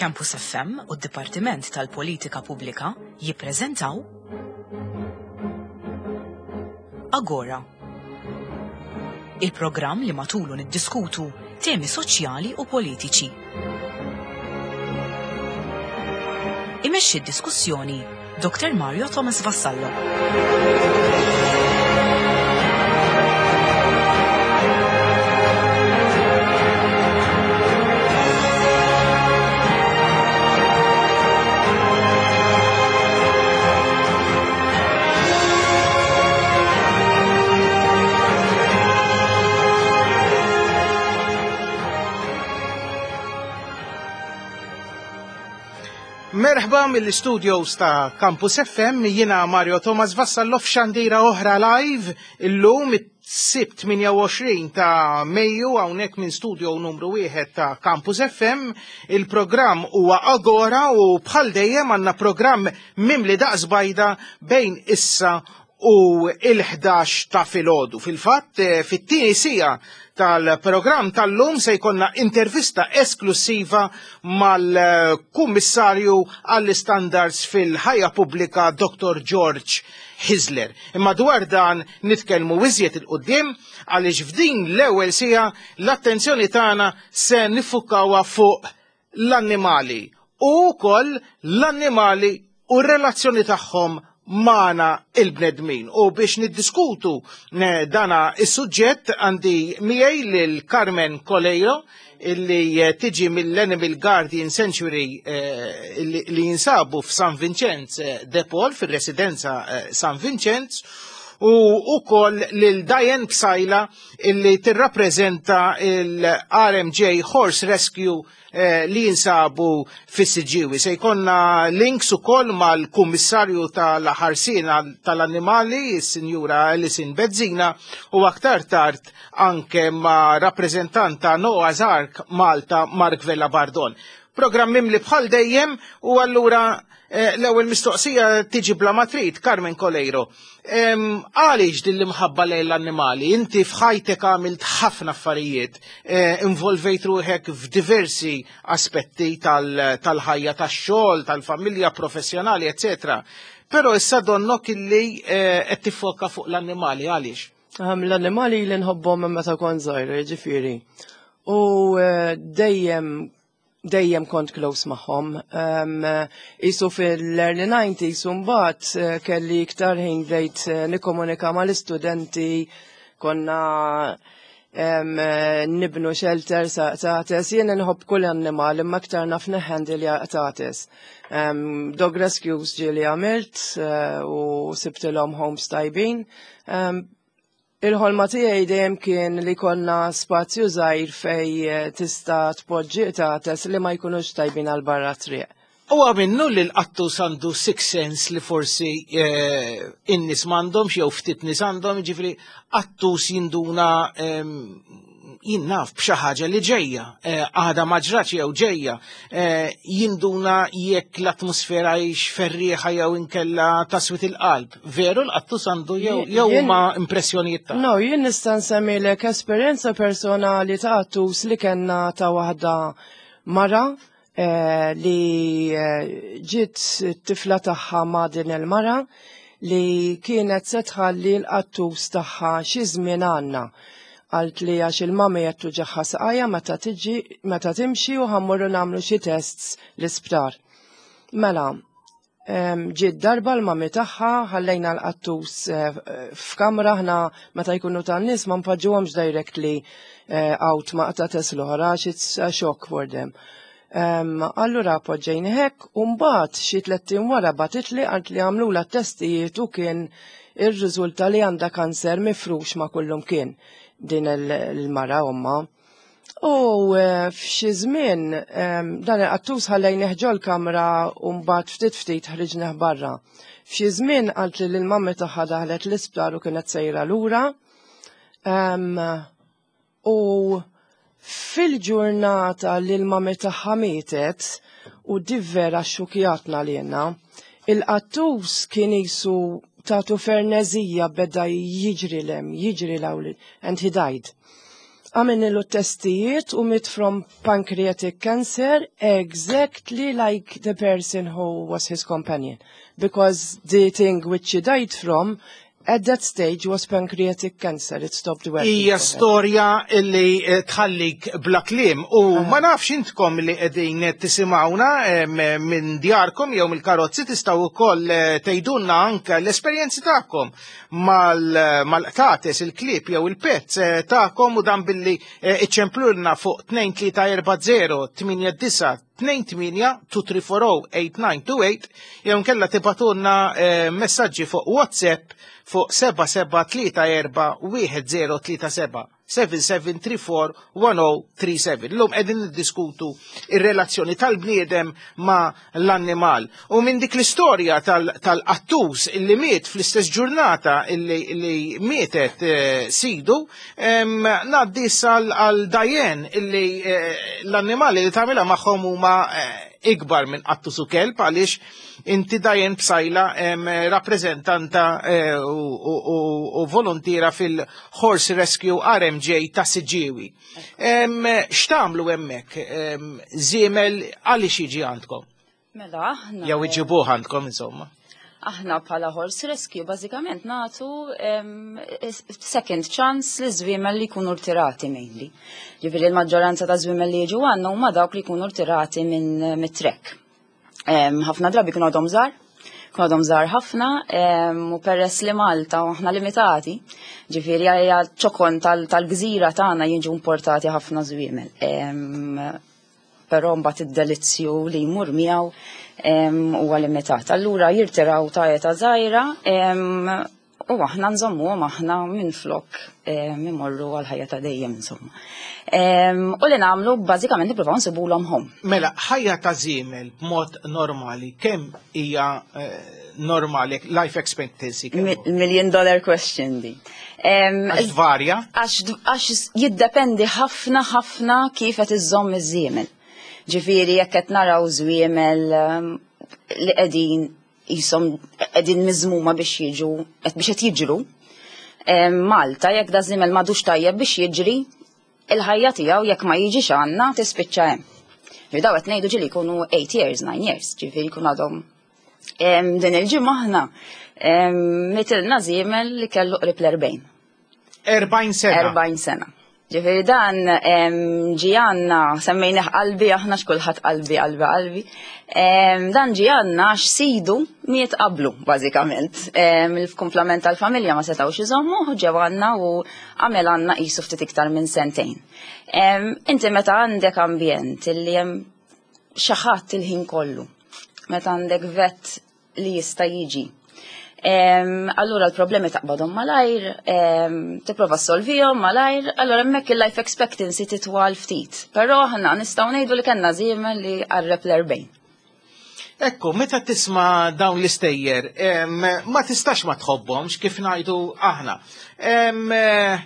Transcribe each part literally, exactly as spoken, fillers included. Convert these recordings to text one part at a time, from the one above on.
Campus F M u d-Dipartiment tal-Politika Pubblika jippreżentaw Agora. Il-programm li matulu niddiskutu temi soċjali u politiċi. Imexxi d-diskussjoni Doktor Mario Thomas Vassallo. Merħba mill-studios ta' Campus F M, jiena Mario Thomas Vassallo f'xandira oħra live illum it-Sibt tmienja u għoxrin ta' Mejju, hawnhekk minn studio numru wieħed ta' Campus F M. Il-programm huwa Agora u bħal dejjem għandna programm mimli daqs bajda bejn issa u il-ħdax ta' filgħodu. Fil-fatt, eh, fit-tieni siegħa tal-programm tal-lum se jkollna intervista esklusiva mal-Kummissarju għall-Standards fil-ħajja pubblika, Doktor George Hyzler. Imma dwar dan nitkellmu iżjed 'il quddiem, għaliex f'din l-ewwel siegħa l-attenzjoni tagħna se niffukawha fuq l-annimali u wkoll l-annimali u r-relazzjoni tagħhom magħna il-bnedmin. U biex niddiskutu eh, dana is-suġġett għandi miegħi lil Carmen Coleiro, illi eh, tiġi mill-Animal Guardian Sanctuary eh, li li jinsabu f'San Vincenz de Paul, fil-residenza San Vincenz, u ukoll lil Diane Psaila, illi tirrappreżenta il-R M J Horse Rescue eh, li jinsabu fis-Siġġiewi. Se jkollna links ukoll mal-Kummissarju tal-Ħarsien tal-Annimali, is-Sinjura Alison Bezzina, u aktar tard anke ma' rappreżentant ta' Noah's Ark Malta, Mark Vella Bardon. Programm mimli bħal dejjem u allura eh, l-ewwel mistoqsija tiġi bla ma trid, Carmen Coleiro. Għaliex din l-imħabba lejn l-annimali? Inti f'ħajtek għamilt ħafna affarijiet, eh, involvejt ruħek f'diversi aspetti tal-ħajja, tax-xogħol, tal-familja, professjonali, eccetera. Però issa donnok illi eh, qed tiffoka fuq l-annimali, għaliex? L-annimali li nħobbhom minn meta kont żgħira, ġifieri. U dejjem dejjem kont close magħhom. Um, Isu fil-early nineties mbagħad eh, kelli iktar ħin, bdejt eh, nikkomunika mal-istudenti, konna um, nibnu shelter ta' qtates. Jien nħobb kull annimal, imma aktar naf nehandle qtates. Um, dog rescues ġieli għamilt uh, u sibtilhom homes tajbin. Um, Il-ħolma tiegħi dejjem kien li konna spazju żgħir fej eh, tista' tpoġġi qtates li ma jkunux tajbin għal barra triq. U minnu li l-qattus għandu six sense li forsi eh, in-nies m'għandhomx jew ftit nies għandhom, ġifieri qattus jinduna, jien naf, b'xi ħaġa li ġejja, eh, għada ma ġratx jew ġejja, eh, jinduna jekk l-atmosfera hix ferrieħa jew inkella taswit il-qalb. Veru l-qattus għandu jew jew huma impressjonijiet ta' No, jien nista' nsemmilek esperjenza personali ta' qattus li kellna, ta' waħda mara eh, li ġiet t-tifla tagħha ma' din il-mara li kienet se tħalli l-qattus tagħha xi żmien għandna. Għalt li għax il-mami qed tuġigħha saqajha meta tiġi meta timxi u ħa mmorru nagħmlu xi tests l-isptar. Mela, ġiet darba l-mami tagħha, ħallejna l-qattus eh, f'kamra. Ħna meta jkunu tan-nies ma npoġġuhomx directly eh, out ma' qtates l-oħra għax it's a shock for them. Allura poġġejna hekk u mbagħad xi tlett ijiem wara bagħtitli, għalt li għamlulha testijiet u kien ir-riżulta li għandha kanser mifrux ma' kullum kien din il-mara omma. U eh, f'xi żmien dan il-qattus ħallejnih ġol-kamra u mbagħad ftit ftit ħriġnih barra. F'xi żmien qalt li l-mammi tagħha daħlet l-isptar u kienet sejra lura. U fil-ġurnata li l-mami tagħha mietet, u di vera xxukkjatna li jenna, il-qattus kien jisu Tatu frenezija, beda jiġri 'l hemm, jiġri 'l hawn, and he died. Għamilnilu testijiet u miet from pancreatic cancer, exactly like the person who was his companion. Because the thing which he died from at that stage was pancreatic cancer. It stopped working. Hija for her. Storja illi eh, tħallik bla kliem u ma nafx intkom li qegħdin tisimgħuna em, minn djarkom jew mill-karozzi, tistgħu wkoll eh, tgħidulna anke l-esperjenzi tagħkom mal-qtates, il-klieb jew il-pets eh, tagħkom, u dan billi eh, iċċemplulna fuq tnejn tlieta erba' żero tmienja disgħa tnejn tmienja, tnejn tlieta erba' żero tmienja disgħa tnejn tmienja jew nkella tibagħtulna eh, messaġġi fuq WhatsApp fuq seba' seba' tlieta erba' wieħed żero tlieta seba', seba' seba' tlieta erba' wieħed żero tlieta seba'. Illum qegħdin niddiskutu ir-relazzjoni tal-bniedem ma' l-annimal. U minn dik l-istorja tal-qattus illi miet fl-istess ġurnata illi, illi mietet eh, sidu, em, ngħaddi għal Diane illi eh, l-annimali li tagħmilha magħhom huma eh, ikbar minn qattus u kelb, għaliex inti, Diane Psaila, em, rappreżentanta eh, u, u, u, u volontira fil-Horse Rescue R M J ta' Siġġiewi. Em, X'tagħmlu hemmhekk? Em, Żiemel għaliex jiġi għandkom? Mela, aħna. Jew iġibuh għandkom, insomma. Aħna bħala Horse Rescue bażikament nagħtu em, second chance li żwiemel li jkunu rtirati mainly. Ġifieri l-maġġoranza ta' żwiemel li jiġu għandna huma dawk li jkunu rtirati minn mit-trek. Em, Ħafna drabi kienu għadhom żgħar, kienu għadhom żgħar ħafna, em, u peress li Malta u aħna limitati, ġifieri għalija ċokon tal- tal-gżira tagħna jiġu importati ħafna żwiemel. Em, Però mbagħad id-delizzju li jmur miegħu em, huwa limitat. Allura jirtiraw ta' età żgħira em, u aħna nżommuhom aħna minn flok em, imorru għal ħajja ta' dejjem, insomma. Em, U li nagħmlu bażikament nippruvaw nsibulhom home. Mela, ħajja ta' żiemel b'mod normali, kemm hija eh, normali, life expectancy? Kemm hu? Million dollar question di. Em, Għax varja? Għax għax jiddependi ħafna ħafna kif qed iżżomm iż-żiemel. Ġifieri jekk qed naraw żwiemel um, li qegħdin jisom qegħdin miżmuma biex jiġu qed biex qed jiġru. Em, Malta jekk da żiemel m'għadux tajjeb biex jiġri, il-ħajja tiegħu jekk ma jiġix għandna tispiċċa hemm. Ġifieri daw qed ngħidu ġieli jkunu eight years, nine years, ġifieri jkun għadhom. Em, Din il-ġimgħa aħna em, mitilna żiemel li kellu qrib l-erbgħin. erbgħin sena. erbgħin sena. Ġifieri dan em, ġie għandna, semmejnih Qalbi aħna, x'kulħadd Qalbi, Qalbi, Qalbi. Em, Dan ġie għandna għax sidu miet qablu, bażikament. Em, Il-kumplament tal-familja ma setawx iżommu, ġew għandna u għamel għandna qisu ftit iktar minn sentejn. Em, Inti meta għandek ambjent illi hemm xi ħadd il-ħin kollu, meta għandek vet li jista' jiġi. Em, allura l-problemi taqbadhom malajr, em, tipprova solvihom malajr, allura hemmhekk il-life expectancy titwal ftit. Però aħna nistgħu ngħidu li kellna żiemel li qarreb l-erbgħin. Ekku, meta tisma' dawn l-istejjer, em, ma tistax ma tħobbhomx, kif ngħidu aħna. Em, eh,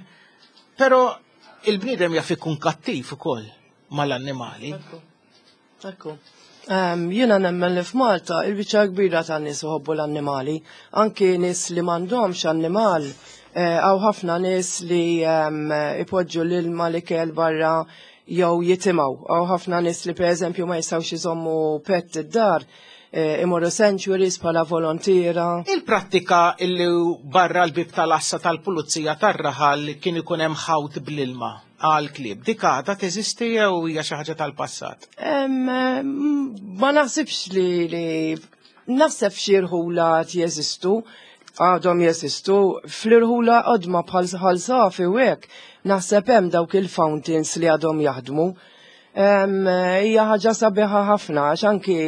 Però il-bniedem jaf ikun kattiv ukoll mal-annimali. Ekku. Um, jiena nemmen li f'Malta il-biċċa kbira ta' nies iħobbu l-annimali, anki nies li m'għandhomx annimal, eh, hawn ħafna nies li um, ipoġġu l-ilma, l-ikel barra jew jitimgħu. Hawn ħafna nies li, per eżempju, ma jistgħux iżommu pet id-dar, eh, imorru sanctuaries bħala volontira. Il-prattika illi barra l-bib tal-assa tal-pulizija tar-raħal kien ikun hemm ħawt bl-ilma għal klieb. Dik għadha teżisti jew hija xi ħaġa tal-passat? Em, ma naħsibx li, li naħseb xi rħula jeżistu, għadhom jeżistu, fl-irħula qodma bħal Ħal Safi u hekk, naħseb hemm dawk il-fountains li għadhom jaħdmu. Em, Hija ħaġa sabiħa ħafna għax anki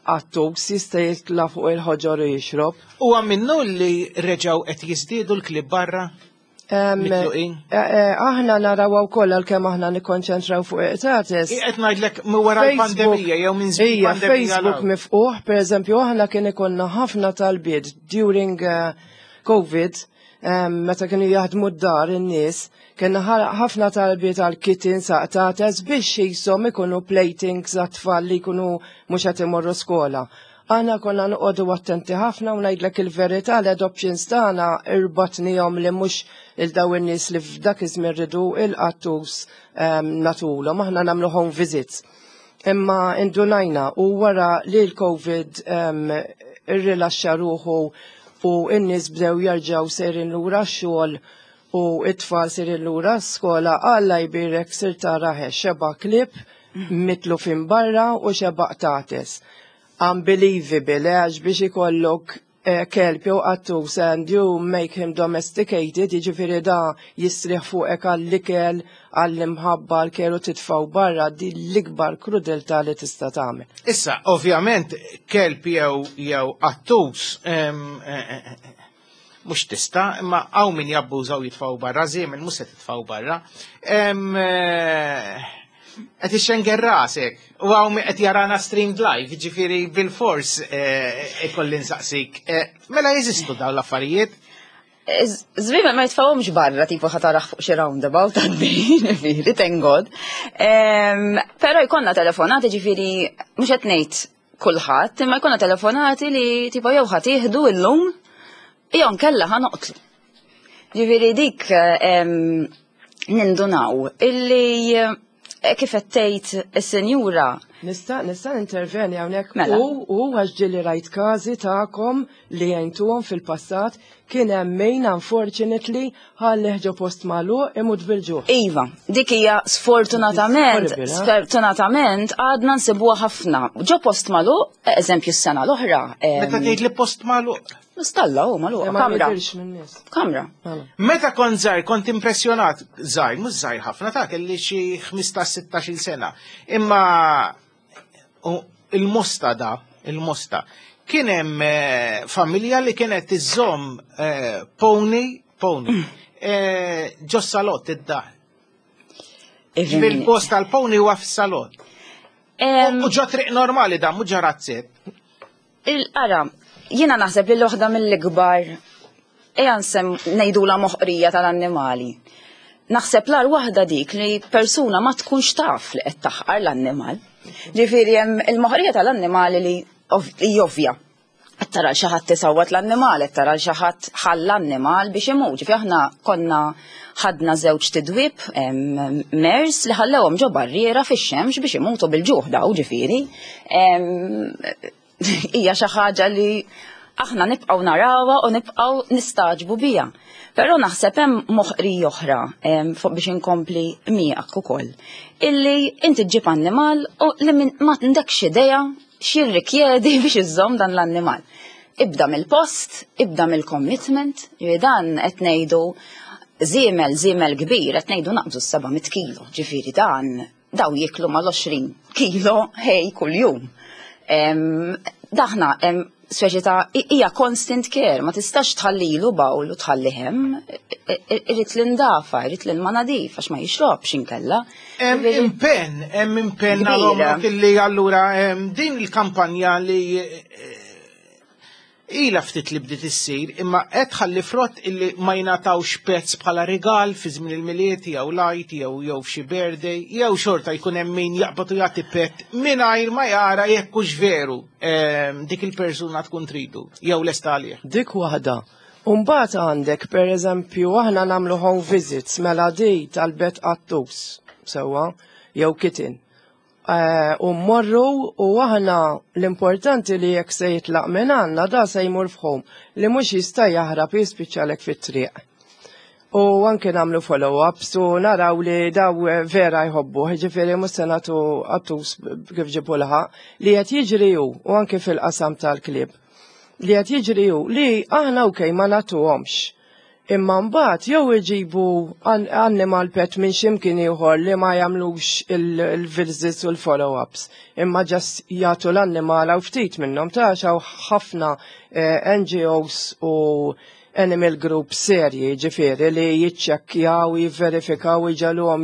qattus jista' jitla' fuq il-ħoġor u jixrob. Huwa minnu li reġgħu qed jiżdiedu l-klieb barra? Em, Mitluqin? eh, eh, Aħna naraw wkoll, għalkemm aħna nikkonċentraw fuq il-qtates. Qed ngħidlek minn wara l-pandemija jew minn żmien Ija, pandemija. Facebook 'l hawn. miftuħ, per eżempju, aħna kien ikollna ħafna talbiet during uh, COVID, um, meta kienu jaħdmu d-dar in-nies, kienna ħafna talbiet għal kittens, qtates, biex jisom ikunu playthings għat-tfal li jkunu mhux qed imorru skola. Aħna konna noqogħdu attenti ħafna u ngħidlek il-verità, l-adoptions tagħna irbatnihom li mhux il daw in-nies li f'dak iż-żmien ridu il-qattus um, nagħtulhom, aħna nagħmlu home visits. Imma indunajna u wara li l-Covid um, irrilaxxa ruħu u n-nies bdew jerġgħu sejrin lura x-xogħol u it-tfal sejrin lura skola, Alla jbirek, sir tara xeba klieb mitlufin barra u xeba qtates. Unbelievable, għax biex ikollok eh, kelb jew qattus and you make him domesticated, jiġifieri da jistrieħ fuqek għall-ikel, għall-imħabba, għall-keru, titfgħu barra, di l-ikbar krudeltà li tista' tagħmel. Issa, ovvjament, kelb jew jew qattus em, eh, eh, eh, mhux tista', imma hawn min jabbużaw, jitfgħu barra, żiemel mhux se titfgħu barra. Em, eh, Qed ixxenger rasek, u hawn min qed jarana streamed live, ġifieri bil-fors eh, ikolli nsaqsik. Eh, Mela jeżistu dawn l-affarijiet? Żwiemel ma jitfgħuhomx barra, tipo ħa tarah fuq xi roundabout għaddi, ġifieri, thank God. Em, Però jkollna telefonati, ġifieri, mhux qed ngħid kulħadd, imma jkollna telefonati li tipo jew ħa tieħdu illum, jew nkella ħa noqtlu. Ġifieri dik em, nindunaw illi eh, kif qed tgħid is-senjura. Nista' nista' interveni hawnhekk? Mela. u u għax ġieli rajt każi tagħkom li għentuhom fil-passat, kien hemm min unfortunately ħallih ġo post magħluq imut bil-ġuħ. Iva, dik hija sfortunatament, Horrible, eh? sfortunatament għadna nsibuha ħafna. Ġo post magħluq, eżempju s-sena l-oħra. em, Meta tgħid li post magħluq? Stalla u magħluq, Ma kamra. jidirx min-nies. Kamra. Mela. Meta kont żgħir kont impressjonat, żgħir, mhux żgħir ħafna, ta' kelli xi ħmistax sittax-il sena. Imma u il-Mosta da, il-Mosta, kien hemm eh, familja li kienet iżżomm eh, pony, pony, eh, ġo salott id-dar. Fil-post tal-pony huwa fis-salott. Em, U ġo triq normali da, mhux ġo razzett. Il-qara, jiena naħseb li l-oħda mill-ikbar, eja nsem ngħidula moħqrija tal-annimali. Naħseb l waħda dik li persuna ma tkunx taf li qed taħqar l-annimal. Ġifieri hemm il-moħqrija tal-annimali li ov- li ovvja. Qed tara xi ħadd tisawwat l-annimal, qed tara xi ħadd ħalla l-annimal biex imut. Ġifieri aħna konna ħadna żewġ tidwib em, mares li ħallewhom ġo barriera fix-xemx biex imutu bil-ġuħ daw, ġifieri. Em, Hija xi ħaġa li aħna nibqgħu narawha u nibqgħu nistagħġbu biha. Però naħseb hemm moħqrija oħra em, fuq biex inkompli miegħek ukoll. Illi inti ġġib annimal u li min- ma għandekx idea x'jirrikjedi biex iżżomm dan l-annimal. Ibda mill-post, ibda mill-commitment, ġifieri dan qed ngħidu żiemel, żiemel kbir, qed ngħidu naqbżu s-seba' mitt kilo, ġifieri dan daw jiklu mal-għoxrin kilo hay kuljum. Em, Daħna, em, speċi ta' hija constant care, ma tistax tħallilu bowl u tħalli hemm, irid l-indafa, irid l-ilma nadif, għax ma jixrobx inkella. Hemm Ġifieri- impenn, hemm impenn Kbira. għal illi allura em, din il-kampanja li eh, ila ftit li bdiet issir, imma qed tħalli frott illi ma jingħatawx pets bħala rigal fi żmien il-Milied jew lajt jew jew f'xi birthday, jew xorta jkun hemm min jaqbad u jagħti pet mingħajr ma jara jekk hux veru em, dik il-persuna tkun tridu jew lesta għalih. Dik waħda. Umbagħad għandek, per eżempju, aħna nagħmlu home visits, mela di talbet qattus, sewwa, jew kitten. Eh, U mmorru u aħna l-importanti li jekk se jitlaq minn għandna da se jmur f'home li mhux jista' jaħrab jispiċċalek fit-triq. U anke nagħmlu follow-ups u naraw li daw vera jħobbu, ġifieri mhux se nagħtu qattus kif ġibu laħaq li qed jiġri hu, u anke fil-qasam tal-klieb. Li qed jiġri hu li aħna okej ma nagħtuhomx. Imma mbagħad jew iġibu an- animal pet minn x'imkien ieħor li ma jagħmlux il-visits u l-follow-ups. Imma just jagħtu l-annimal għaw ftit minnhom ta' hawn ħafna eh, N G Os u animal group serji, ġifieri li jiċċekkjaw, jivverifikaw, iġegħluhom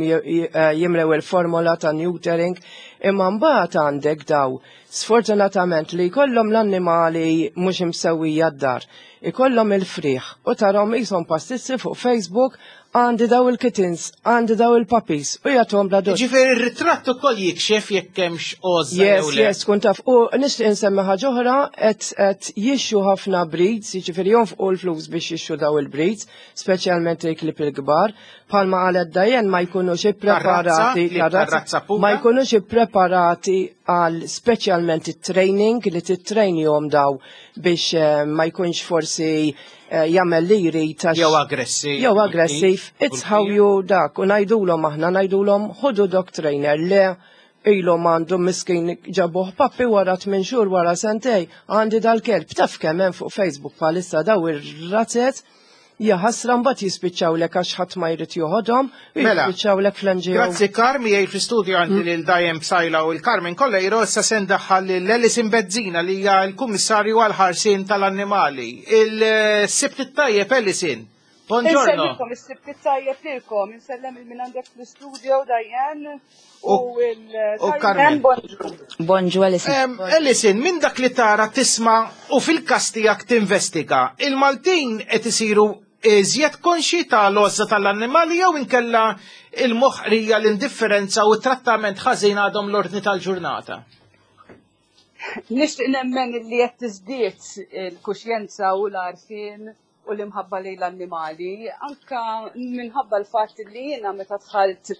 jimlew il-formola ta' neutering, Imma mbagħad għandek daw, sfortunatament, li jkollhom l-annimali mhux imsewwija d-dar, ikollhom il-friħ u tarahom qishom pastizzi fuq Facebook: għandi daw il-kittens, għandi daw il-puppies, u jagħtuhom bla doċ. Ġifieri ir-ritratt ukoll jikxef jekk hemmx għożża Yes, jew le. Yes, kun taf. U nixtieq insemmi ħaġa oħra, qed qed jixtru ħafna breeds, jiġifieri jonfqu l-flus biex jixtru daw il-breeds, speċjalment il-klieb il-kbar. Bħalma qalet Diane, ma jkunux ippreparati, Tar-razza, klieb tar-razza pura. Ma jkunux ippreparati għal speċjalment it-training li tittrainjhom daw biex eh, ma jkunx forsi eh, jagħmel li jrid għax- Jew aggressiv. Jew aggressiv, it's how you dak, u ngħidulhom aħna, ngħidulhom ħudu dog trainer, le ilhom għandu miskin ġabuh puppy, wara tmien xhur, wara sentejn, għandi dal-kelb. Taf kemm hemm fuq Facebook bħalissa daw ir-razzet, jaħasra, mbagħad jispiċċawlek għax ħadd ma jrid joħodhom, u Mela, jispiċċawlek fl-N G O. Grazzi, Carmi, jgħid fl-studio għandi lil Diane Psaila u l-Carmen Coleiro, issa se ndaħħal lil Alison Bezzina li hija l-Kummissarju għal-ħarsien tal-annimali. Il-Sibt it-tajjeb, Alison. Buongiorno. Insellmilkom, is-Sibt it-tajjeb lilkom, insellem il min għandek fl-studio, Diane u U- il u Carmen. Bonġu. Bonġu, Alison. Em, Alison, minn dak li tara, tisma' u fil-kas tiegħek tinvestiga, il-Maltin qed isiru iżjed konxi tal-għożża tal-annimali jew inkella il-moħqrija, l-indifferenza u t-trattament ħażin għadhom l-ordni tal-ġurnata? Nixtieq nemmen li qed tiżdied il-kuxjenza u l-għarfien u l-imħabba lejn l-annimali, anka minħabba l-fatt li jiena meta dħalt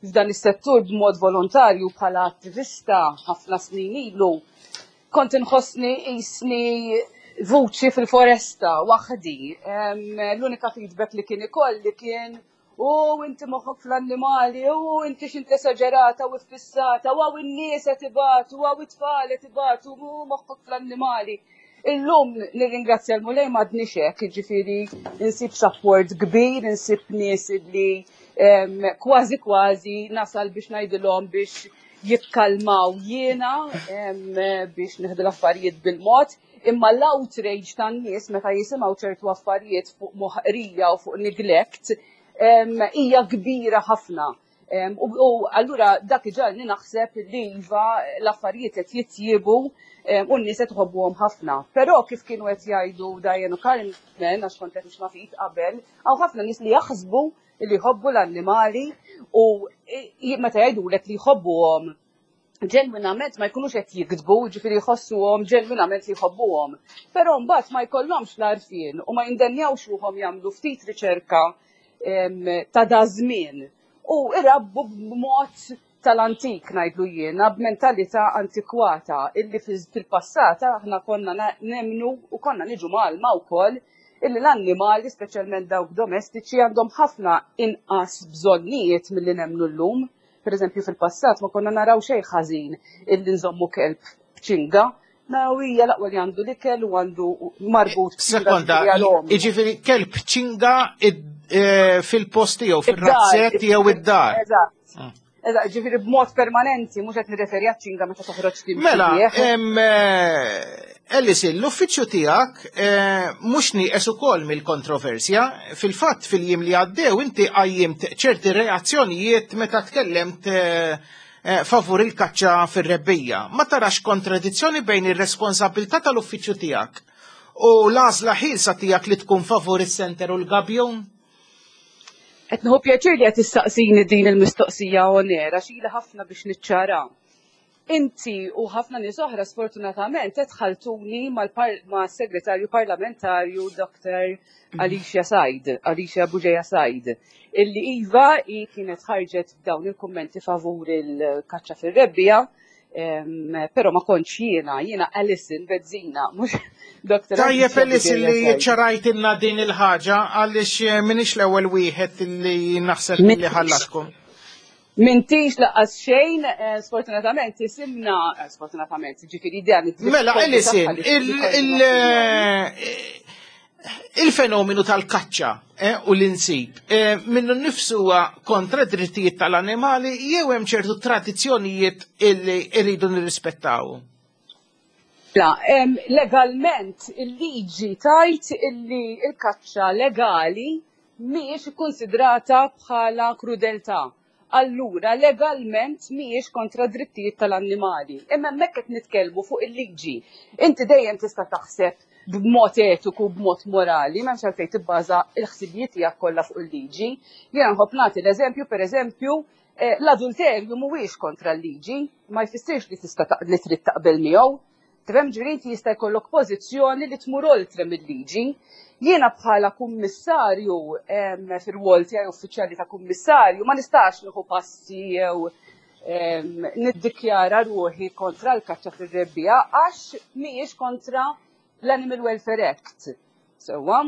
f'dan is-settur b'mod volontarju bħala attivista ħafna snin ilu, kont inħossni qisni vuċi fil-foresta waħdi. Em, L-unika feedback li kien ikolli kien: "U inti moħħok fl-annimali, u inti x'int esaġerata u fissata, u hawn in-nies qed ibatu, u hawn it-tfal qed ibatu, u moħħok fl-annimali." Illum nirringrazzja l-Mulej m'għadniex hekk, jiġifieri insib support kbir, insib nies li em, kważi kważi nasal biex ngħidilhom biex jikkalmaw jiena em, biex nieħdu l-affarijiet bil-mod, imma l-outrage tan-nies meta jisimgħu ċertu affarijiet fuq moħqrija u fuq neglect em, hija kbira ħafna. Em, U, u allura dak iġagħalni naħseb li iva, l-affarijiet qed jitjiebu em, u n-nies qed iħobbuhom ħafna. Però kif kienu qed jgħidu Diane u Carmen, għax kont qed nisma' ftit qabel, hawn ħafna nies li jaħsbu li jħobbu l-annimali u i- meta jgħidulek li jħobbuhom ġenwinament ma jkunux qed jikdbu, ġifieri jħossuhom ġenwinament li jħobbuhom. Però mbagħad ma jkollhomx l-għarfien u ma jindenjawx ruħhom jagħmlu ftit riċerka em, ta' da żmien. U irabbu b'mod tal-antik, ngħidlu jiena, b'mentalità antikwata illi fil-passat aħna konna na- nemnu u konna niġu mgħallma wkoll illi l-annimali, speċjalment dawk domestiċi, għandhom ħafna inqas bżonnijiet milli nemnu llum. Per eżempju, fil-passat ma konna naraw xejn ħażin illi nżommu kelb b'ċinga. Naraw hija l-aqwa li għandu l-ikel u għandu marbut b'ċinga, Sekonda, ġifieri għal-omru. Jiġifieri kelb ċinga id- eh, fil-post jew fil-razzett jew id-dar. Eżatt. Eżatt, ġifieri b'mod permanenti, mhux qed nirreferi għaċ-ċinga meta toħroġ timxi Mela, bih. em, eh, Alison, l-uffiċċju tiegħek eh, mhux nieqes ukoll mill-kontroversja. Fil-fatt, fil-jiem li għaddew inti qajjimt ċerti reazzjonijiet meta tkellemt eh, eh, favur il-kaċċa fir-rebbija. Ma tarax kontradizzjoni bejn ir-responsabilità tal-uffiċċju tiegħek u l-għażla ħielsa tiegħek li tkun favur is-senter u l-gabjun? Qed nieħu pjaċir li qed tistaqsini din il-mistoqsija onera, xili ħafna biex niċċara. Inti u ħafna nies oħra sfortunatament qed ħaltuni mal-segretarju parlamentarju Doktor Alicia Said, Alicia Bugeja Said, illi iva i kienet ħarġet dawn il-kummenti favur il-kaċċa fir-rebbija, em, però ma kontx jiena, jiena Alison Bezzina, mhux Doktor Tajjeb, Alicia Alison, Bugeja li Said. ċarajtilna din il-ħaġa għaliex eh, minix l-ewwel wieħed li naħseb li ħallatkom. M'intix lanqas xejn, eh, sfortunatament, isimna, eh, sfortunatament, ġifieri dan id-dritt Mela, kollu Alison, tagħha li il- li il- eh, il-fenomenu tal-kaċċa eh, u l-insib, eh, minnu nifsu huwa kontra drittijiet tal-annimali jew hemm ċertu tradizzjonijiet illi rridu nirrispettaw? La, em, legalment il-liġi tgħid illi il-kaċċa legali mhijiex ikkonsidrata bħala krudeltà. Allura legalment mhijiex kontra drittijiet tal-annimali. Imma hemmhekk qed nitkellmu fuq il-liġi. Inti dejjem tista' taħseb b'mod etiku, b'mod morali, m'hemmx għalfejn tibbaża l-ħsibijiet tiegħek kollha fuq il-liġi. Jiena nħobb nagħti l-eżempju, pereżempju, eh, l-adulterju mhuwiex kontra l-liġi, ma jfissirx li tista' li trid taqbel miegħu. Tifhem, ġifieri inti jista' jkollok pożizzjoni li tmur oltre mill-liġi. Jiena bħala kummissarju, fir-rwol tiegħi uffiċjali ta' kummissarju, ma nistax nieħu passi jew niddikjara ruħi kontra l-kaċċa fir-rebbiegħa għax mhijiex kontra l-Animal Welfare Act. Sewwa,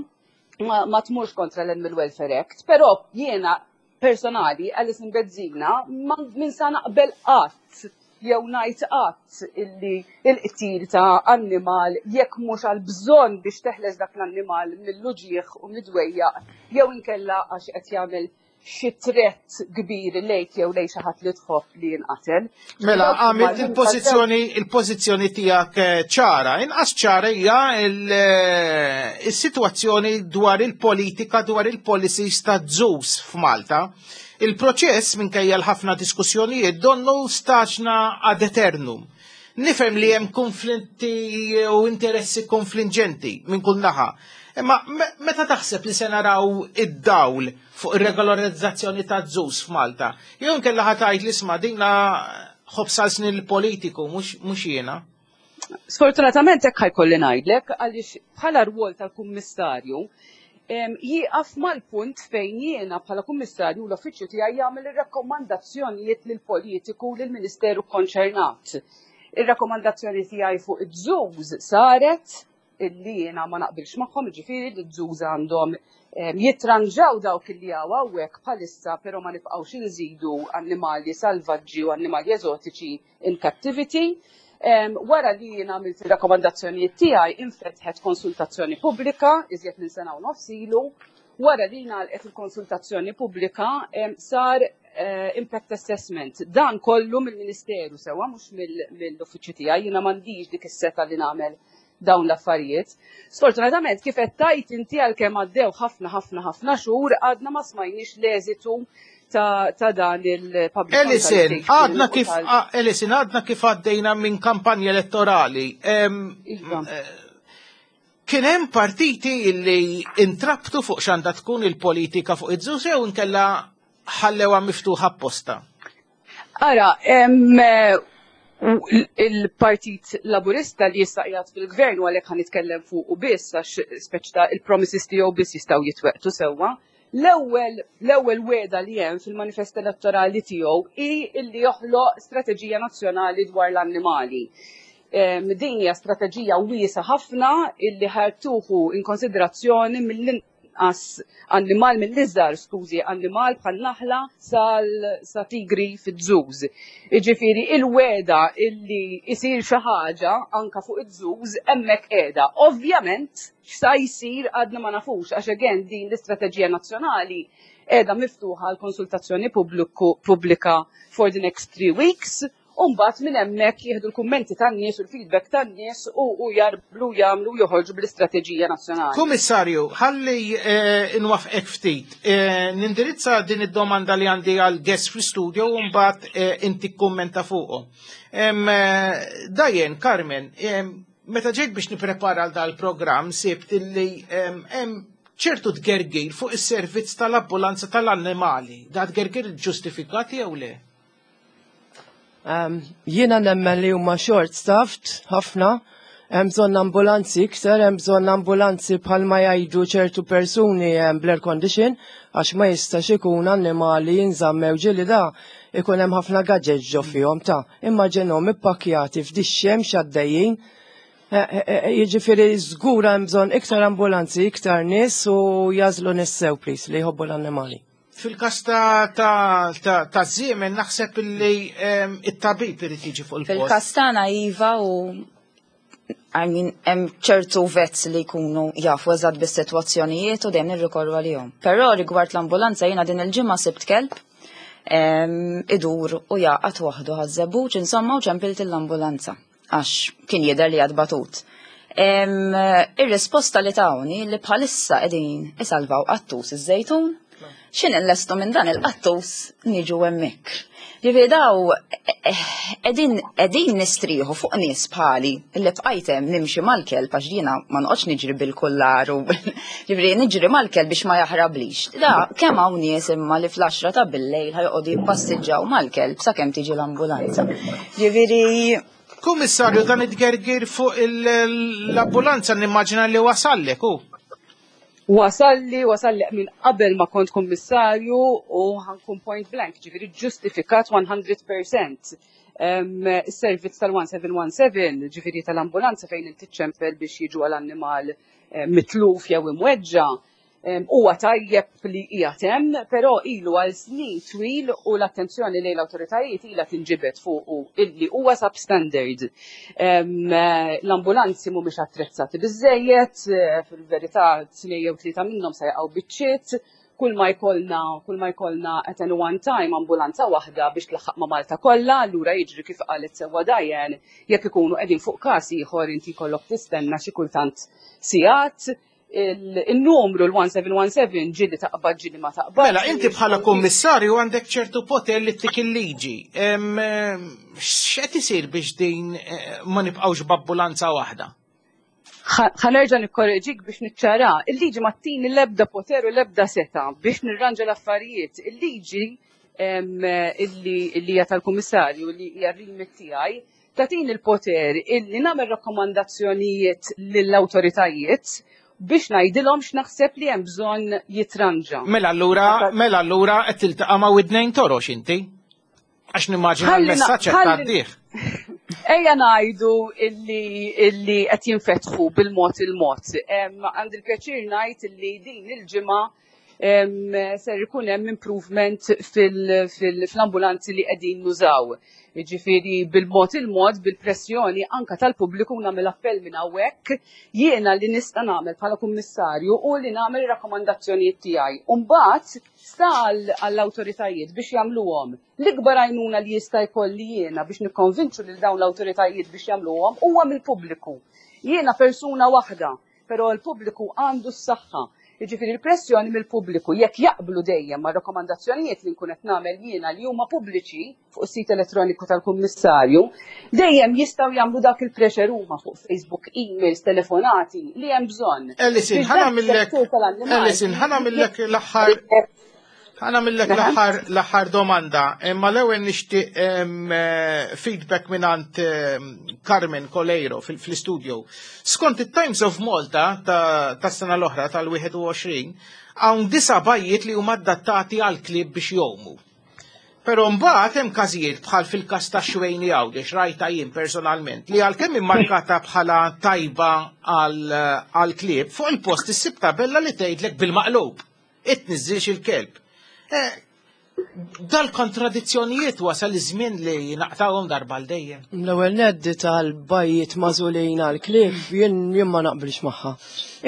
ma, ma tmurx kontra l-Animal Welfare Act, però jiena personali, Alison Bezzina, ma min sa naqbel qatt jew ngħid qatt illi il-qtil ta' annimal jekk mhux għal bżonn biex teħles dak l-annimal mill-uġieħ u mid-dwejjaq jew inkella għax qed jagħmel xi threat kbir lejk jew lejn xi ħadd li tħobb li jinqatel. Mela, għamilt il-pożizzjoni il-pożizzjoni tiegħek eh, ċara. Inqas ċara hija eh, il-sitwazzjoni dwar il-politika, dwar il-policies ta' zoos f'Malta. Il-proċess, minkejja l-ħafna diskussjonijiet, donnu staġna ad eternum. Nifhem li hemm konflitti u interessi konfliġġenti minn kull naħa. Imma meta taħseb li se naraw id-dawl fuq ir-regolarizzazzjoni ta' zoos f'Malta? Jew inkella ħa tgħid li isma' dinna ħobż snin il-politiku mhux jiena? Sfortunatament hekk ħa jkolli ngħidlek, għaliex bħala rwol tal-kummissarju jieqaf mal-punt fejn jiena bħala kummissarju l-uffiċċju tiegħi jagħmel ir-rakkomandazzjonijiet lill-politiku, lill-ministeru konċernat. Ir-rakkomandazzjoni tiegħi fuq iż-zoos saret illi jiena ma naqbilx magħhom, ġifieri li ż-zoos għandhom jitranġaw dawk illi hawn hawnhekk bħalissa, però ma nibqgħux inżidu annimali salvaġġi u annimali eżotiċi in captivity. Wara li jiena għamilt ir-rakkomandazzjonijiet tiegħi, infetħet konsultazzjoni pubblika iżjed minn sena u nofs ilu. Wara li ngħalqet il-konsultazzjoni pubblika, sar eh, impact assessment. Dan kollu mill-Ministeru, sewwa, mhux mill-uffiċċju tiegħi, jiena m'għandix dik is-setgħa li nagħmel dawn l-affarijiet. Sfortunatament, kif qed tgħid inti, għalkemm għaddew ħafna ħafna ħafna xhur, għadna ma smajniex l-eżitu ta', ta dan il-public Alison, consultation. Għadna kif u tal- Alison, għadna kif għaddejna minn kampanja elettorali. Em, Iva. eh, Kien hemm partiti illi intrabtu fuq x'għandha tkun il-politika fuq iż-zoos jew inkella ħallewha miftuħa apposta? Ara, em, eh, u il-Partit Laburista li jista' qiegħed fil-gvern, u għalhekk ħa nitkellem fuq u biss għax speċi ta' il-promises tiegħu biss jistgħu jitwettqu, sewwa. L-ewwel l-ewwel wegħda li hemm fil-manifest elettorali tiegħu hi illi joħloq strateġija nazzjonali dwar l-annimali. Em, Din hija strateġija wiesa ħafna illi ħa tieħu in konsiderazzjoni mill-inqas annimal, mill-iżgħar, skużi, annimal bħal naħla sal sa tigri fiż-zoos. Iġifieri il-wegħda illi isir xi ħaġa anka fuq iż-zoos hemmhekk qiegħda. Ovvjament x'sa jsir għadna ma nafux, għax again din l-istrateġija nazzjonali qiegħda miftuħa għal konsultazzjoni pubbliku pubblika for the next three weeks. U mbagħad minn hemmhekk jieħdu l-kummenti tan-nies u l-feedback tan-nies u, u jarblu jagħmlu joħorġu bl-istrateġija nazzjonali. Kummissarju, ħalli eh, inwaqqfek ftit. Eh, nindirizza din id-domanda li għandi għal guest fl-studio u mbagħad eh, inti kummenta fuqu. Em, eh, Dajen, Carmen, em, meta ġejt biex niprepara għal dal-programm sibt illi em, hemm ċertu tgergir fuq is-servizz tal-ambulanza tal-annimali. Da tgergir ġustifikati jew le? Um, jiena nemmen li huma short staffed ħafna, hemm bżonn ambulanzi iktar, hemm bżonn ambulanzi bħalma jgħidu ċertu persuni hemm bl-air condition, għax ma jistax ikun annimali jinżammew, ġieli da ikun hemm ħafna gadgets ġo fihom ta' immaġinhom ippakkjati f'dix-xemx għaddejjin. Eh, eh, eh, Jiġifieri żgur hemm bżonn iktar ambulanzi, iktar nies u jagħżlu nies sew, please, li jħobbu l-annimali. Fil-kas ta' ta' ta' ta' żiemel naħseb illi em, it-tabib irid jiġi fuq il-post. Fil-kas tagħna iva, u I mean, hemm ċertu vets li jkunu jafu eżatt bis-sitwazzjonijiet u dejjem nirrikorru għalihom. Però rigward l-ambulanza, jiena din il-ġimgħa sibt kelb em, idur u jaqgħad waħdu ħaż-żebbuġ, insomma, u ċempilt l-ambulanza għax kien jidher li għad batut. Em, Ir-risposta li tawni li bħalissa qegħdin isalvaw qattus iż-Żejtun, X'ħin nlestu minn dan il-qattus niġu hemmhekk. Ġifieri daw qegħdin qegħdin nistrieħu fuq nies bħali li bqajt hemm nimxi mal-kelb għax jiena ma noqgħodx niġri bil-kullar u ġifieri niġri mal-kelb biex ma jaħrablix. Da kemm hawn nies imma li fl-għaxra ta' billejl ħa joqogħdu jippassiġġaw mal-kelb sakemm tiġi l-ambulanza. Ġifieri Kummissarju, dan it-gergir fuq l-ambulanza nimmaġina li wasallek u? Wasalli, wasalli minn qabel ma kont kummissarju u ħa nkun point blank, ġifieri ġustifikat mija fil-mija. Is-servizz tal-elf u seba' mija u sittax, ġifieri tal-ambulanza fejn inti ċempel biex jiġu għal-annimal eh, mitluf jew imweġġa, huwa tajjeb li qiegħed hemm, però ilu għal snin twil u l-attenzjoni lejn l-awtoritajiet ilha tinġibed fuq illi huwa substandard. L-ambulanzi mhumiex attrezzati biżejjed, eh, fil-verità tnejn jew tlieta minnhom se jaqgħu biċċiet, kull ma jkollna kull ma jkollna at any one time ambulanza waħda biex tlaħħaq ma' Malta kollha, allura jiġri kif qalet sewwa Diane, jekk ikunu qegħdin fuq każ ieħor inti jkollok tistenna xi kultant sigħat. Il-numru l-elf u seba' mija u sittax ġieli taqbad, ġieli ma taqbad. Mela, inti bħala kummissarju għandek ċertu poter li ttik il-liġi. X'qed isir biex din eh, ma nibqgħux b'ambulanza waħda? Ħa nerġa' nikkorreġik biex niċċara. Il-liġi ma ttini l-ebda poter u l-ebda setgħa biex nirranġa l-affarijiet. Il-liġi illi hija tal-kummissarju, li hija remit tiegħi, tagħtini il-poter illi nagħmel rakkomandazzjonijiet lill-awtoritajiet biex ngħidilhom x'naħseb li hemm bżonn jitranġa. Mela allura, mela allura qed tiltaqa' ma' widnejn torox inti? Għax nimmaġina l-messaġġ qed tgħaddih. Ejja ngħidu illi illi qed jinfetħu bil-mod il-mod. Għandi il-pjaċir ngħid illi din il-ġimgħa ser ikun hemm improvement fil-ambulanzi li qegħdin nużaw. Jiġifieri bil-mod il-mod, bil-pressjoni anka tal-pubbliku, nagħmel appell minn hawnhekk, jiena li nista' nagħmel bħala kummissarju u li nagħmel rakkomandazzjonijiet tiegħi. U mbagħad sta għall-awtoritajiet biex jagħmluhom. L-ikbar għajnuna li jista' jkolli jiena biex nikkonvinċu lil dawn l-awtoritajiet biex jagħmluhom huwa mill-pubbliku. Jiena persuna waħda, però l-pubbliku għandu s-saħħa. Jiġifieri l-pressjoni mill-pubbliku, jekk jaqblu dejjem ma' rakkomandazzjonijiet li nkun qed nagħmel jiena li huma pubbliċi fuq is-sit elettroniku tal-Kummissarju, dejjem jistgħu jagħmlu dak il-pressure huma fuq Facebook, emails, telefonati li hemm bżonn. Alison, ħa nagħmillek Alison, ħa nagħmillek l-aħħar ħa nagħmillek l-aħħar l-aħħar domanda, imma l-ewwel nixtieq eh, feedback mingħand Carmen Coleiro fil-studio. Skont it-Times of Malta ta' sena l-oħra tal-wieħed u għoxrin, hawn disa' bajjiet li huma adattati għal klieb biex jgħumu. Però mbagħad hemm każijiet bħal fil-każ ta' Xwejni Għawdex, rajta jien personalment, li għalkemm immarkata bħala tajba għal klieb, fuq il-post issib tabella li tgħidlek bil-maqlub: "Tniżżilx il-kelb." Eh, Dal-kontradizzjonijiet wasal iż-żmien li naqtawhom darba għal dejjem. L-ewwel nett tal-bajjiet magħżulin għal-klieb jien jien ma naqbilx magħha.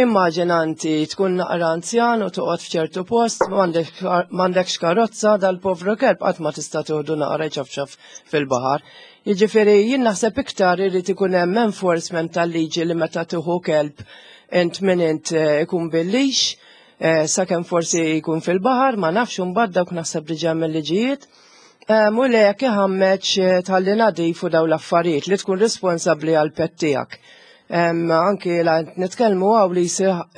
Immaġina inti tkun naqra anzjan u toqgħod f'ċertu post, m'għandekx karozza, dal-povru kelb qatt ma tista' tieħdu naqra ċafċaf fil-baħar. Jiġifieri jien naħseb iktar irid ikun hemm enforcement tal-liġi li meta tieħu kelb int minn int eh, ikun bil-leash, eh, sakemm forsi jkun fil-baħar, ma nafx, imbagħad dawk naħseb diġà mill-liġijiet. U le jekk iħammeġ eh, tħalli nadif u daw l-affarijiet li tkun responsabbli għal pet tiegħek. Anki la nitkellmu hawn li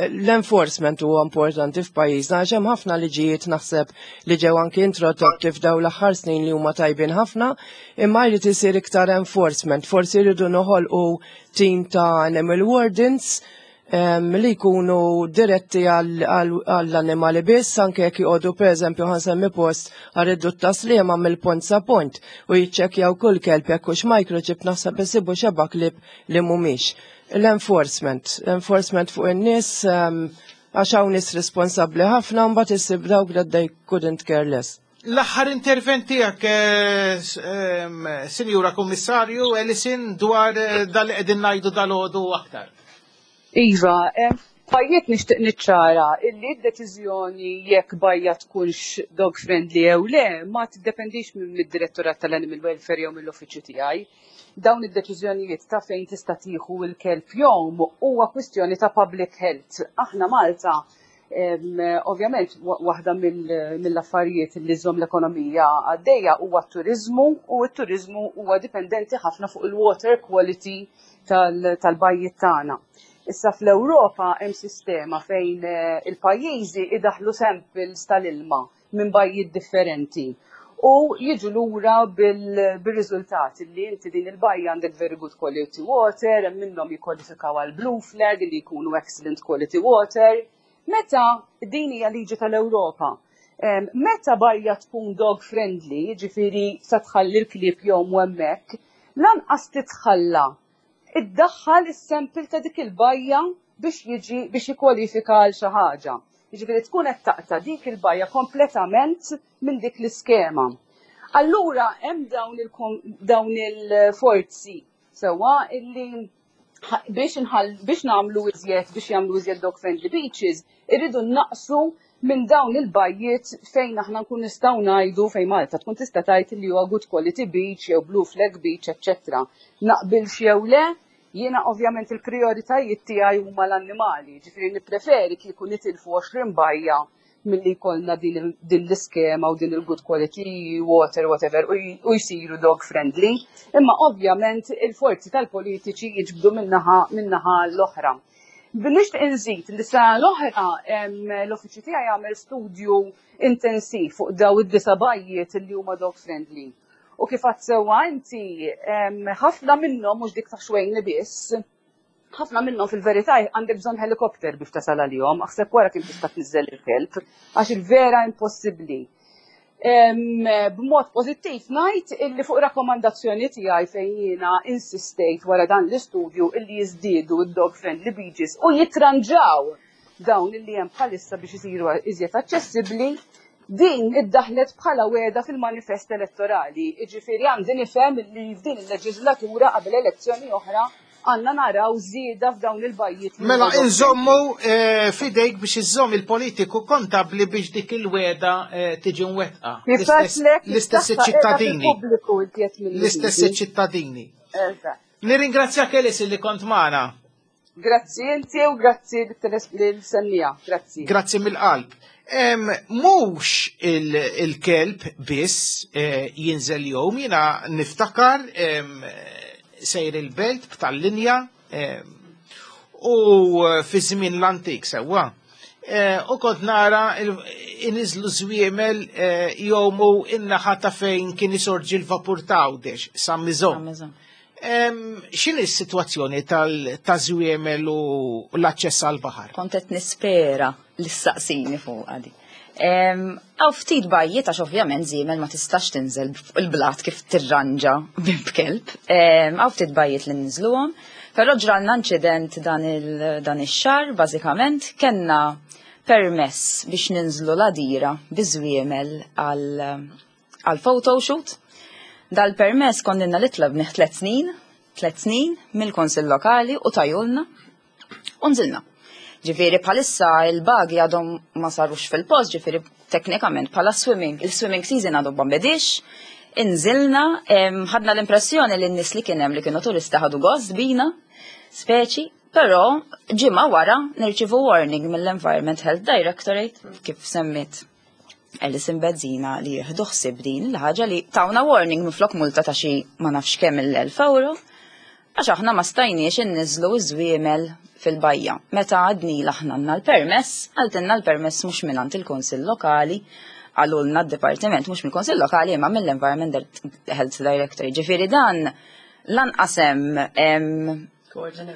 l-enforcement huwa importanti f'pajjiżna għax hemm ħafna liġijiet naħseb li ġew anki introdotti f'daw l-aħħar snin li huma tajbin ħafna, imma jrid isir iktar enforcement. Forsi jridu noħolqu team ta' animal wardens li jkunu diretti għall-annimali biss, anke jekk joqogħdu, pereżempju ħa nsemmi post, għar-riddut Tas-Sliema mill-pont sa pont u jiċċekkjaw kull kelb jekk hux microchip, naħseb isibu xebgħa klieb li mhumiex. L-enforcement, enforcement fuq in-nies, għax hawn nies responsabbli ħafna, mbagħad issib dawk that they couldn't care less. L-aħħar intervent tiegħek, eh, Sinjura Kummissarju Alison, dwar eh, dal qegħdin ngħidu dalgħodu aktar. Iva, bajjiet, nixtieq niċċara illi d-deċiżjoni jekk bajja tkunx dog friendly jew le ma tiddependix minn mid-Direttorat tal-Animal Welfare jew mill-uffiċċju tiegħi. Dawn id-deċiżjonijiet ta' fejn tista' tieħu l-kelb jgħum huwa kwistjoni ta' public health. Aħna Malta Ovvjament, waħda mill-affarijiet li żżomm l-ekonomija għaddejja huwa t-turizmu, u t-turizmu huwa dipendenti ħafna fuq il-water quality tal-bajjiet tagħna. Issa fl-Ewropa hemm sistema fejn eh, il-pajjiżi idaħlu samples tal-ilma minn bajjiet differenti u jiġu lura bil-riżultati li inti din il-bajja għandek very good quality water, hemm minnhom jikkwalifikaw għal blue flag li jkunu excellent quality water. Meta din hija liġi tal-Ewropa, meta bajja tkun dog friendly, ġifieri sa tħalli l-klieb jgħumu hemmhekk, lanqas titħalla iddaħħal is-sample ta' dik il-bajja biex jiġi biex jikkwalifika għal xi ħaġa. Jiġifieri tkun qed taqta' dik il-bajja kompletament minn dik l-iskema. Allura hemm dawn il-forzi sewwa illi biex biex nagħmlu iżjed biex jagħmlu iżjed dog friendly beaches, irridu naqsu minn dawn il-bajjiet fejn aħna nkun nistgħu ngħidu, fejn Malta tkun tista' tgħid li huwa good quality beach jew blue flag beach, eċċetera. Naqbilx jew le, jiena ovvjament il-prioritajiet tiegħi huma l-annimali, ġifieri nippreferi kieku nitilfu għoxrin bajja milli jkollna din l-iskema u din il-good quality water, whatever, u jsiru dog friendly. Imma ovvjament il-forzi tal-politiċi jiġbdu min-naħa min-naħa l-oħra. Nixtieq inżid li sa l-oħra l-uffiċċju tiegħi jagħmel studju intensiv fuq daw id-disa' bajjiet li huma dog friendly. U kif għedt sewwa inti, ħafna minnhom, mhux dik ta' Xwejni biss, ħafna minnhom fil-verità għandek bżonn helikopter biex tasal għalihom, aħseb wara kif tista' tniżżel il-kelb, għax il-vera impossibbli. B'mod pożittiv ngħid illi fuq rakkomandazzjoni tiegħi, fejn jiena insistejt wara dan l-istudju illi jiżdiedu id-dog friendly beaches u jitranġaw dawn illi hemm bħalissa biex isiru iżjed aċċessibbli, din iddaħlet bħala wegħda fil-manifest elettorali. Iġifieri għandi nifhem li f'din il-leġislatura, qabel elezzjoni oħra, għandna naraw żieda f'dawn il-bajjiet. Mela inżommu eh, fidejk biex iżomm il-politiku kontabli biex dik il-wegħda eh, tiġi mwettqa. L-istess ċittadini. L-istess ċittadini. Nirringrazzjak, Elis, li kont magħna. Grazzi inti u grazzi l-sennija. Grazzi. Grazzi mill-qalb. Mhux il-kelb biss eh, jinżel jgħum, jiena niftakar sejr il-Belt b'tal-linja u fi żmien l-antik sewwa. Eh, u kont nara iniżlu żwiemel eh, jgħumu in-naħa ta' fejn kien isorġi l-vapur ta' Għawdex, San Miżon. X'inhi s-sitwazzjoni tal-żwiemel u l-aċċess għal-baħar? Kont qed nispera li ssaqsini fuq għadi. Hawn ftit bajjiet, għax ovvjament żiemel ma tistax tinżel il-blat kif tirranġa b'kelb. Hawn ftit bajjiet li ninżluhom, però ġralna inċident dan ix-xahar. Bażikament kellna permess biex ninżlu l-Għadira biż-żwiemel għal photoshoot. Dal-permess konna li tlabnih tlet snin, tlet snin mill-Konsil Lokali, u tawhulna u nżilna. Ġifieri bħalissa il-bagi għadhom ma sarux fil-post, ġifieri teknikament bħala swimming, il-swimming season għadhom ma bedix, inżilna, ħadna l-impressjoni li n-nies li kien hemm li kienu turista ħadu gost bina, speċi, però ġimgħa wara nirċivu warning mill-Environment Health Directorate, kif semmit Alison Bezzina li jieħdu ħsieb din il-ħaġa, li tawna warning minflok multa ta' xi ma nafx kemm il-elf euro, għax aħna ma stajniex inniżlu iż-żwiemel fil-bajja. Meta għedna aħna għandna l-permess, qaltilna l-permess mhux mingħand il-Kunsill Lokali, qalulna d-Dipartiment mhux mill-Kunsill Lokali imma mill-Environment Health Director. Ġifieri dan lanqas hemm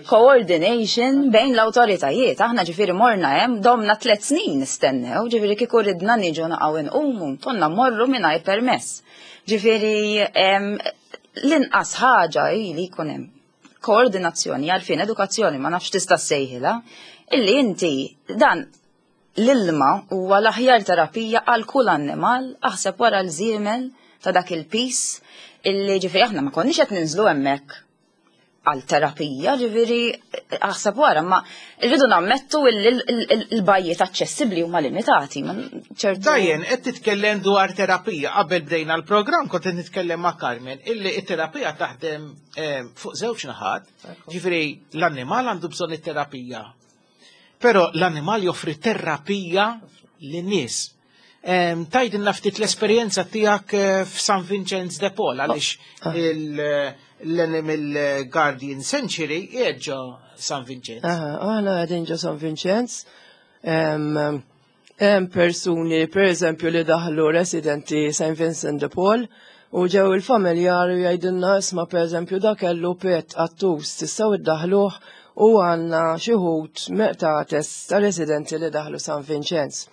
coordination bejn l-autoritajiet. Aħna ġifieri morna hemm, domna tliet snin nistennew, ġifieri kieku ridna niġu naqgħu inqumu, konna morru mingħajr permess. Ġifieri l-inqas ħaġa hi li jkun hemm koordinazzjoni, għarfien, edukazzjoni, ma nafx tista' sejħilha, illi inti dan l-ilma huwa l-aħjar terapija għal kull annimal, aħseb wara l-żiemel ta' dak il-pis, illi ġifieri aħna ma konniex qed ninżlu hemmhekk għal terapija, ġifieri aħseb wara, ma rridu nammettu il-bajjiet aċċessibbli huma limitati. ċertu. Dajen, qed titkellem dwar terapija. Qabel bdejna l-programm kont qed nitkellem ma' Carmen illi it-terapija taħdem eh, fuq żewġ naħat, ġifieri l-annimal għandu bżonn it-terapija. Però l-annimal joffri terapija lin-nies. Em, Tgħidilna ftit l-esperjenza tiegħek eh, f'San Vincenz de Paul, għaliex Ah. il- l-Animal Guardian Sanctuary qiegħed ġo San Vincenz. Aha, aħna qegħdin ġo San Vincenz. Em, Hemm persuni, per eżempju, li daħlu residenti Saint Vincent de Paul u ġew il-familjari jgħidilna, "Isma', per eżempju, da kellu pet qattus, tistgħu iddaħluh?" U għandna xi wħud qtates ta' residenti li daħlu San Vincenz.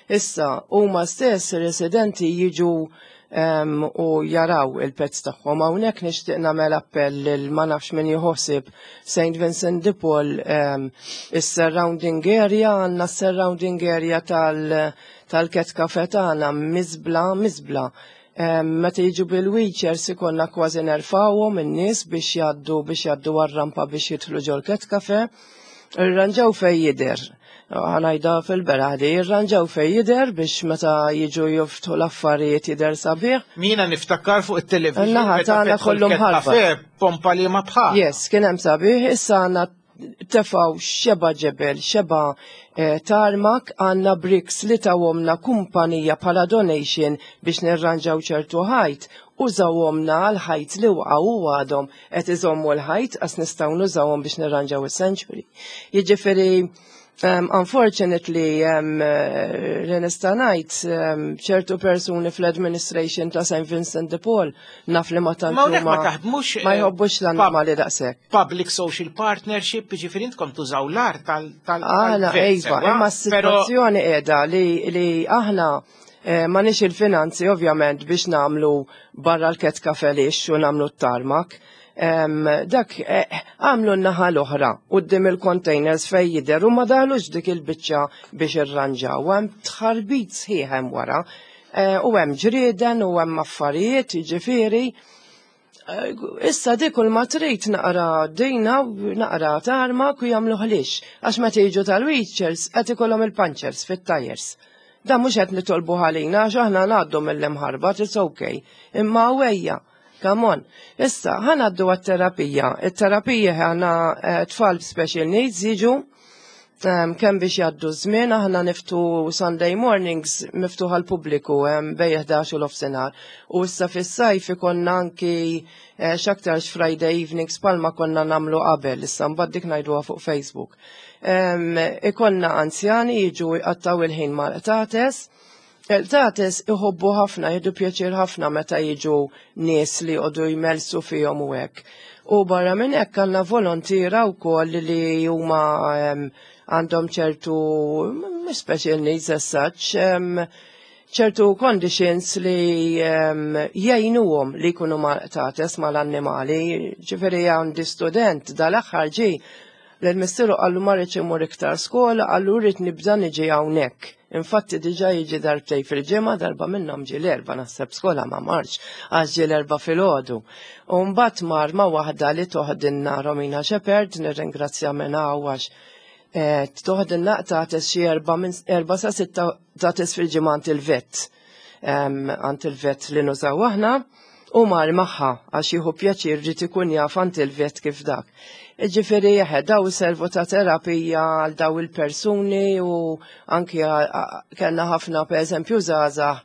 Issa, huma stess residenti jiġu em, u jaraw il-pets tagħhom. Hawnhekk nixtieq nagħmel appell lil ma nafx min jħossib Saint Vincent de Paul, em, is-surrounding area, għandna surrounding area tal tal-Cat Cafe tagħna miżbla miżbla. Em, Meta jiġu bil-wheelchairs ikollna kważi nerfawhom in-nies biex jgħaddu biex jgħaddu għar-rampa biex jidħlu ġol Cat Cafe. Irranġaw fej jidher. Ħa ngħidha fil-beraħ di, irranġaw fej jidher biex meta jiġu jiftħu l-affarijiet jidher sabiħ. Jiena niftakar fuq it-television. Naħa meta tagħna fetħu kollu l-Cat mħarbat. Cafe, pompa li ma bħal. Yes, kien hemm sabiħ, issa għandna tefaw xeba ġebel, xeba eh, tarmac, għandna bricks li tawhomlna kumpanija bħala donation biex nirranġaw ċertu ħajt, użawhomlna għal ħajt li waqgħu u għadhom qed iżommu l-ħajt għas nistgħu nużawhom biex nirranġaw is-sanctuary. Jiġifieri, Um, unfortunately, um, uh, li nista' ngħid, um, ċertu persuni fl-administration ta' Saint Vincent de Paul naf li ma tant Ma hawnhekk ma huma- taħdmux, ma eh, jħobbux l-annimali daqshekk. Public social partnership, ġifieri intkom tużaw l-art tal- tal- Għala, tal-vet, iva, sewwa? imma Però s-situazzjoni qiegħda li, li aħna eh, ma nix il-finanzi ovvjament biex nagħmlu barra l-Cat Cafe lix u nagħmlu t-tarmac. Em, dak eh, għamlu n-naħa l-oħra quddiem il-containers fej jidher u ma daħlux dik il-biċċa biex irranġaw. Hemm tħarbit sħiħ hemm wara. Eh, u hemm ġrieden u hemm affarijiet, jiġifieri. Eh, Issa dik kull ma trid naqra dejna u naqra tarmac u jagħmlu ħlix. Għax meta jiġu tal-wheelchairs qed ikollhom il-punchers fit-tires. Da mhux qed nitolbu ħalina għax aħna ngħaddu mill-imħarbat, it's okay. Imma wejja, come on. Issa, ħa ngħaddu għat-terapija. Il-terapija għandna eh, tfal special needs jiġu um, kemm biex jgħaddu żmien, aħna niftħu Sunday mornings miftuħ għal pubbliku um, bejn ħdax u l-ofsinhar. U issa fis-sajf ikonna anki eh, x'aktarx Friday evenings palma konna nagħmlu qabel, issa mbagħad dik ngħiduha fuq Facebook. Um, ikonna anzjani jiġu jqattaw il-ħin mal-qtates. Il-qtates iħobbu ħafna, jieħdu pjaċir ħafna meta jiġu nies li jqogħdu jmelsu fihom u hekk. U barra minn hekk għandna volontiera wkoll li huma em, għandhom ċertu mm, special needs as such, em, ċertu conditions li um, jgħinuhom li jkunu mal-qtates mal-annimali. Ġifieri għandi student dal-aħħar ġi l-missiru qallu ma rridx imur iktar skola, qallu rrid nibda niġi hawnhekk. Infatti diġà jiġi darbtej fil-ġimgħa, darba minnhom ġi l-Erbgħa, naħseb skola ma marx, għax ġi l-Erbgħa filgħodu. U mbagħad mar ma' waħda li toħdinna Romina Shepherd, nirringrazzja minn hawn għax eh, toħdinna qtates xi erba' minn erba' sa sitta qtates fil-ġimgħa għand il-vet. Em, Għand il-vet li nużaw aħna u mar magħha għax jieħu pjaċir ġiet ikun jaf għand il-vet kif dak. Ġifieri jeħe, daw servu ta' terapija għal daw il-persuni u anki kellna ħafna, per eżempju, żgħażagħ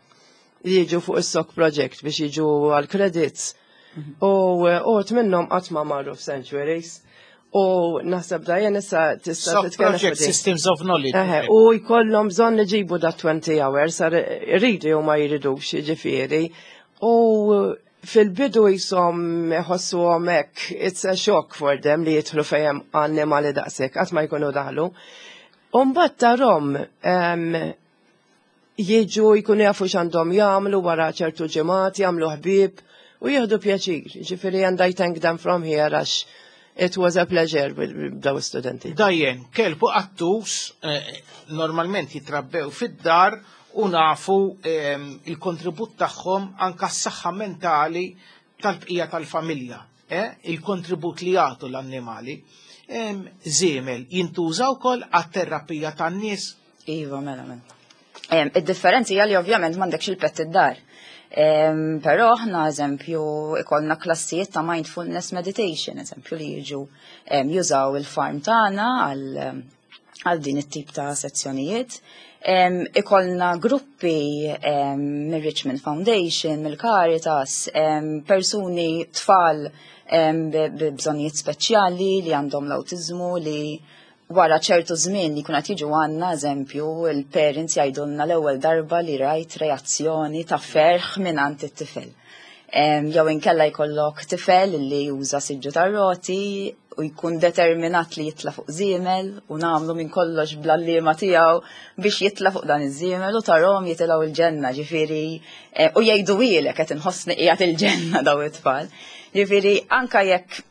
li jiġu fuq is-S O C project biex jiġu għal credits. U uħud minnhom qatt ma marru f'sanctuaries. U naħseb da jen issa tista' S O C titkellem fuq Project din. Systems of Knowledge. Eħe, u jkollhom bżonn iġibu da twenty hours, sar iridu jew ma jridux, jiġifieri. U fil-bidu jisom iħossuhom hekk, it's a shock for them li jidħlu fejn annimali daqshekk, qatt ma jkunu daħlu. U mbagħad tarahom em, jiġu jkunu jafu x'għandhom jagħmlu wara ċertu ġimgħat, jagħmlu ħbieb u jieħdu pjaċir. Ġifieri and I thank them from here għax it was a pleasure with daw studenti. Dajjen, kelb u qattus eh, normalment jitrabbew fid-dar u nafu ehm, il-kontribut tagħhom anka s-saħħa mentali tal-bqija tal-familja. Eh? Il-kontribut li jagħtu l-annimali. Ehm, Żiemel jintuża wkoll għat-terapija tan-nies. Iva, mela, mela. Em, Id-differenzi hija li ovvjament m'għandekx il-pet id-dar. Em, Però aħna eżempju ikollna klassijiet ta' mindfulness meditation, eżempju li jiġu em, jużaw il-farm tagħna għal em, għal din it-tip ta' sezzjonijiet. Em, ikollna gruppi em, mir-Richmond Foundation, mill-Caritas, em, persuni tfal em, bi bi bżonnijiet speċjali li għandhom l-awtiżmu, li wara ċertu żmien li kun qed jiġu għandna, eżempju, il-parents jgħidulna l-ewwel darba li rajt reazzjoni ta' ferħ minn it-tifel. Em, Jew inkella jkollok tifel li juża siġġu tar-roti u jkun determinat li jitla fuq żiemel u nagħmlu minn kollox bl-għalliema tiegħu biex jitla fuq dan iż-żiemel u tarahom jitilgħu il-ġenna, ġifieri eh, u jgħidu ilek qed inħossni qiegħed il-ġenna daw it-tfal. Ġifieri anka jekk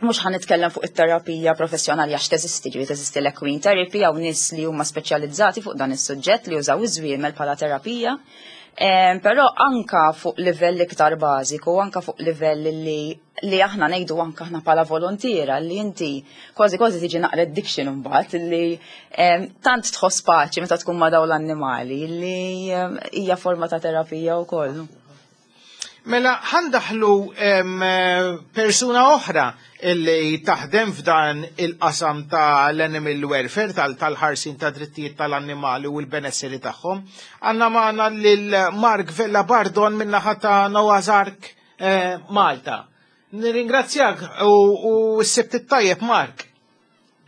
mhux ħa nitkellem fuq it-terapija professjonali għax teżisti, ġifieri teżisti l-equine therapy hawn nies li huma speċjalizzati fuq dan is-suġġett li jużaw iż-żwiemel bħala terapija. Em, Però anka fuq livell iktar bażiku, anka fuq livell li li aħna ngħidu anka aħna bħala volontiera li inti kważi kważi tiġi naqra addiction imbagħad li em, tant tħoss paċi meta tkun ma' dawn l-annimali li em, hija forma ta' terapija wkoll. Mela, ħa ndaħħlu em, persuna oħra illi taħdem f'dan il-qasam tal-animal welfare, tal- tal-ħarsin ta' drittijiet tal-annimali u l-benesseri tagħhom. Għandna magħna lil Mark Vella Bardon min-naħa ta' Noah's Ark eh, Malta. Nirringrazzjak u, u s-sibt it-tajjeb, Mark.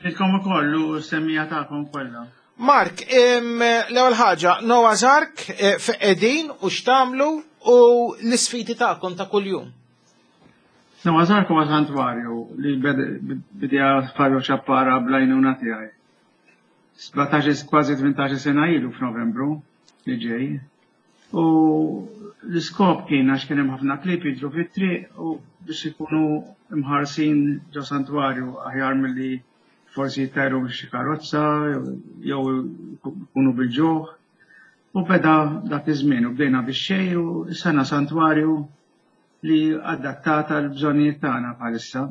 Ilkom ukoll u semmiegħa tagħkom kollha. Mark, em, l-ewwel ħaġa, Noah's Ark eh, fejn u x'tagħmlu u l-isfidi tagħkom ta' kuljum. Noah's Ark huwa santwarju li bed- bidja Fabio Ciappara bl-għajnuna tiegħi. sbatax, kważi tmintax sena ilu f'Novembru li ġej. U l-iskop kien għax kien hemm ħafna klieb jiġru fit-triq u biex ikunu imħarsin ġo santwarju aħjar milli forsi jittajru xi karozza jew ikunu bil-ġuħ. U beda dak iż-żmien u bdejna bix-xejn u sena santwarju li adattata l-bżonnijiet tagħna bħalissa.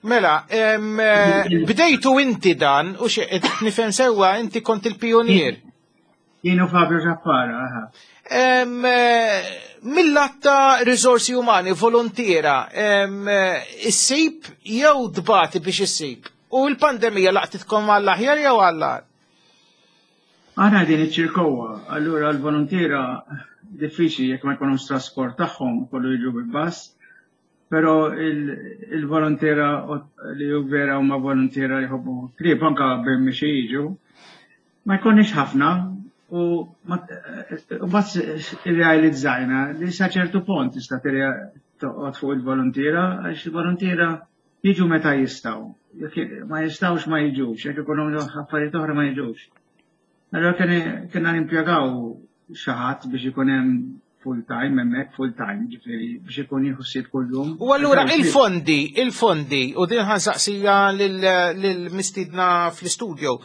Mela, em, eh, bdejtu inti dan u xi qed nifhem sewwa inti kont il-pionier. Jien u Fabio Ciappara, aha. Em, eh, Mill-lat ta' risorsi umani, volontiera, em, eh, issib jew tbati biex issib? U l-pandemija laqtitkom għall-aħjar jew għall-agħar? Aħna din iċ-Ċirkewwa, allura l-volontiera diffiċli jekk ma jkunux trasport tagħhom kollu jiġu bil-bus, però il-volontiera li hu vera huma volontiera li jħobbu klieb anka bil-mixi jiġu, ma jkunniex ħafna u mbagħad irrealizzajna li sa ċertu punt tista' toqgħod fuq il-volontiera għax il-volontiera jiġu meta jistgħu. Jekk ma jistgħux ma jiġux, jekk ikollhom affarijiet oħra ma jiġux. Allora kena nimpjegaw xi ħadd biex ikun hemm full time hemmhekk, full time, ġifieri biex ikun jieħu ħsieb kuljum. U allura il-fondi, il-fondi, u din ħa nsaqsiha lill-mistiedna fl-studio,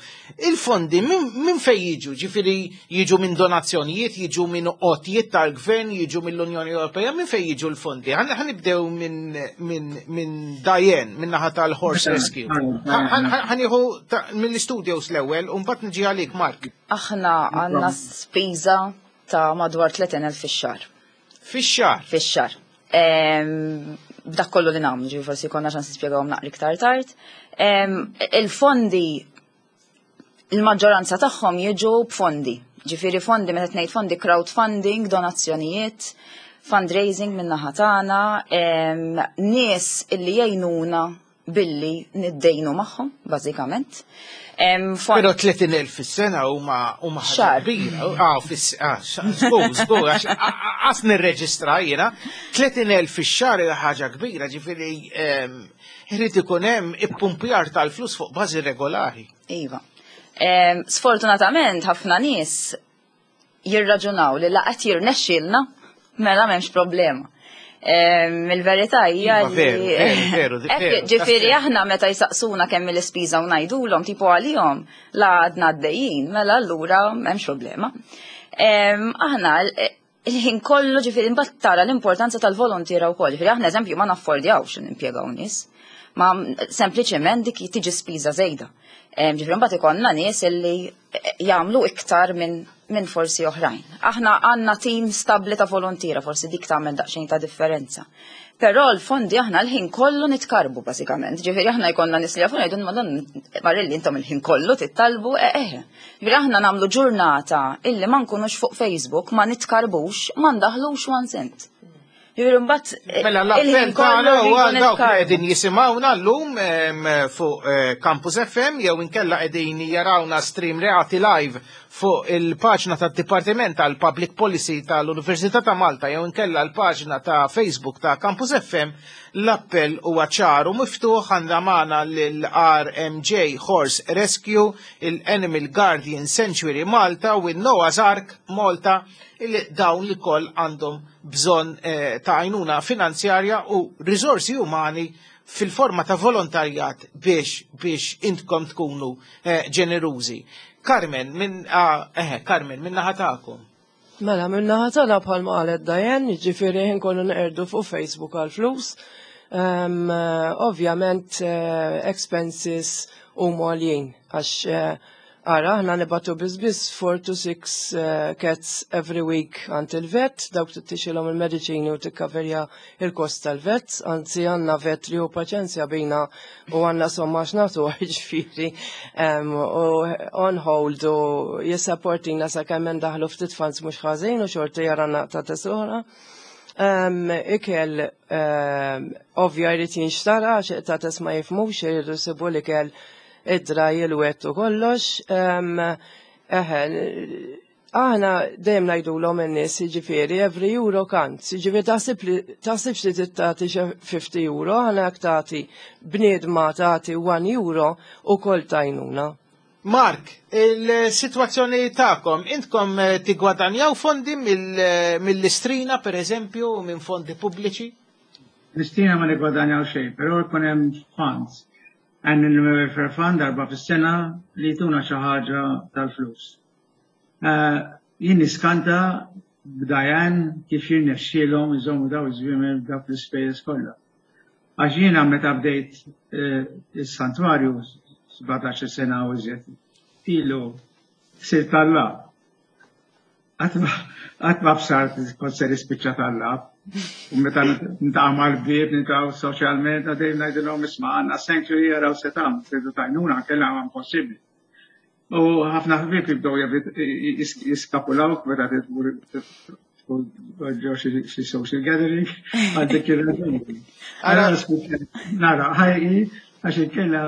il-fondi minn fej jiġu? Ġifieri jiġu minn donazzjonijiet, jiġu minn għotjiet tal-gvern, jiġu mill-Unjoni Ewropea, minn fej jiġu l-fondi? Ħa nibdew minn minn Diane, minn naħa tal-Horse Rescue. Ħa nieħu mill-studios l-ewwel, u mbagħad niġi għalik, Mark. Aħna għandna spiża ta' madwar tletin elf fix-xahar. Fix-xahar? Fix-xahar. B'dak kollu li nagħmlu, ġifieri forsi konna ċans nispjegawhom naqra iktar tard. Il-fondi, il-maġġoranza tagħhom jiġu b'fondi. Ġifieri fondi, meta ngħid fondi, crowdfunding, donazzjonijiet, fundraising minn naħa tagħna, nies illi jgħinuna billi niddejnu magħhom, bażikament. Però tletin elf fis-sena huma huma ħaġa kbira. Ah, fis ah, żgur, żgur, għax għas nirreġistra jiena. tletin elf fix-xahar hija ħaġa kbira, ġifieri irid ikun hemm ippumpjar tal-flus fuq bażi regolari. Iva. Sfortunatament ħafna nies jirraġunaw li la qed jirnexxielna mela m'hemmx problema. Il-verità hija Iva, veru, li veru, veru, veru, ġifieri tas- aħna meta jsaqsuna kemm il-ispiża u ngħidulhom tipo għalihom la għadna għaddejjin, mela allura m'hemmx problema. Aħna il-ħin kollu, ġifieri mbagħad tara l-importanza tal-volontiera wkoll. Ġifieri aħna, eżempju, ma naffordjawx nimpjegaw nies. Ma sempliċement dik tiġi spiża żejda. Ġifieri mbagħad ikollna nies illi jagħmlu iktar minn minn forsi oħrajn. Aħna għandna tim stabli ta' volontiera, forsi dik tagħmel daqsxejn ta' differenza. Però l-fondi aħna l-ħin kollu nitkarbu bażikament. Ġifieri aħna jkollna nies li jafuna jgħidu madon Marilli intom il-ħin kollu tittalbu eh eh. Ġifieri aħna nagħmlu ġurnata illi ma nkunux fuq Facebook, ma nitkarbux, ma ndaħlux one cent. Ġifieri mbagħad eh, Mela l-appell tagħna huwa dawk li qegħdin jisimgħuna llum em, fuq eh, Campus F M jew inkella qegħdin jarawna stream reality live fuq il-paġna tad-Dipartiment tal-Public Policy tal-Università ta' Malta jew inkella l-paġna ta' Facebook ta' Campus F M, l-appell huwa ċar u miftuħ. Għandna magħna lill-R M J Horse Rescue, il-Animal Guardian Sanctuary Malta u il-Noah's Ark Malta, illi dawn li koll għandhom bżonn eh, ta' għajnuna finanzjarja u risorsi umani fil-forma ta' volontarjat biex biex intkom tkunu eh, ġenerużi. Carmen, minn ah, eh, Carmen, minn naħa tagħkom. Mela, minn naħa tagħna, bħalma qalet Diane, jiġifieri ħin kollu neqerdu fuq Facebook għal flus. Um, ovvjament uh, expenses huma għaljin għax uh, ara, aħna nibagħtu biss four to six uh, cats every week għand il-vet, dawk tixtrilhom il-mediċini u tikkaverja il-kost tal-vet, anzi għandna vet li hu paċenzja bina u għandna somma x'nagħtu, ġifieri, um, u on hold u jissapportina sa kemm ndaħlu ftit funds mhux ħażin u xorti jaranna ta' tesora. Um, ikel um, ovvja jrid jinxtara għax qtates ma jifhmux, jridu jsibu l-ikel id-dry, il-wet u kollox. Um, eħe, aħna dejjem ngħidulhom in-nies, jiġifieri every euro counts, jiġifieri taħsib li taħsibx li tagħti xi fifty euro, aħna jekk tagħti bniedma tagħti one euro ukoll tajnuna. Mark, il-situazzjoni tagħkom, intkom eh, tigwadanjaw fondi mill- mill-Istrina, per eżempju, minn fondi pubbliċi? L-Istrina ma nigwadanjaw xejn, però jkun hemm funds. Għandna il-welfare fund darba fis-sena li jtuna xi ħaġa tal-flus. Eh, Jien niskanta b'Diane kif jirnexxielhom iżommu daw iż-żwiemel b'dawk l-ispejjeż kollha. Għax jiena meta bdejt eh, is-santwarju sbatax-il sena u iżjed ilu sirt tallab. Qatt ma bsart kont se nispiċċa tallab. U meta niltaqa' mal-ħbieb, niltaqgħu soċjalment, għadejn ngħidilhom, "Isma', għandna sanctuary, jaraw se tagħmlu, tridu tgħinuna, kellha impossibbli." U ħafna ħbieb jibdew jiskapulaw meta tmur ġo xi social gathering għal dik ir-raġuni. Nara, ħajqi, għax inkella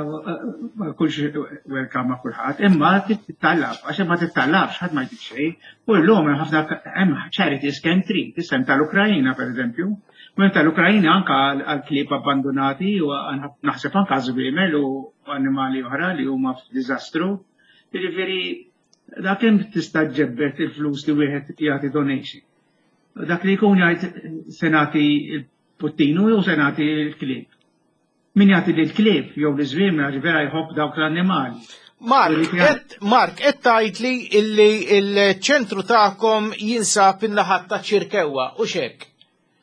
ma kulx welcome ma' kulħadd, imma tittallab, għax ma tittallabx ħadd ma jtik xejn. U llum hemm ħafna, hemm charities kemm trid, isem tal-Ukrajina pereżempju. U tal-Ukrajina anka għal klieb abbandonati u naħseb anka żwiemel u annimali oħra li huma f'diżastru. Jiġifieri dak kemm tista' ġġebbed il-flus li wieħed jagħti donation. Dak li jkun jgħid se nagħti il-puttinu jew se nagħti l-klieb. Min jagħti l-klieb jew l-iżwiemel għax vera jħobb dawk l-annimali. Mark, et, Mark, et tgħid li illi il-ċentru tagħkom jinsab in-naħat ta' Ċirkewwa, u xek?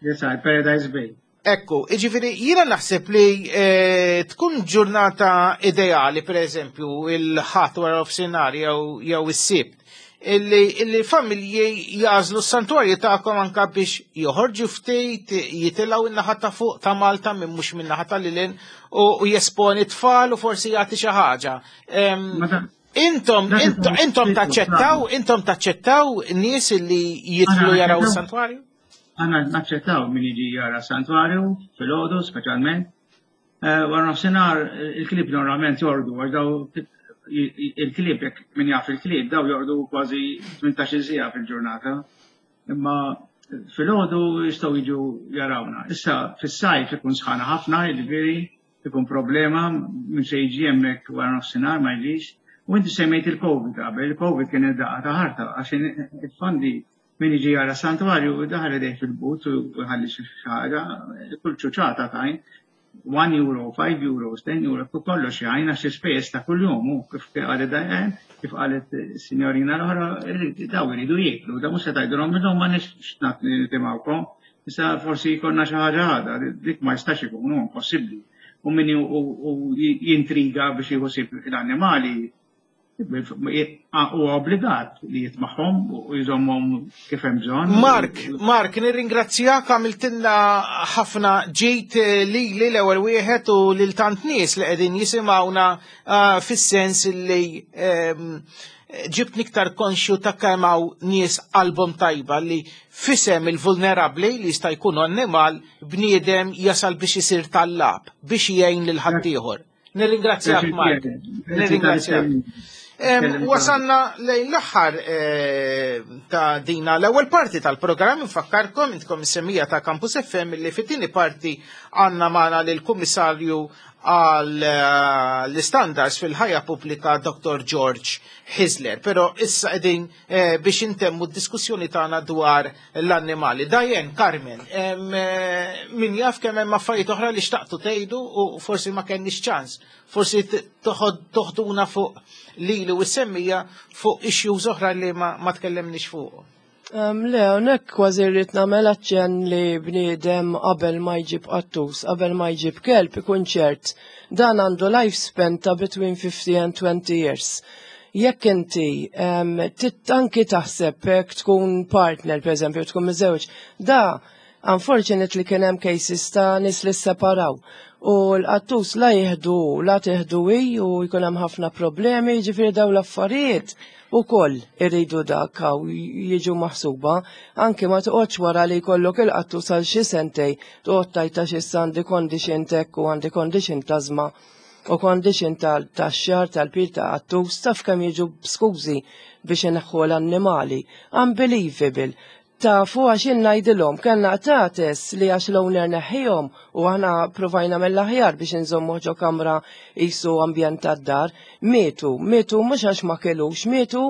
Yes, Paradise Bay. Ekku, iġifiri, jiena naħseb li eh, tkun ġurnata ideali, per eżempju, il-Ħadd wara nofsinhar jew jew is-Sibt, illi, illi familji jagħżlu s-santwarju tagħkom anka biex joħorġu ftit, jitilgħu in-naħa ta' fuq ta' Malta minn mhux minn naħa ta' lilin u, u jesponi tfal u forsi jagħti xi ħaġa. Em, Intom, intom, intom taċċettaw, intom taċċettaw nies li jidħlu jaraw is-santwarju? Aħna naċċettaw min jiġi jara santwarju, filgħodu speċjalment. Eh, wara nofsinhar il-klieb normalment jorqdu, għax daw il-klieb, jekk min jaf il-klieb, daw jorqdu kważi tmintax-il siegħa fil-ġurnata. Imma filgħodu jistgħu jiġu jarawna. Issa fis-sajf ikun sħana ħafna, jiġifieri ikun problema min se jiġi hemmhekk wara nofsinhar ma jiġix. U inti semmejt il-Covid qabel, il-Covid kien id-daqqa ta' ħarta għax il-fondi, min jiġi jara santwarju daħal idejh fil-but u jħalli xi ħaġa, kull ċuċata tajn, one euro, five euros, ten euro, kollox jgħin għax ispejjeż ta' kuljum u kif qalet Diane, kif qalet signorina l-oħra, daw iridu jieklu, da mhux se tgħidulhom minnhom ma nix nitimgħukom, issa forsi jkollna xi ħaġa għada, dik ma jistax ikun, hu impossibbli. U min jintriga biex jieħu l-annimali, Huwa obbligat li jitmagħhom u jżommhom kif hemm bżonn. Mark, Mark, nirringrazzjak, għamiltilna ħafna ġid lili l-ewwel wieħed u lil tant nies li qegħdin jisimgħuna, ah, fis-sens li ehm, ġibt iktar konxju ta' kemm hawn nies qalbhom tajba li f'isem il-vulnerabbli li jista' jkun annimal bniedem jasal biex isir tallab biex jgħin lil ħaddieħor. Nirringrazzjak, Mark. Nirringrazzjak. Em, Wasanna lejn l-aħħar eh, ta' dina l-ewwel parti tal-programm. Nfakkarkom, intkom is-semmiegħa ta' Campus F M, li fit-tieni parti għandna magħna lill-Kummissarju għal eh, l-standards fil-ħajja pubblika Doktor George Hyzler. Però issa qegħdin eh, biex intemmu d-diskussjoni tagħna dwar l-annimali. Diane, Carmen, em, eh, min jaf kemm hemm affarijiet oħra li xtaqtu tgħidu u forsi ma kenniex ċans. Forsi t- toħod toħduna fuq lili u s-semmiegħa fuq issues oħra li ma, ma tkellemniex fuq. Um, le, hawnhekk kważi rrid nagħmel aċċenn li bniedem qabel ma jġib qattus, qabel ma jġib kelb ikun ċert. Dan għandu lifespan ta' between fifty and twenty years. Jekk inti um, tit anki taħseb jekk tkun partner, per eżempju, tkun miżewġ, da unfortunately kien hemm cases ta' nies li separaw. U l-qattus la jieħdu, la tieħdu hi u jkun hemm ħafna problemi, ġifieri daw l-affarijiet ukoll irridu dak hawn jiġu maħsuba. Anki ma toqgħodx wara li jkollok il-qattus għal xi sentej, toqgħod tajta xi għandi condition tek u għandi condition t'asthma u condition tal-xagħar tal-pil ta' qattus, taf kemm jiġu skużi biex ineħħu l-annimali. Unbelievable. Tafu għax ngħidilhom, kellna qtates li għax l-owner neħħihom u aħna provajna mill-aħjar biex nżommu ġo kamra jisu ambjent tad-dar, mietu, mietu mhux għax ma kellux, mietu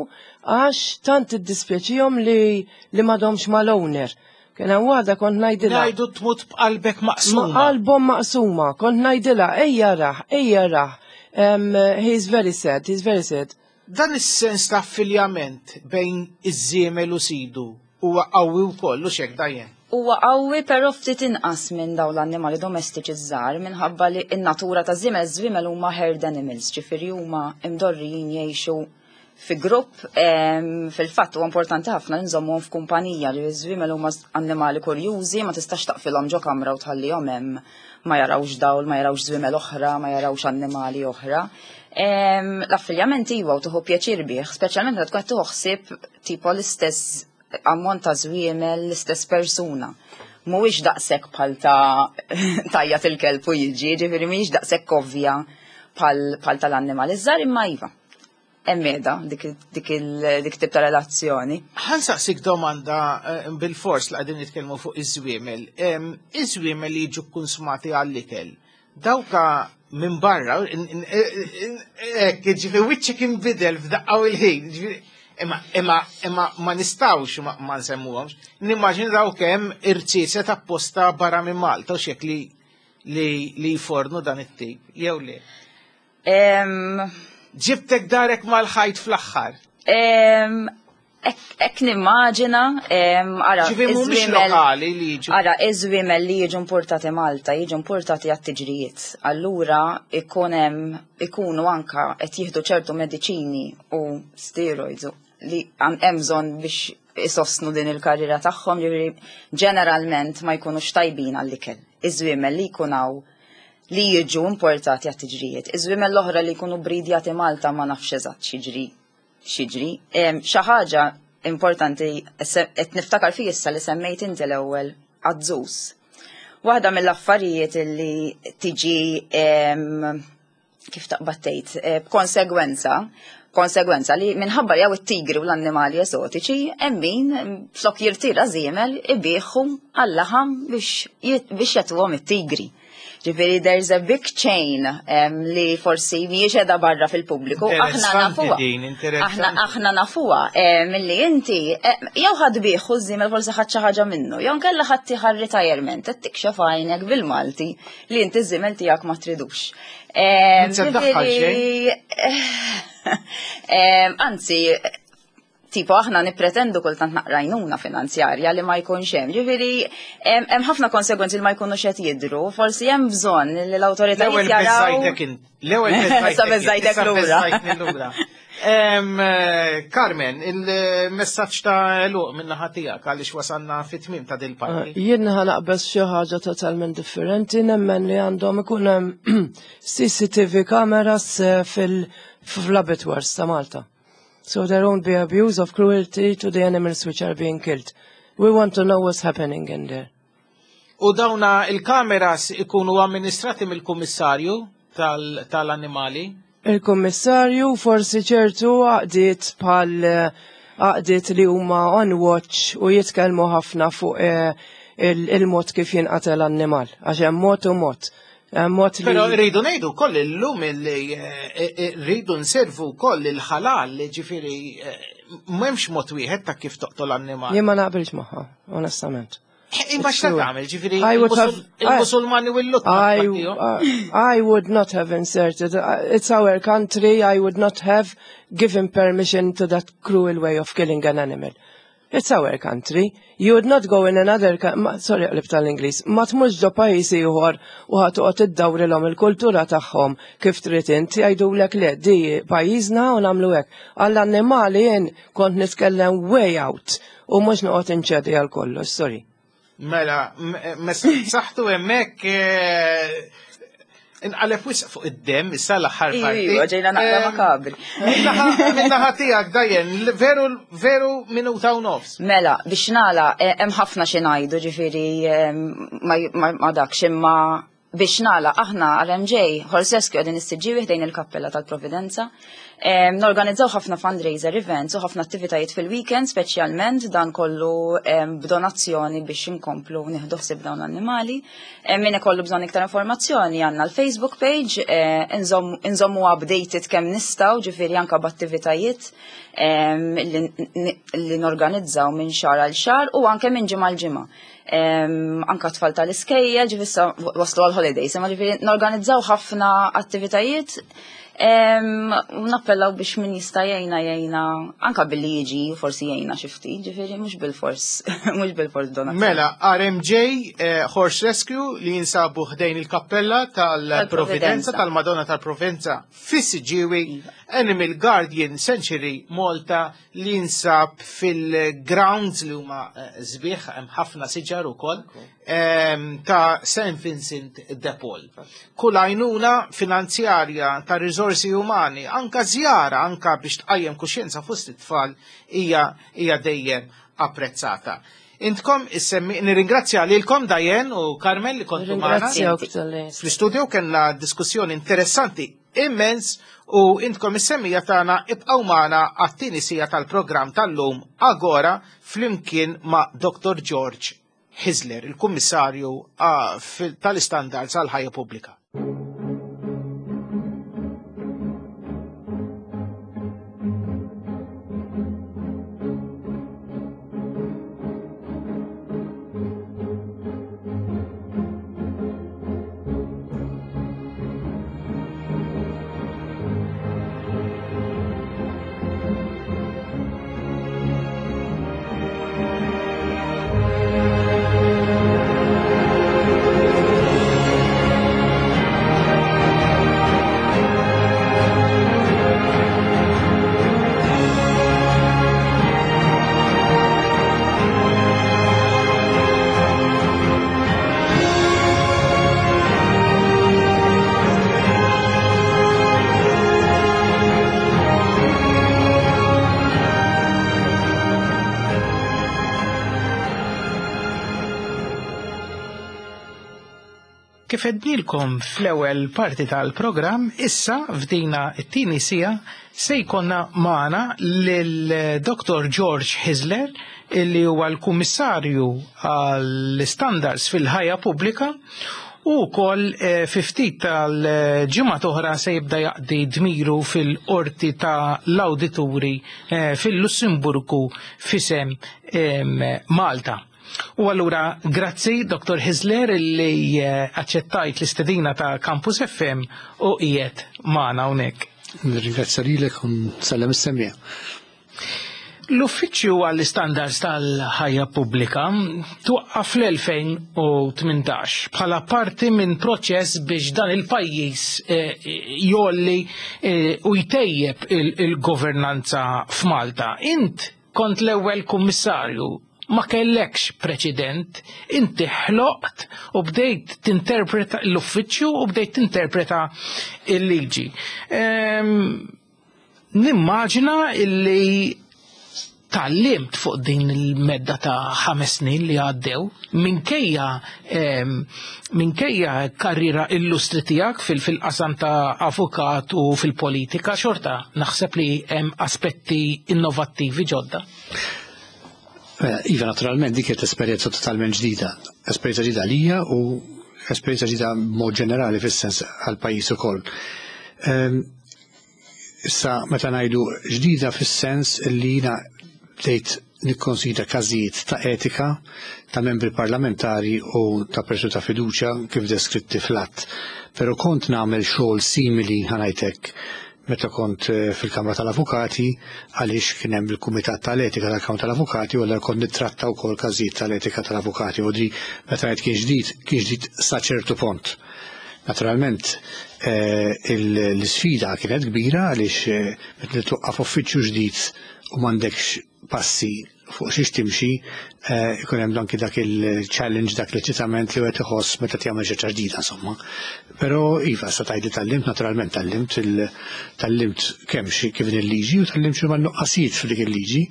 għax tant iddispjaċihom li li m'għadhomx mal-owner. Kien hemm waħda kont ngħidilha. Ngħidu tmut b'qalbek maqsuma. Ma qalbhom maqsuma, kont ngħidilha ejja raħ, ejja raħ. Um, he's very sad, he's very sad. Dan is-sens ta' affiljament bejn iż-żiemel u sidu huwa qawwi wkoll, u xek dajjen. Huwa qawwi, però ftit inqas minn dawn l-annimali domestiċi żgħar minħabba li n-natura ta' żiemel, żwiemel huma herd animals, ġifieri huma imdorrijin jgħixu fi grupp. em, fil-fatt huwa importanti ħafna li nżommuhom f'kumpanija, li ż-żwiemel huma annimali kurjużi, ma tistax taqfilhom ġo kamra u tħallihom hemm ma jarawx dawl, ma jarawx żwiemel oħra, ma jarawx annimali oħra. Em, L-affiljament iva u tieħu pjaċir bih, speċjalment meta tkun qed tieħu ħsieb tipo l-istess ammont ta' żwiemel, l-istess persuna. Mhuwiex daqshekk bħal ta' tajja il-kelb u jiġi, ġifieri mhijiex daqshekk ovvja bħal bħal tal-annimali żgħar, imma iva. Hemm qiegħda dik dik il- dik tip ta' relazzjoni. Ħa nsaqsik domanda eh, bil-fors li qegħdin nitkellmu fuq iż-żwiemel. Em, Iż-żwiemel li jiġu konsumati għall-ikel. Dawka minn barra, hekk, ġifieri wiċċek inbidel f'daqqa u l-ħin. Ġifieri, Imma, imma, imma ma nistawx ma, ma nsemmuhomx. Nimmaġina dawk hemm irziezet apposta barra minn Malta u xek li li li jfornu dan it-tip, jew le? Em, Ġibtek darek mal-ħajt fl-aħħar. em, Ek nimmaġina, em, ara, Ġifieri mhumiex iż-żwiemel- lokali li jiġu. Ara, iż-żwiemel li jiġu importati Malta, jiġu importati għat-tiġrijiet. Allura ikun hemm ikunu anka qed jieħdu ċertu mediċini u steroids u li għan- hemm bżonn biex isostnu din il-karriera tagħhom, ġifieri ġeneralment ma jkunux tajbin għall-ikel. Iż-żwiemel li jkun hawn li jiġu importati għat-tiġrijiet. Iż-żwiemel l-oħra li jkunu bridjati Malta ma nafx eżatt x'jiġri x'jiġri. Em, Xi ħaġa importanti qed niftakar fih issa li semmejt inti l-ewwel għadżus. Waħda mill-affarijiet li tiġi em, kif taqbad tgħid, eh, b'konsegwenza, konsegwenza li minħabba li hawn it-tigri u l-annimali esotiċi, hemm min flok jirtira żiemel ibigħu għal-laħam biex jit- biex jagħtuhom it-tigri. Ġifieri there's a big chain em, li forsi mhijiex qiegħda barra fil-pubbliku. Aħna Interessanti nafuha. din, interessanti. Aħna aħna nafuha em, milli inti eh, jew ħadd biegħu ż-żiemel, forsi ħadd xi ħaġa minnu, jew nkella ħadd tieħu retirement, qed tikxef għajnek bil-Malti li inti ż-żiemel tiegħek ma tridux. Em, Min se ddaħħal? Ġifieri, em, Anzi, tipo aħna nippretendu kultant naqra għajnuna finanzjarja li ma jkunx hemm. Ġifieri hemm hemm ħafna konsegwenzi li ma jkunux qed jidhru, forsi hemm bżonn li l-awtoritajiet L-ewwel jaraw. beżajtek int. L-ewwel beżajtek. Sa beżajtek issa lura. beżajtni lura. Carmen, il-messaġġ ta' għeluq min-naħa tiegħek għaliex wasalna fit-tmiem ta' dil-parti. Jien ħa naqbeż xi ħaġa totalment differenti, nemmen li għandhom ikun hemm C C T V cameras eh, fil-abattoirs ta' Malta. So there won't be abuse of cruelty to the animals which are being killed. We want to know what's happening in there. U dawna il-kameras ikunu amministrati mill-kummissarju tal-annimali? Il-kummissarju, forsi ċertu għaqdiet bħal eh, għaqdiet li huma on watch u jitkellmu ħafna fuq eh, il-mod kif jinqatel annimal. Għax hemm mod u mod. Mod li. Però rridu ngħidu koll illum li eh, rridu nservu koll il-ħalal, ġifieri m'hemmx mod wieħed ta' kif toqtol annimal. Jien ma naqbilx magħha, onestament. Imma x'ta tagħmel, ġifieri il-Musulmani u l-Lut. I would not have inserted. It's our country. I would not have given permission to that cruel way of killing an animal. It's our country. You would not go in another, sorry, qlib tal-Ingliż, ma tmurx ġo pajjiż ieħor u ħa toqgħod iddawrilhom il-kultura tagħhom kif trid int, jgħidulek le, di pajjiżna u nagħmlu hekk. Għall-annimali jien kont nitkellem way out u mhux noqgħod inċedi għal kollox, sorry. Mela, saħtu hemmhekk eh, inqaleb wisq fuq id-dem, issa l-aħħar parti. Iva, ġejna naqra makabri. Min-naħa tiegħek, Dajen, veru veru minuta u nofs. Mela, biex nagħlaq, eh, hemm ħafna xi ngħidu, ġifieri eh, ma dakx, imma biex nagħlaq, aħna R M J Horse Rescue qegħdin is-Siġġiewi ħdejn il-Kappella tal-Providenza. Norganizzaw ħafna fundraiser events u ħafna attivitajiet fil-weekend, speċjalment dan kollu b'donazzjoni biex inkomplu nieħdu ħsieb dawn l-annimali. Min ikollu bżonn iktar informazzjoni, għandna l-Facebook page, eh, inżommu updated kemm nistgħu, ġifieri anka b'attivitajiet li norganizzaw minn xahar għal xahar u anke minn ġimgħa għal ġimgħa. Anka tfal tal-iskejjel, ġifieri waslu għal-holidays, imma ġifieri norganizzaw ħafna attivitajiet u nappellaw biex min jista' jgħinna jgħinna anka billi jiġi forsi jgħinna xi ftit, ġifieri mhux bil-fors, mhux bil-fors donazzjoni. Mela, R M J eh, Horse Rescue li jinsabu ħdejn il-kappella tal-Providenza, tal-Madonna tal-Providenza fis-Siġġiewi, iva. Animal Guardian Sanctuary Malta li jinsab fil-grounds li huma eh, sbieħ, hemm ħafna siġar ukoll, ta' Saint Vincent de Paul. Kull għajnuna finanzjarja, ta' risorsi umani, anka żjara, anka biex tqajjem kuxjenza fost it-tfal hija hija dejjem apprezzata. Intkom issemmi, nirringrazzja lilkom Dajen u Carmen li kontu magħna. Fl-istudio kellna diskussjoni interessanti immens u intkom is-semmiegħa tagħna ibqgħu magħna għat-tieni siegħa tal-programm tal-lum Agora flimkien ma' Doctor George Hyzler, il-Kummissarju tal-Istandards għal-Ħajja Pubblika. Kif għednilkom fl-ewwel parti tal-programm, issa f'dina it-tieni siegħa se jkollna magħna lil Doctor George Hyzler, illi huwa l-Kummissarju għall-Standards fil-ħajja pubblika u wkoll eh, fi ftit tal-ġimgħa oħra se jibda jaqdi dmiru fil-qorti ta' l-awdituri eh, fil-Lussemburgu f'isem Malta. U allura, grazzi Doctor Hyzler illi eh, aċċettajt l-istedina ta' Campus F M u qiegħed magħna hawnhekk. Nirringrazzja lilek u nsellem is-semmiegħa. L-Uffiċċju għall-Istandards tal-Ħajja Pubblika twaqqaf fl-elfejn u tmintax bħala parti minn proċess biex dan il-pajjiż jolli u jtejjeb il-governanza f'Malta. Int kont l-ewwel kummissarju, ma kellekx preċedent, inti ħloqt u bdejt tinterpreta l-uffiċċju u bdejt tinterpreta il-liġi. Nimmaġina illi tgħallimt fuq din il-medda ta' ħames snin li għaddew, minkejja minkejja karriera illustri tiegħek fil-qasam ta' avukat u fil-politika, xorta naħseb li hemm aspetti innovattivi ġodda. Iva, naturalment dik kienet esperjenza totalment ġdida, esperjenza ġdida għalija u esperjenza ġdida mod ġenerali fis-sens għall-pajjiż ukoll. Issa meta ngħidu ġdida fis-sens li jiena bdejt nikkonsidra każijiet ta' etika ta' membri parlamentari u ta' persuni ta' fiduċja kif deskritti fl-att. Però kont nagħmel xogħol simili ħanajtek meta kont fil-Kamra tal-Avukati, għaliex kien hemm il-Kumitat tal-Etika tal-Kamra tal-Avukati u allura kont nittratta wkoll każijiet tal-etika tal-avukati u di meta ngħid kien ġdid, kien ġdid sa ċertu punt. Naturalment l-isfida kienet kbira għaliex meta nitwaqqaf uffiċċju ġdid u m'għandekx passi fuq xiex timxi, ikun hemm anki dak il-challenge, dak l-eċitament li wieħed iħoss meta tagħmel xi ħaġa ġdida insomma. Però iva, sa tgħidli tgħallimt, naturalment tgħallimt, tgħallimt kemm xi kif il-liġi u tgħallimt xi nuqqasijiet f'dik il-liġi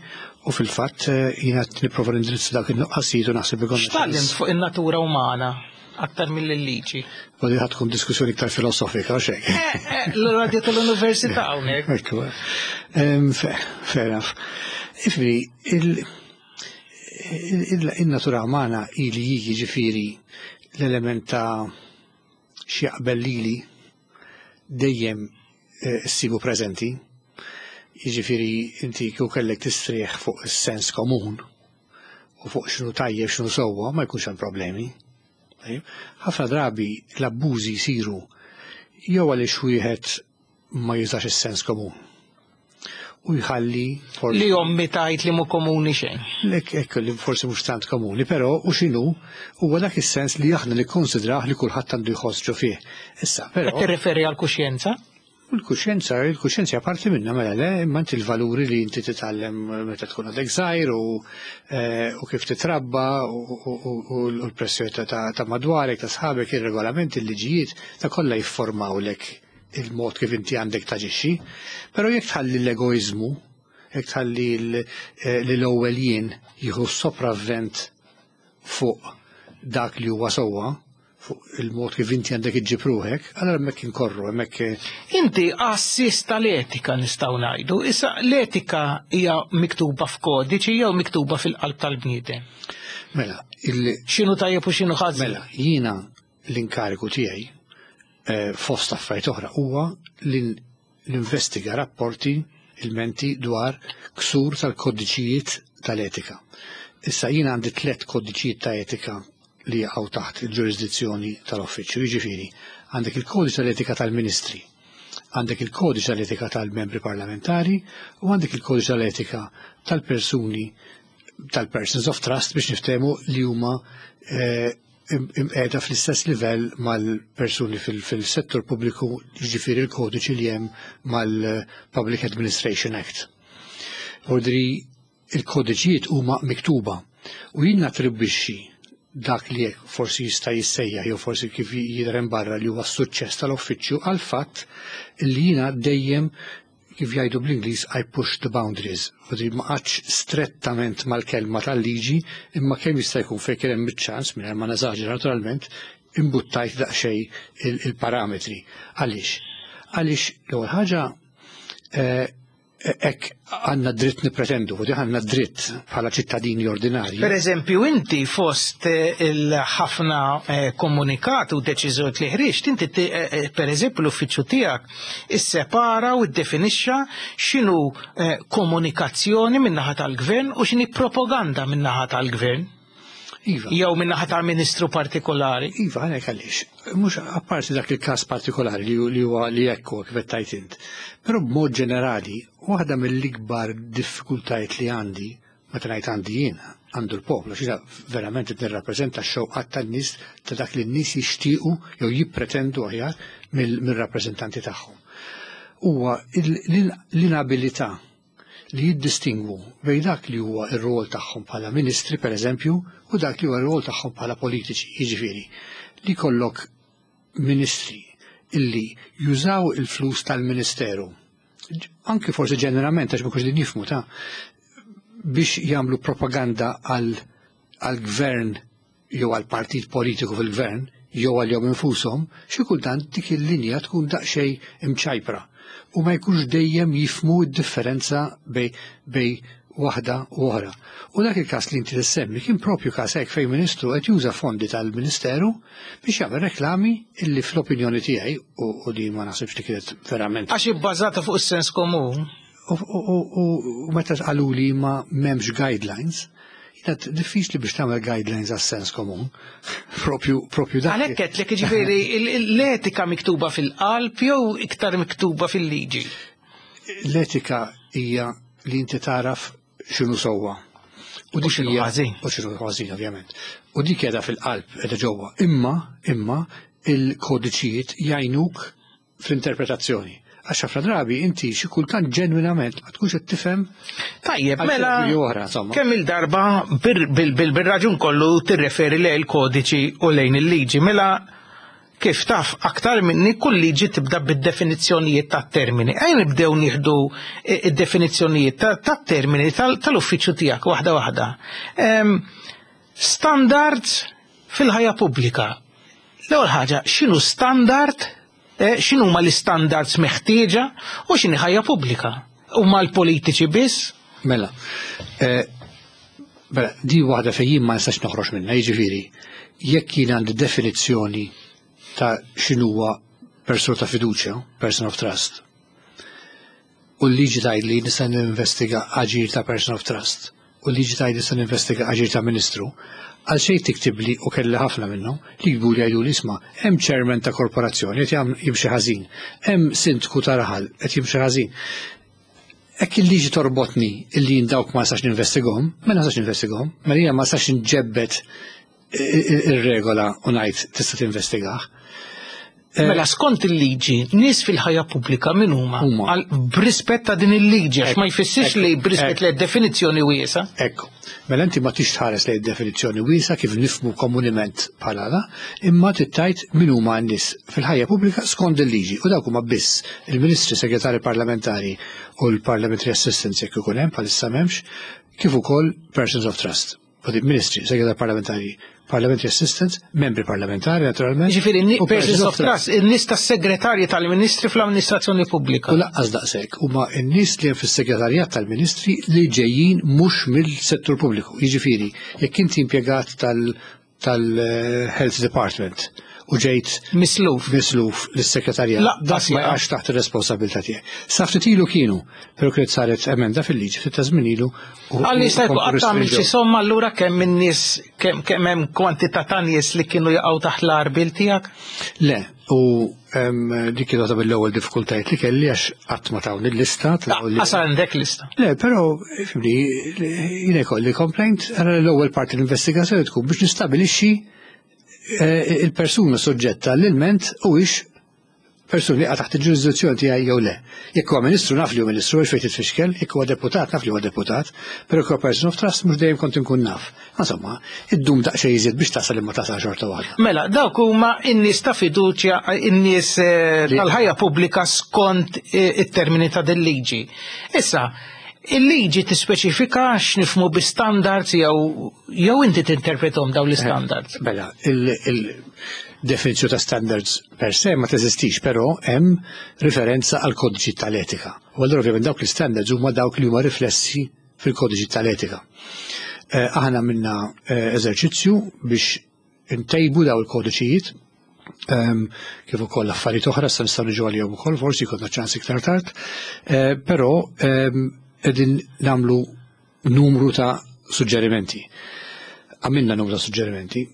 u fil-fatt jiena nipprova nindirizza dak in-nuqqasijiet u naħseb ikun. X'tgħallimt fuq in-natura umana aktar mill-liġi? U di tkun diskussjoni iktar filosofika, xejn. L-radio tal-università hawnhekk. Ekku. Fair enough. Ifri, il-natura umana ili jiġifieri l-element ta' x'jaqbel lili dejjem issibu preżenti. Jiġifieri inti kieku kellek tistrieħ fuq is-sens komun u fuq x'inhu tajjeb x'inhu sewwa ma jkunx hemm problemi. Ħafna drabi l-abbużi jsiru jew għaliex wieħed ma jużax is-sens komun u jħalli li ommi tajt li mu komuni xejn. Lek ekk li forsi mhux tant komuni, però u x'inhu huwa dak is-sens li aħna nikkonsidrah li kulħadd għandu jħoss ġo fih. Issa, però. Qed tirreferi għall-kuxjenza? Il-kuxjenza, il-kuxjenza parti minna mela le, imma inti l-valuri li inti titgħallem meta tkun għadek żgħir u kif titrabba u l-pressjoni ta' madwarek, ta' sħabek, ir-regolamenti, il-liġijiet, ta' kollha jiffurmawlek il-mod kif inti għandek taġixxi. Però jekk tħalli l-egoiżmu, jekk tħalli l-ewwel jien jieħu sopravvent fuq dak li huwa sewwa, fuq il-mod kif inti għandek iġġib ruħek, allora hemmhekk inkorru, hemmhekk. Inti għassis tal-etika nistgħu ngħidu. Issa l-etika hija miktuba f'kodiċi jew miktuba fil-qalb tal-bniedem? Mela, il x'inhu tajjeb u x'inhu ħażin? Mela, jiena l-inkariku tiegħi fost affarijiet oħra huwa li ninvestiga rapporti ilmenti dwar ksur tal-kodiċijiet tal-etika. Issa jiena għandi tliet kodiċijiet ta' etika li jaqgħu taħt il-ġurisdizzjoni tal-uffiċċju, jiġifieri għandek il-kodiċi tal-etika tal-ministri, għandek il-kodiċi tal-etika tal-membri parlamentari u għandek il-kodiċi tal-etika tal-persuni tal-persons of trust biex niftehmu li huma imqiegħda fl-istess livell mal-persuni fil-settur pubbliku, jiġifieri il-kodiċi li hemm mal-Public Administration Act. Ordri il-kodiċijiet huma miktuba u jien nattribwixxi dak li forsi jista' jissejjaħ jew forsi kif jidher hemm barra li huwa s-suċċess tal-uffiċċju għal fatt li jiena dejjem kif jgħidu bl-Ingliż I push the boundaries. Vodri ma qgħadx strettament mal-kelma tal-liġi imma kemm jista' jkun fejn kien hemm iċ-ċans mingħajr ma neżaġera naturalment imbuttajt daqsxejn il-parametri. Għaliex? Għaliex l-ewwel ħaġa hekk għandna dritt nippretendu, u għandna dritt bħala ċittadini ordinarji. Per eżempju, inti fost il-ħafna komunikat u deċiżjonijiet li ħriġt, inti per eżempju l-uffiċċju tiegħek issepara u ddefinixxa x'inhu komunikazzjoni min-naħa tal-gvern u x'inhi propaganda min-naħa tal-gvern. Iva. Jew min-naħa tal-ministru partikolari. Iva, għalek għaliex. Mhux apparti dak il-każ partikolari li li huwa li ekku kif qed tgħid int. Però b'mod ġenerali, waħda mill-ikbar diffikultajiet li għandi, meta ngħid għandi jien, għandu l-poplu, xi verament qed nirrappreżenta x-xewqat tan-nies, ta' dak li n-nies jixtiequ jew jippretendu aħjar mill-rappreżentanti tagħhom. Huwa l-inabilità li jiddistingwu bejn dak li huwa r-rol tagħhom bħala ministri, per eżempju, u dak li huwa r-rol tagħhom bħala politiċi, jiġifieri li kollok ministri illi jużaw il-flus tal-ministeru, anki forsi ġeneralment, għax ma kux din jifmu ta' biex jagħmlu propaganda għal gvern jew għal partit politiku fil-gvern jew għal jom infushom, xi kultant dik il-linja tkun daqsxejn imċajpra u ma jkunx dejjem jifmu d-differenza bejn bejn waħda u oħra. U dak il-każ li inti tissemmi kien propju każ hekk, fejn ministru qed juża fondi tal-Ministeru biex jagħmel reklami illi fl-opinjoni tiegħi, u, u di ma naħsibx li kienet verament Għax ibbażata fuq is-sens komun. U, u, u, u meta qalu li ma m'hemmx guidelines, jiena diffiċli biex tagħmel guidelines għas-sens komun. Propju, propju dak. Għalhekk qed jiġifieri l-etika miktuba fil-qalb jew iktar miktuba fil-liġi? L-etika hija li inti taraf x'inhu sewwa. U dik x'inhu hija- ħażin. U x'inhu ħażin, ovvjament. U dik qiegħda fil-qalb, qiegħda ġewwa. Imma, imma il-kodiċijiet jgħinuk fl-interpretazzjoni. Għax ħafna drabi inti xi kultant ġenwinament ma tkunx qed tifhem Tajjeb, għal mela xi oħra, insomma. Kemm il-darba bir- bil- bil- bil-raġun kollu tirreferi lejn il-kodiċi u lejn il-liġi, mela kif taf aktar minni, kull liġi tibda bid-definizzjonijiet ta' termini. Ejja nibdew nieħdu id-definizzjonijiet ta' ta' termini tal- tal-uffiċċju tiegħek waħda waħda. Em, Standards fil-ħajja pubblika. L-ewwel ħaġa, x'inhu standard, eh, x'inhu huma l-istandards meħtieġa u x'inhi ħajja pubblika? Huma l-politiċi biss? Mela, eh, mela, di waħda fejn jien ma nistax noħroġ minnha, jiġifieri, jekk jien għandi definizzjoni ta' x'inhuwa persuna ta' fiduċja, person of trust, u l-liġi tgħid li nista' ninvestiga aġir ta' person of trust, u l-liġi tgħid nista' ninvestiga aġir ta' ministru, għal xejn tiktib li, u kelli ħafna minnhom li jgħidu li jgħidu li isma', hemm chairman ta' korporazzjoni qed jagħmel jimxi ħażin, hemm sindku ta' raħal qed jimxi ħażin. Hekk il-liġi torbotni illi jien dawk ma nistax ninvestigahom, ma nistax ninvestigahom, mela jiena ma nistax nġebbet ir-regola u ngħid tista' tinvestigah. Eh, Mela skont il-liġi, nies fil-ħajja pubblika min huma? Huma. Għal- B'rispett ta' din il-liġi, għax ma jfissirx Ekku, li b'rispett ekku. li definizzjoni wiesa. Ekku, mela inti ma tix tħares lejn definizzjoni wiesa kif nifmu komuniment bħala da, imma tittajt min huma n-nies fil-ħajja pubblika skont il-liġi, u dawk huma biss il-ministri, segretari parlamentari u l-parliamentary assistants jekk ikun hemm, bħalissa m'hemmx, kif ukoll persons of trust. U di ministri, segretari parlamentari, parliamentary assistants, membri parlamentari naturalment. Ġifieri, u persons of trust, in-nies tas-segretarji tal-ministri fl-amministrazzjoni pubblika. U lanqas daqshekk, huma n-nies li hemm fis-segretarjat tal-ministri li ġejjin mhux mill-settur pubbliku. Jiġifieri, jekk inti impjegat tal- tal-Health Department u ġejt Misluf. misluf lis-segretarjat, Lanqas dak ma jaqa'. jaqax taħt ir-responsabilità tiegħek. Sa ftit ilu kienu, però kienet saret emenda fil-liġi ftit ta' żmien ilu. u- Għalli u jista' jkun komplu qatt tagħmel xi restrinġew. somma allura kemm in-nies, kemm kemm hemm kwantità ta' nies li kienu jaqgħu taħt l-għarbiel tiegħek? Le, u em, dik kienet waħda mill-ewwel diffikultajiet li kelli, għax qatt ma tawni l-lista. tlaw li- Qas għandek lista. Le, però, fimni, jiena jkolli complaint, għara l-ewwel parti l-investigazzjoni tkun biex nistabilixxi eh, il-persuna soġġetta l-ilment u ix persuna li qiegħda taħt il-ġurisdizzjoni tiegħi jew le. Jekk huwa ministru, naf li huwa ministru, għax fejn titfixkel, jekk huwa deputat, naf li huwa deputat, però jekk huwa person of trust mhux dejjem kont inkun naf. Insomma, iddum daqsxejn iżjed biex tasal, imma tasal xorta waħda. Mela, dawk huma in-nies ta' fiduċja, in-nies eh, Li- tal-ħajja pubblika skont eh, it-termini ta' din liġi. Issa, il-liġi tispeċifika x'nifmu bi standards jew jew inti tinterpretom dawn l-standards? Mela, il-definizjoni ta' standards per se ma teżistix, però hemm riferenza għal kodiċi tal-etika. U allura ovvjament dawk l-standards huma dawk li huma riflessi fil-kodiċi tal-etika. Eh, Aħna minna eh, eżerċizzju biex intejbu daw il-kodiċijiet, ehm, kif ukoll affarijiet oħra se nistgħu niġu għalihom ukoll, forsi jkollna ċans iktar tard, eh, però ehm, qegħdin nagħmlu numru ta' suġġerimenti. Għamilna numru ta' suġġerimenti.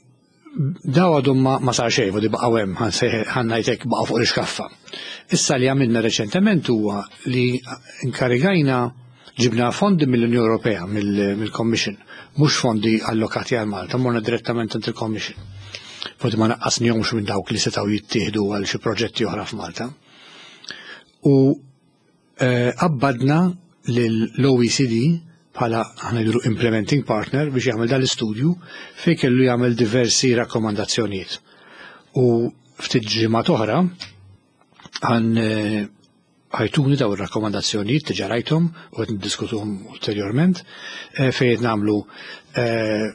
Daw għadhom ma, ma sar xejn, di baqgħu hemm, ħa ngħidlek baqgħu fuq l-iskaffa. Issa li għamilna reċentement huwa li inkarigajna, ġibna fondi mill-Unjoni Ewropea, mill-Commission, mhux fondi allokati għal Malta, morna direttament għand il-Commission. Fondi ma naqqasnihomx minn dawk li setgħu jittieħdu għal xi proġetti oħra f'Malta. U qabbadna lill-O E C D bħala, aħna ngħidulu, implementing partner biex jagħmel dal-istudju fejn kellu jagħmel diversi rakkomandazzjonijiet. U ftit ġimgħat oħra għan ħa jtuni daw ir-rakkomandazzjonijiet, diġà rajthom u qed niddiskutuhom ulterjorment, eh, fejn qed nagħmlu eh,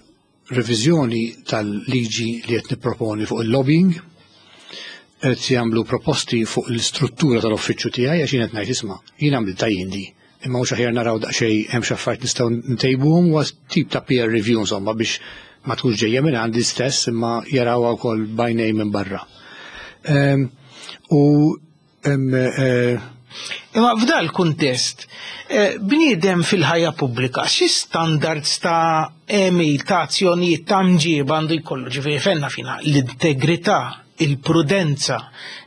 reviżjoni tal-liġi li qed nipproponi fuq il-lobbying, qed jagħmlu proposti fuq l-istruttura tal-uffiċċju tiegħi, għax jien qed ngħid, isma', jien għamilt tajjindi, imma mhux aħjar naraw daqsxejn hemm xi affarijiet nistgħu ntejbuhom? Huwa tip ta' peer review, insomma, biex ma tkunx ġejja minn għandi stess imma jarawha wkoll b'għajnejn minn barra. Ehm, u eh, Imma f'dal kuntest, eh, bniedem fil-ħajja pubblika, xi standards ta' għemil, ta' azzjonijiet, ta' mġiba għandu jkollu? Ġifieri fenna fina l-integrità, il-prudenza,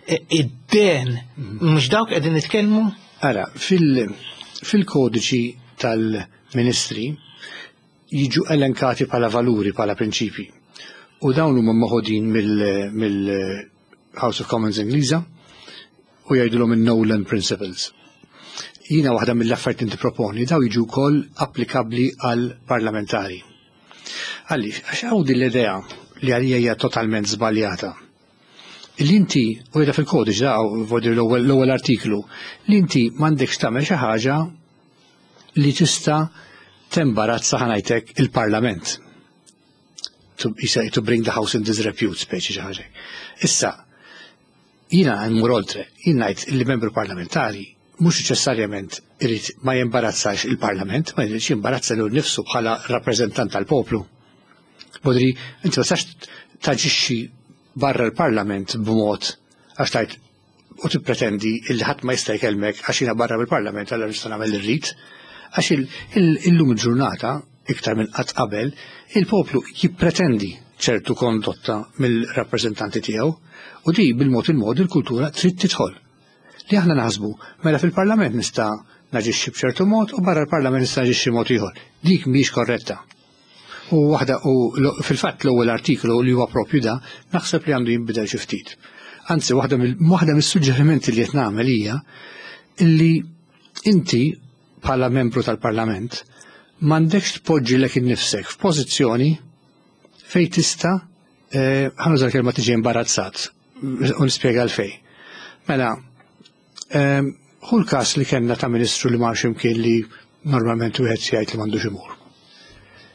eh, id-den, mhux dawk qegħdin nitkellmu? Ara, fil-kodiċi tal-ministri jiġu elenkati bħala valuri, bħala prinċipi. U dawn huma meħudin mill-House of Commons Ingliża u jgħidulhom il-Nolan Principles. Jiena waħda mill-affarijiet inti proponi daw jiġu wkoll applikabbli għal parlamentari. Għaliex, għax hawn din l-idea li għalija hija totalment żbaljata. Li inti, u jgħida fil-kodiċ da, l-ewwel artiklu, li inti m'għandekx tagħmel xi ħaġa li tista' tembarazza, ħa ngħidlek, il-parlament. To, to bring the house in disrepute, speċi xi ħaġa. Issa, jiena mmur oltre, jien ngħid li membru parlamentari mhux neċessarjament irid ma jimbarazzax il-parlament, ma jridx jimbarazza lilu nnifsu bħala rappreżentant tal-poplu. Bodri, inti ma tistax taġixxi barra l-parlament b'mod għax tajt u tippretendi illi ħadd ma jista' jkellmek għax jiena barra mill-parlament, allura nista' nagħmel irrid. Għax illum il-ġurnata, iktar minn qatt qabel, il-poplu jippretendi ċertu kondotta mill-rappreżentanti tiegħu u di bil-mod il-mod il-kultura trid tidħol. Li aħna naħsbu, mela fil-parlament nista' naġixxi b'ċertu mod u barra l-parlament nista' naġixxi mod ieħor. Dik mhix korretta. U waħda u fil-fatt l-ewwel artiklu li huwa propju da, naħseb li għandu jinbidel xi ftit. Anzi, waħda waħda mis-suġġerimenti li qed nagħmel hija illi inti bħala membru tal-parlament m'għandekx tpoġġi lilek innifsek f'pożizzjoni fej tista', eh, ħa nuża kelma, tiġi imbarazzat u nispjega għalfejn. Mela, ehm, hu l-każ li kellna ta' ministru li mar x'imkien li normalment wieħed jgħid li m'għandux imur.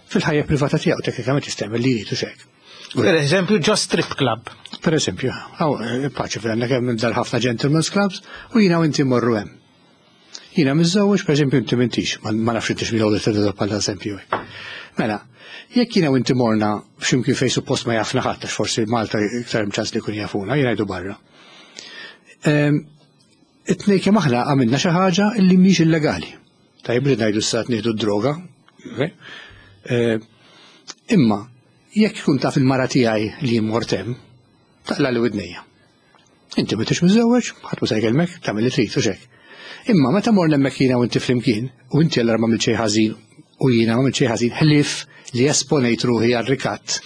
Fil-ħajja privata tiegħu teknikament jista' jagħmel li jrid u xek. Per eżempju, ġo strip club. Per eżempju, għaw, eh, paċi fil kemm dal ħafna gentlemen's clubs u jiena u inti morru hemm. Jiena miżżewweġ, per eżempju, inti m'intix, ma nafx intix mill-ewwel bħala eżempju. Mela, jekk jiena u inti morna f'ximkien fejn suppost ma jafna ħadd, għax forsi Malta iktar ċans li jkun jafuna, jiena jgħidu barra. Ehm, it-tnejn kemm aħna għamilna xi ħaġa li mhix illegali. Tajjeb li ngħidu s nieħdu d-droga. Ehm, imma jekk ikun taf il-mara tiegħi li mort hemm, taqla' li widnejja. Inti m'intix miżżewweġ, ħadd ma se jkellmek, tagħmel li trid u xek. Imma meta mor hemmhekk jiena u inti flimkien, u inti allura ma xejn ħażin u jiena ma xejn ħażin ħlief li esponejt ruħi għal rikatt.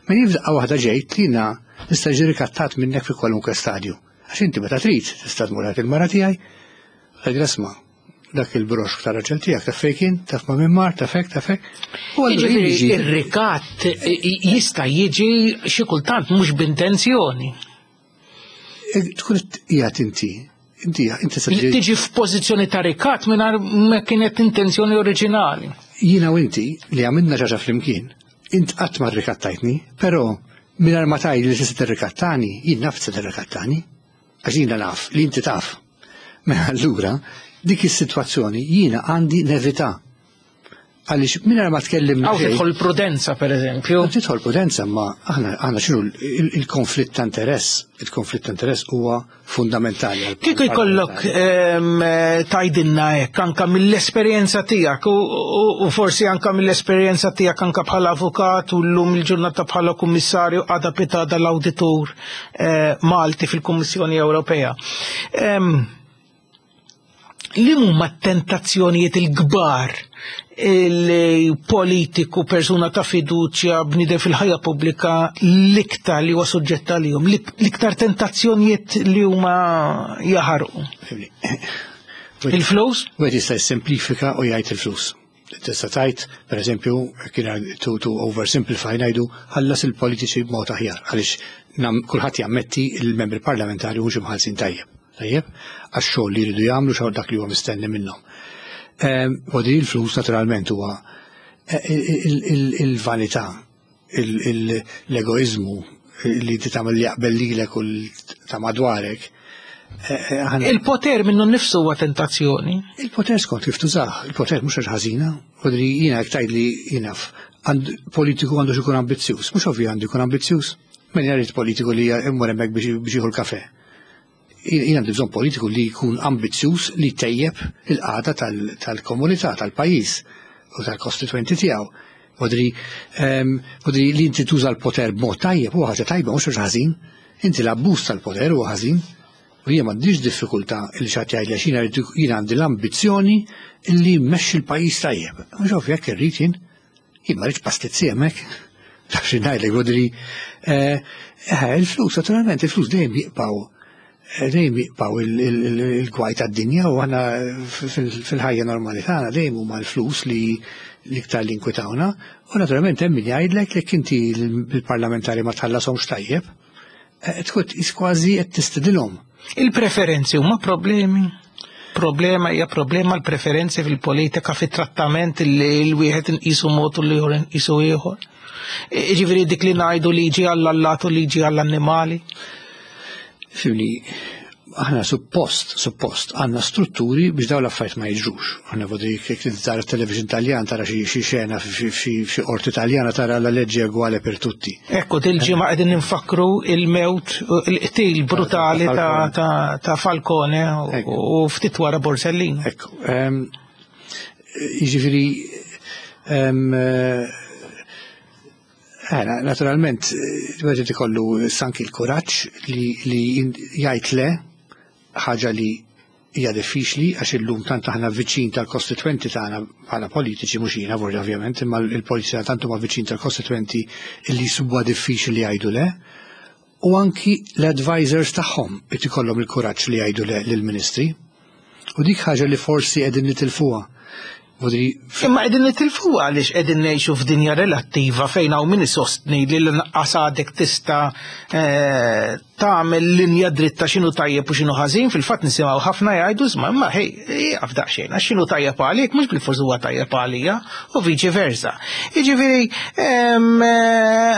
Ma jibda waħda ġejt li jiena nista' ġi rikattat minnek fi kwalunkwe stadju. Għax inti meta trid tista' tmur il-mara tiegħi, tgħid, "Isma', dak il-broxk ta' raġel tiegħek taf fejn kien, taf ma' min mar, taf hekk, taf hekk." U jiġifieri ir-rikatt jista' jiġi xi kultant mhux b'intenzjoni. Tkun qiegħed inti inti inti se tiġi f'pożizzjoni ta' rikatt mingħajr ma kienet intenzjoni oriġinali. Jiena u inti li għamilna xi ħaġa flimkien, int qatt ma rikattajtni, però mingħajr ma tgħid li tista' tirrikattani, jien naf se tirrikattani. Għax jiena naf li inti taf. Mela allura dik is-sitwazzjoni jiena għandi nevita. Għaliex mingħajr ma tkellimna. Hawn tidħol prudenza, per eżempju. Tidħol prudenza, ma aħna aħna x'inhu il-konflitt ta' interess? Il-konflitt ta' interess huwa fundamentali. Kieku jkollok tgħidilna hekk anka mill-esperjenza tiegħek u forsi anka mill-esperjenza tiegħek anka bħala avukat u llum il-ġurnata bħala kummissarju, għada pitgħada l-awditur Malti fil-Kummissjoni Ewropea. Li huma tentazzjonijiet il-kbar il-politiku, persuna ta' fiduċja, bniedem fil-ħajja pubblika, l-iktar li huwa suġġett għalihom, l-iktar tentazzjonijiet li huma jaħarqu? Il-flus? Wieħed jista' jissimplifika u jgħid il-flus. Tista' tgħid, pereżempju, kien to, to oversimplify, ngħidu ħallas il-politiċi b'mod aħjar, għaliex kulħadd jammetti il-membri parlamentari mhux imħallsin tajjeb. Tajjeb, għax-xogħol li jridu jagħmlu, xogħol dak li huwa mistenni minnhom. U di l-flus naturalment huwa il-vanità, l-egoizmu li tagħmel li jaqbel lilek u ta' madwarek. Il-poter minnu nnifsu huwa tentazzjoni. Il-poter skont kif tużah, il-poter mhux ħażina, u jiena jekk tgħidli jiena politiku għandu jkun ambizzjuż, mhux ovvju għandu jkun ambizzjuż. Min jrid politiku li jmur hemmhekk biex jieħu l-kafè? Jien għandi bżonn politiku li jkun ambizzjuż li tejjeb il-qagħda tal-komunità, tal-pajjiż u tal-kostituenti tiegħu. Modri, modri li inti tuża l-poter b'mod tajjeb huwa ħaġa tajba, mhux ħażin. Inti l-abbuż tal-poter huwa ħażin. U jien m'għandix diffikultà li xi ħadd jgħidli għax jien għandi l-ambizzjoni li mmexxi l-pajjiż tajjeb. Mhux ovvju jekk irrid jien, jien ma rridx pastizzi hemmhekk. Taf xi ngħidlek, modri, il-flus, naturalment, il-flus dejjem jibqgħu dejjem jibqgħu il-gwaj tad-dinja u aħna fil-ħajja normali tagħna dejjem huma l-flus li l-iktar li nkwitawna. U naturalment hemm min jgħidlek li inti l-parlamentari ma tħallashomx tajjeb, tkun kważi qed tistidilhom. Il-preferenzi huma problemi. Problema hija problema l-preferenzi fil-politika, fit-trattament li l-wieħed inqisu mod u l-ieħor inqisu ieħor. Jiġifieri dik li ngħidu liġi għall-allat u liġi għall-annimali. Fimni, aħna suppost, suppost, għandna strutturi biex dawn l-affarijiet ma jiġrux. Aħna vodi jekk tara television Taljan, tara xi xena f'xi qorti Taljana, tara la legge uguale per tutti. Ekku, dil-ġimgħa qegħdin ninfakru il-mewt, il-qtil brutali ta' Falcone u ftit wara Borsellino. Ekku, jiġifieri, naturalment, wieħed ikollu sanki l-kuraġġ li jgħid le, ħaġa li hija diffiċli għax illum tant aħna viċin tal-kostitwenti tagħna bħala politiċi, mhux jiena vordi ovvjament, imma l-politiċi tant huma viċin tal-kostitwenti li jsibuha diffiċli li jgħidu le, u anki l-advisors tagħhom qed ikollhom il-kuraġġ li jgħidu le lill-ministri. U dik ħaġa li forsi qegħdin nitilfuha. Imma qegħdin nitilfuha għaliex qegħdin ngħixu f'dinja relattiva fejn hawn min isostni li l-inqas għadek tista' tagħmel linja dritta x'inhu tajjeb u x'inhu ħażin. Fil-fatt nisimgħu ħafna jgħidu isma' imma ħej ieqaf daqsxejn għax x'inhu tajjeb għalik mhux bilfors huwa tajjeb għalija u viċi versa. Jiġifieri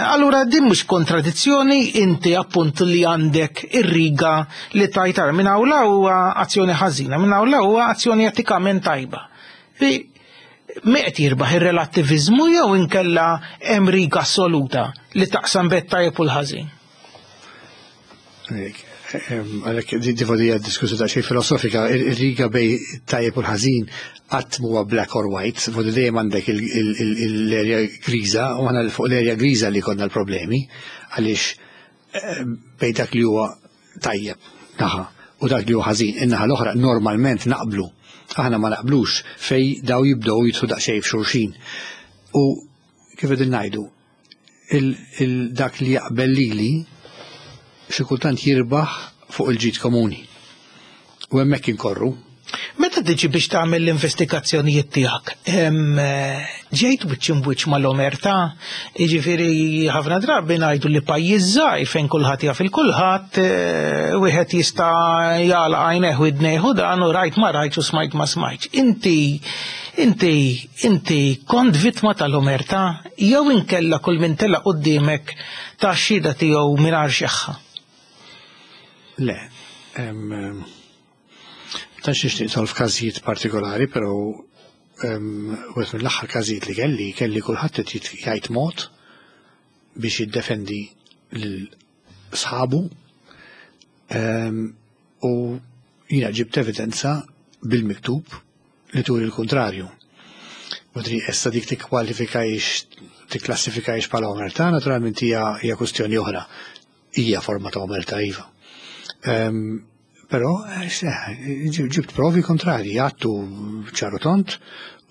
allura din mhux kontradizzjoni, inti appunt li għandek ir-riga li tajt ara minn hawn huwa azzjoni ħażina, minn hawn huwa azzjoni etikament tajba. Mi qed jirbaħ ir-relattiviżmu jew inkella hemm riga assoluta li taqsam bet tajjeb u l-ħażin? Għalhekk di diskussa ta' xejn filosofika, ir-riga bej tajjeb u l-ħażin qatt huwa black or white, vodi dejjem għandek l-erja griża u aħna fuq l-erja griża li konna l-problemi għaliex bej dak li huwa tajjeb naħa u dak li huwa ħażin in-naħa l-oħra normalment naqblu. Aħna ma naqblux fej daw jibdew jidħlu daqsxejn f'xulxin. U kif qegħdin ngħidu, dak li jaqbel lili xi kultant jirbaħ fuq il-ġid komuni. U hemmhekk inkorru. Meta tiġi biex tagħmel l-investigazzjonijiet tiegħek, ġejt wiċċ imwiċċ mal-omertà, jiġifieri ħafna drabi ngħidu li pajjiż żgħir fejn kulħadd jaf il-kulħadd, wieħed jista' jagħlaq għajnejh u idnejh u dan u rajt ma rajtx u smajt ma smajtx. Inti inti inti kont vittma tal-omertà jew inkella kull min tela' quddiemek ta' xhieda tiegħu mingħajr xeħħa? Le, tantx nixtieq nidħol f'każijiet partikolari, però wieħed mill-aħħar każijiet li kelli, kelli kulħadd qed jgħid mod biex jiddefendi lil sħabu u jiena ġibt evidenza bil-miktub li turi l-kontrarju. Modri, issa dik tikkwalifikajx, tikklassifikajx bħala omertà, naturalment hija hija kwestjoni oħra. Hija forma ta' omertà iva. Però ġibt provi kontrarji, għattu ċaru tont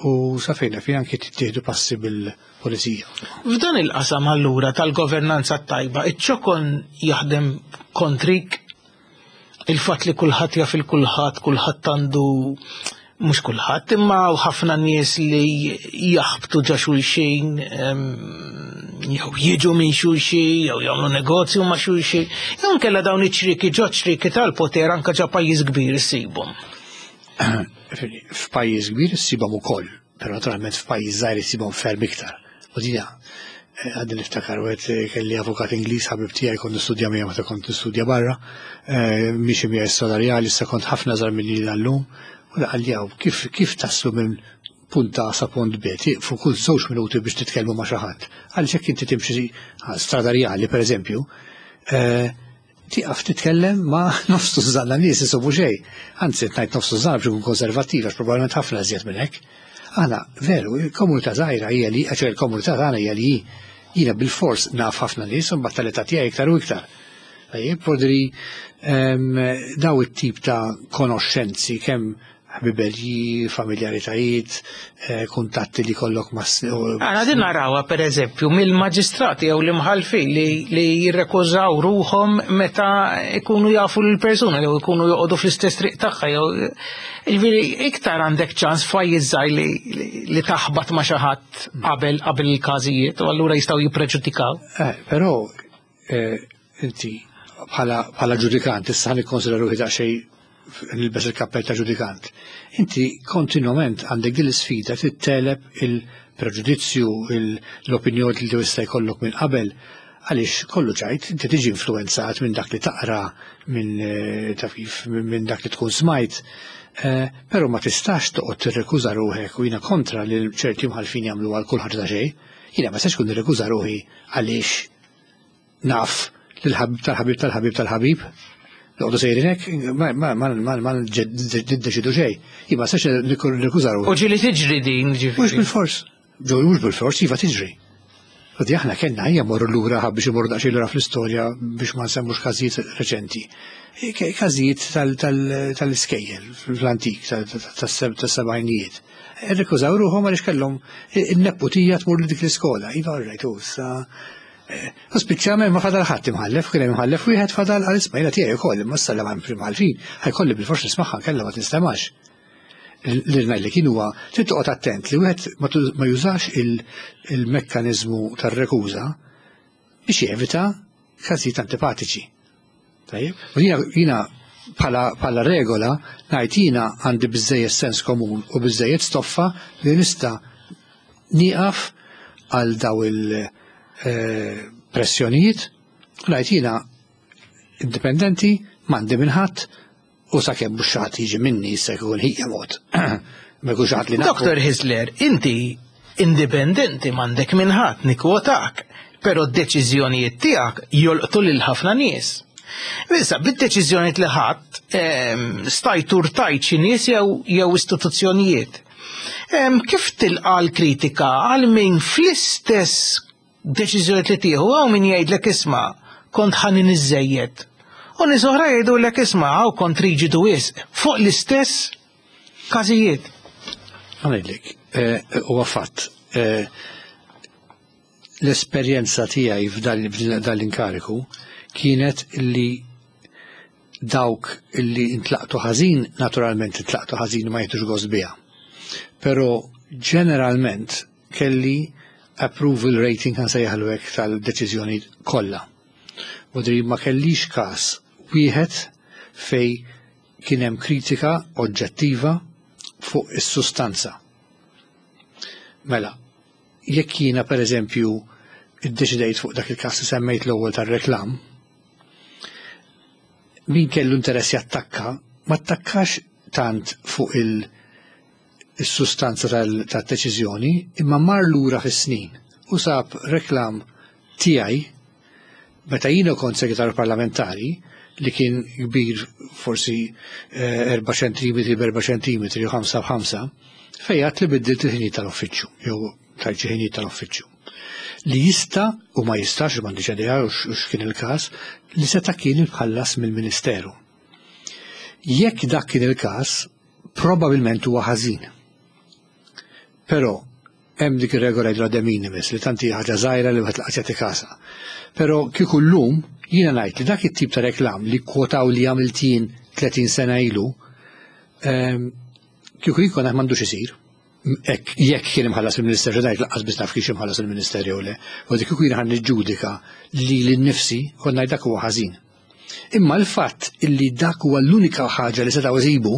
u safejna fi anki tittieħdu passi bil-polizija. F'dan il-qasam allura tal-governanza tajba, iċ-ċokon jaħdem kontrik il-fatt li kulħadd jaf il-kulħadd, kulħadd għandu mhux kulħadd, imma ħafna nies li jaħbtu ġa xulxin, jew jiġu minn xulxin, jew jagħmlu negozju ma' xulxin, jew nkella dawn iċ-ċriki ġo ċriki tal-poter anke ġa pajjiż kbir issibhom. F'pajjiż kbir issibhom ukoll, però naturalment f'pajjiż żgħir issibhom ferm iktar. U dina għadni niftakar u għed kelli avukat Ingliż ħabib tiegħi kont nistudja miegħu meta kont nistudja barra, miexi miegħi s-salarjali, issa kont ħafna żgħar minni l-lum. U qalli kif, kif taslu minn punt A sa punt B, tieqfu kull żewġ minuti biex titkellmu ma' xi ħadd. Għaliex jekk inti timxi strada rjali, per eżempju, tieqaf titkellem ma' nofs tużżanna nies isubu xejn. Anzi, ngħid nofs tużżanna biex ikun konservattiv, għax probabbilment ħafna iżjed minn hekk. Aħna, veru, il-komunità żgħira hija li, għax il-komunità tagħna hija li jiena bil-fors naf ħafna nies u mbagħad tal-età tiegħi iktar u iktar. Tajjeb, podri daw it-tip ta' konoxxenzi kemm ħbiberji, familjaritajiet, kuntatti li kollok ma' s- Għana din narawha per eżempju mill-maġistrati jew l-imħallfin li, li jirrekużaw ruħhom meta ikunu jafu l-persuna jew ikunu joqogħdu fl-istess triq tagħha jew jiġifieri iktar għandek ċans f'pajjiż żgħir li, li, li taħbat ma' xi ħadd qabel qabel il-każijiet u allura jistgħu jippreġudikaw. Eh, però eh, inti bħala bħala ġudikant issa nikkonsidra ruħi daqsxejn nilbes il-kappell ta' ġudikant. Inti kontinwament għandek din l-isfida titteleb il-preġudizzju, l-opinjoni li tista' jkollok minn qabel, għaliex kollu ċajt, inti tiġi influenzat minn dak li taqra, minn taf kif, minn dak li tkun smajt, però ma tistax toqgħod tirrekuża ruħek u jiena kontra li ċerti mħalfin jagħmlu għal kull ħaġa ta' xejn. Jiena ma tistax tkun nirrekuża ruħi għaliex naf lil-ħabib tal-ħabib tal-ħabib tal-ħabib. Noqogħdu sejrin hekk, ma ma ma ma ma niddeċidu xejn. Jien ma nistax nirrekuża ruħi. U ġieli tiġri din, ġifieri. Mhux bil-fors. Ġo mhux bil-fors, iva tiġri. Għadi aħna kellna hija morru lura biex imorru daqsxejn lura fl-istorja biex ma nsemmux każijiet reċenti. Każijiet tal-iskejjel fl-antik tas-sebgħinijiet. Irrekużaw ruħhom għaliex kellhom in-nepputija tmur li dik l-iskola. Iva rajtu issa. U spiċċament ma fadal ħadd imħallef, kien hemm imħallef wieħed fadal għal isma' jiena tiegħi wkoll, imma issa ma imħallfin, ħajkolli bil-fors nismagħha kellha ma tinstemax. Li ngħidlek kien huwa trid toqgħod attent li wieħed ma jużax il-mekkaniżmu tar-rekuża biex jevita każijiet antipatiċi. Tajjeb? U jiena bħala regola ngħid jiena għandi biżejjed sens komun u biżejjed stoffa li nista' nieqaf għal daw il- pressjonijiet, ngħid jiena indipendenti, m'għandi minn ħadd, u sakemm mhux xi ħadd jiġi minni issa jkun ħija mod. Ma jkunx ħadd li nafu. Doktor Hyzler, inti indipendenti m'għandek minn ħadd nikkwotak, però d-deċiżjonijiet tiegħek jolqtu lil ħafna nies. Issa, bid-deċiżjonijiet li ħadd stajt urtajt xi nies jew jew istituzzjonijiet. Kif tilqa' l-kritika għal min fl-istess deċiżjonijiet li tieħu hawn min jgħidlek isma' kont ħanin iżejjed. U nies oħra jgħidulek isma' hawn kont riġidu wisq fuq l-istess każijiet. Ngħidlek, huwa fatt. L-esperjenza tiegħi f'dan l-inkariku kienet li dawk li intlaqtu ħażin, naturalment intlaqtu ħażin ma jieħdux gost biha. Però ġeneralment kelli approval rating kan sejjaħlu hekk tal-deċiżjoni kollha. Modri ma kellix każ wieħed fej kien hemm kritika oġġettiva fuq is-sustanza. Mela, jekk jiena pereżempju iddeċidejt fuq dak il-każ li semmejt l-ewwel tar-reklam, min kellu interess jattakka, ma attakkax tant fuq il- is-sustanza tad-deċiżjoni, imma mar lura fis-snin u sab reklam tiegħi meta jiena kont segretarju parlamentari, li kien kbir forsi erba' ċentimetri b'erba' ċentimetri u ħamsa b'ħamsa, fejn għedt li biddilt il-ħinijiet tal-uffiċċju, jew tajt xi ħinijiet tal-uffiċċju. Li jista' u ma jistax, m'għandix idea u x'kien il-każ, li seta' kien imħallas mill-Ministeru. Jekk dak kien il-każ, probabbilment huwa ħażin. Però hemm dik ir-regola jgħidu de minimis, li tanti ħaġa żgħira li wieħed laqas jagħti kasha. Però kieku llum jiena ngħid li dak it-tip ta' reklam li kwotaw li għamilt jien tletin sena ilu, kieku jkun m'għandux isir. Jekk kien imħallas il-Ministeru, ngħid lanqas biss naf kiex imħallas il-Ministeru jew le. U dik kieku jiena ħa niġġudika li lil-nifsi kont ngħid dak huwa ħażin. Imma l-fatt illi dak huwa l-unika ħaġa li setgħu jsibu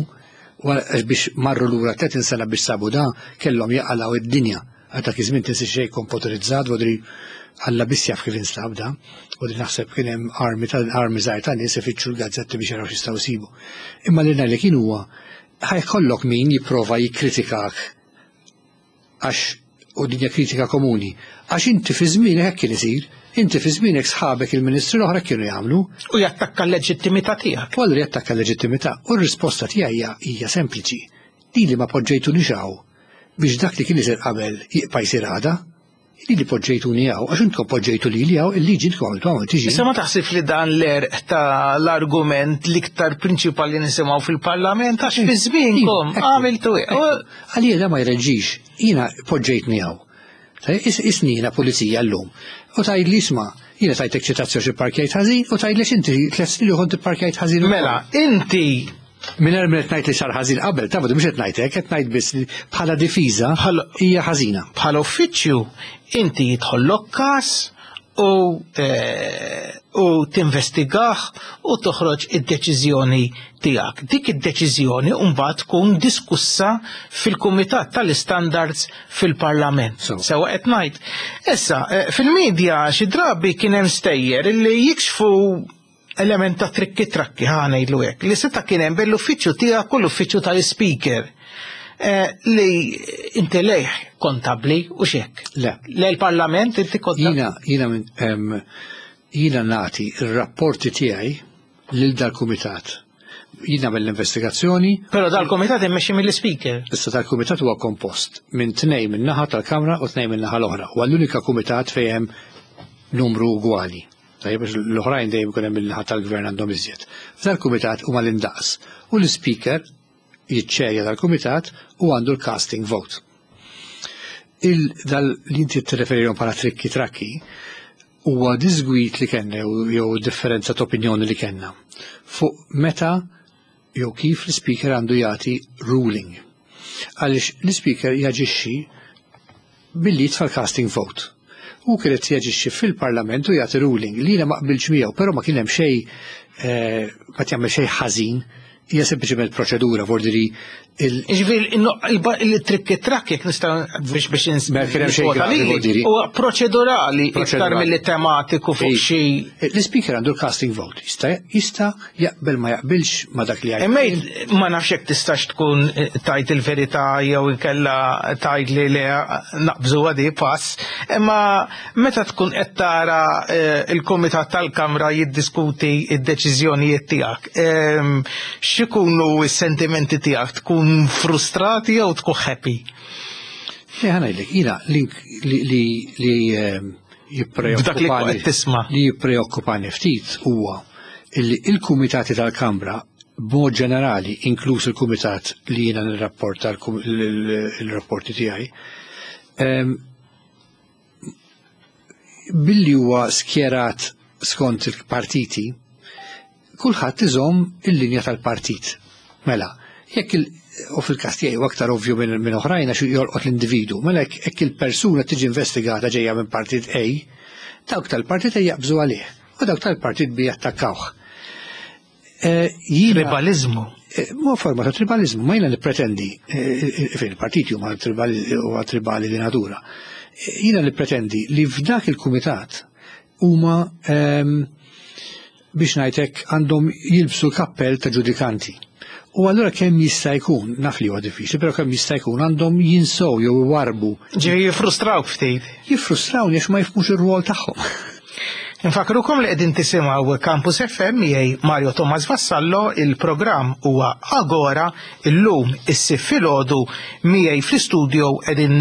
biex marru lura tletin sena biex sabu da, kellhom jaqalgħu id-dinja. Għal dak iż-żmien tinsi xejn komputerizzat, vodri Alla biss jaf kif instab da, u din naħseb kien hemm armi ta' armi żgħir ta' nies ifittxu l-gazzetti biex jaraw x'jistgħu jsibu. Imma li ngħidlek kien huwa ħa jkollok min jipprova jikkritikak, għax u dinja kritika komuni, għax inti fi żmienek hekk kien isir, inti fi żmienek sħabek il-ministri l-oħra kienu jagħmlu. U jattakka l-leġittimità tiegħek. U allura jattakka l-leġittimità, u r-risposta tiegħi hija, hija sempliċi. Lili ma poġġejtuni hawn biex dak li kien isir qabel jibqa' jsir għada. Lili poġġejtuni hawn, għax intkom poġġejtu lili hawn, il-liġi intkom għamiltu hawn, tiġi. Issa ma taħsib li dan l-erq ta' l-argument l-iktar prinċipali nisimgħu fil-Parlament, għax fi żmienkom għamiltu hekk. Għalija da ma jreġġix, jiena poġġejtni hawn. Isni jiena pulizija llum. U tgħid li isma', jiena tajtek ċitazzjoni xi parkjajt ħażin, u tgħid li inti tliet snin li kont ipparkjajt ħażin ukoll. Mela, inti Minn hemm qed ngħid li sar ħażin qabel, taf mhux qed ngħid hekk, qed ngħid biss li bħala difiża hija ħażina. Bħala uffiċċju inti jidħollok każ u, eh, u tinvestigah u toħroġ id-deċiżjoni tiegħek. Dik id-deċiżjoni mbagħad tkun diskussa fil-Kumitat tal-Istandards fil-Parlament. So. Sewa qed ngħid. Issa, eh, fil-medja xi drabi kien hemm stejjer illi jikxfu element ta' trikki trakki, ħa ngħidlu hekk, li seta' kien hemm bejn l-uffiċċju tiegħek u l-uffiċċju tal-ispeaker. Eh, li inti lejh kontabli u xek. Le. Le l-Parlament inti kontabli. Jiena, jiena minn, em, jiena nagħti r-rapporti tiegħi lil dal-kumitat. Jiena mill-investigazzjoni. Però dal-kumitat immexxi mill-ispeaker. Issa dal-kumitat huwa kompost minn tnejn minn naħa tal-Kamra u tnejn minn naħa l-oħra. Huwa l-unika kumitat fejn hemm numru ugwali. Tajjeb, biex l-oħrajn dejjem ikun hemm min-naħa tal-gvern għandhom iżjed. F'dal-kumitat huma l-indaqs u l-ispeaker jiċċerja dal-kumitat u għandu l-casting vote. Il-dal li inti tirreferihom bħala trikki trakki huwa disgwit li kellna jew, jew differenza ta' opinjoni li kellna fuq meta jew kif l-speaker għandu jagħti ruling. Għaliex l-speaker jaġixxi billi jitfa' l-casting vote. U kienet jaġixxi fil-Parlament u jagħti ruling li jiena ma qbilx miegħu, però ma kien hemm xejn, eh, ma tjagħmel xejn ħażin, hija sempliċement proċedura, vordiri il- Ġifieri, il-trikki trakki jekk nista' biex biex ins- Ma kien hemm xejn nikwota gravi, lili, vordiri. huwa proċedurali iktar Proċedurali. milli tematiku fuq Ej, xi L-speaker għandu l-casting vote, jista' jista' jaqbel ma jaqbilx ma dak li jgħid. Imma ma nafx jekk tistax tkun, eh, tajt il-verità jew inkella tajt li le naqbżu għadi pass, imma meta tkun qed tara, eh, il-Kumitat tal-Kamra jiddiskuti id-deċiżjonijiet tiegħek, ehm, x'ikunu s-sentimenti tiegħek? Tkun frustrati jew tkun happy? Le, ħa ngħidlek, jiena li, li, li, li, ehm, B'dak li jippreokkupani qed tisma'. li jippreokkupani ftit huwa illi il-kumitati tal-Kamra b'mod ġenerali, inkluż il-kumitat li jiena nirrapporta l-rapporti tiegħi, ehm, billi huwa skjerat skont il-partiti, kulħadd iżomm il-linja tal-partit. Mela, jekk il- u fil-każ tiegħi huwa aktar ovvju minn, minn oħrajn għax jolqot l-individu, mela jekk, jekk il-persuna tiġi investigata ġejja minn partit A, dawk tal-partit A jaqbżu għalih u dawk tal-partit B jattakkawh. Eh, jiena- Tribalizmu. Eh, Mhu forma ta' tribalizmu, ma jiena nippretendi, eh, eh, fejn il-partiti huma tribali, huwa tribali di natura. Eh, jiena nippretendi li f'dak il-kumitat huma, ehm, biex ngħidlek għandhom jilbsu kappell ta' ġudikanti. U allura kemm jista' jkun, naf li huwa diffiċli, però kemm jista' jkun għandhom jinsow jew iwarbu. Ġifieri jiffrustrawk ftit. Jiffrustrawni għax ma jifhmux ir-rwol tagħhom. Infakrukom li qegħdin tisimgħu Campus F M miegħi Mario Thomas Vassallo, il-programm huwa Agora, illum is-Sibt filgħodu miegħi fl-istudio qegħdin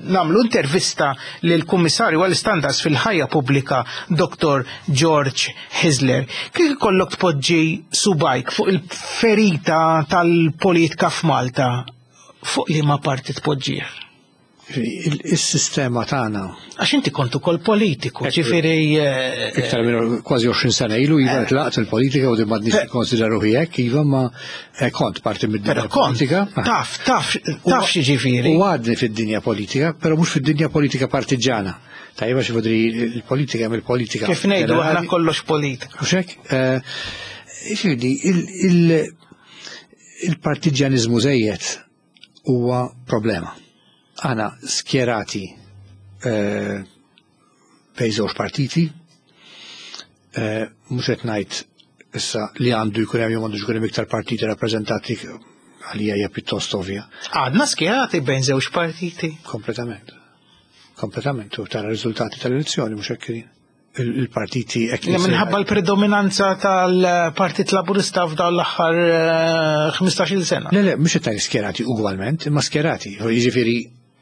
nagħmlu intervista lill-Kummissarju għall-Istandards fil-Ħajja Pubblika Doctor George Hyzler. Kif ikollok tpoġġi subgħajk fuq il-ferita tal-politika f'Malta, fuq liema parti tpoġġih? Il-sistema tagħna. Għax inti kont ukoll politiku, ġifieri eh, Iktar minn kważi għoxrin sena ilu, iva, tlaqt il-politika u din m'għadniex nikkonsidra ruħi hekk, iva, ma eh, kont parti mid-dinja politika. Taf, taf, taf xi ġifieri. U għadni fid-dinja politika, però mhux fid-dinja politika partiġana. Tajba xi fodri il-politika mill-politika. Kif ngħidu aħna kollox politika. Mhux hekk? Eh, ġifieri, il-partiġjaniżmu żejjed huwa problema. Aħna skjerati eh, bejn żewġ partiti, eh, mhux qed ngħid issa li għandu jkun hemm jew għandu jkun hemm iktar partiti rappreżentati, għalija hija pjuttost ovvja. Għadna skjerati bejn żewġ partiti. Kompletament. Kompletament, u tara riżultati tal-elezzjoni mhux hekk il-partiti hekk. Minħabba l-predominanza tal-Partit Laburista f'dawn l-aħħar eh, ħmistax-il sena. Le, le, mhux qed skjerati ugwalment, imma skjerati. Jiġifieri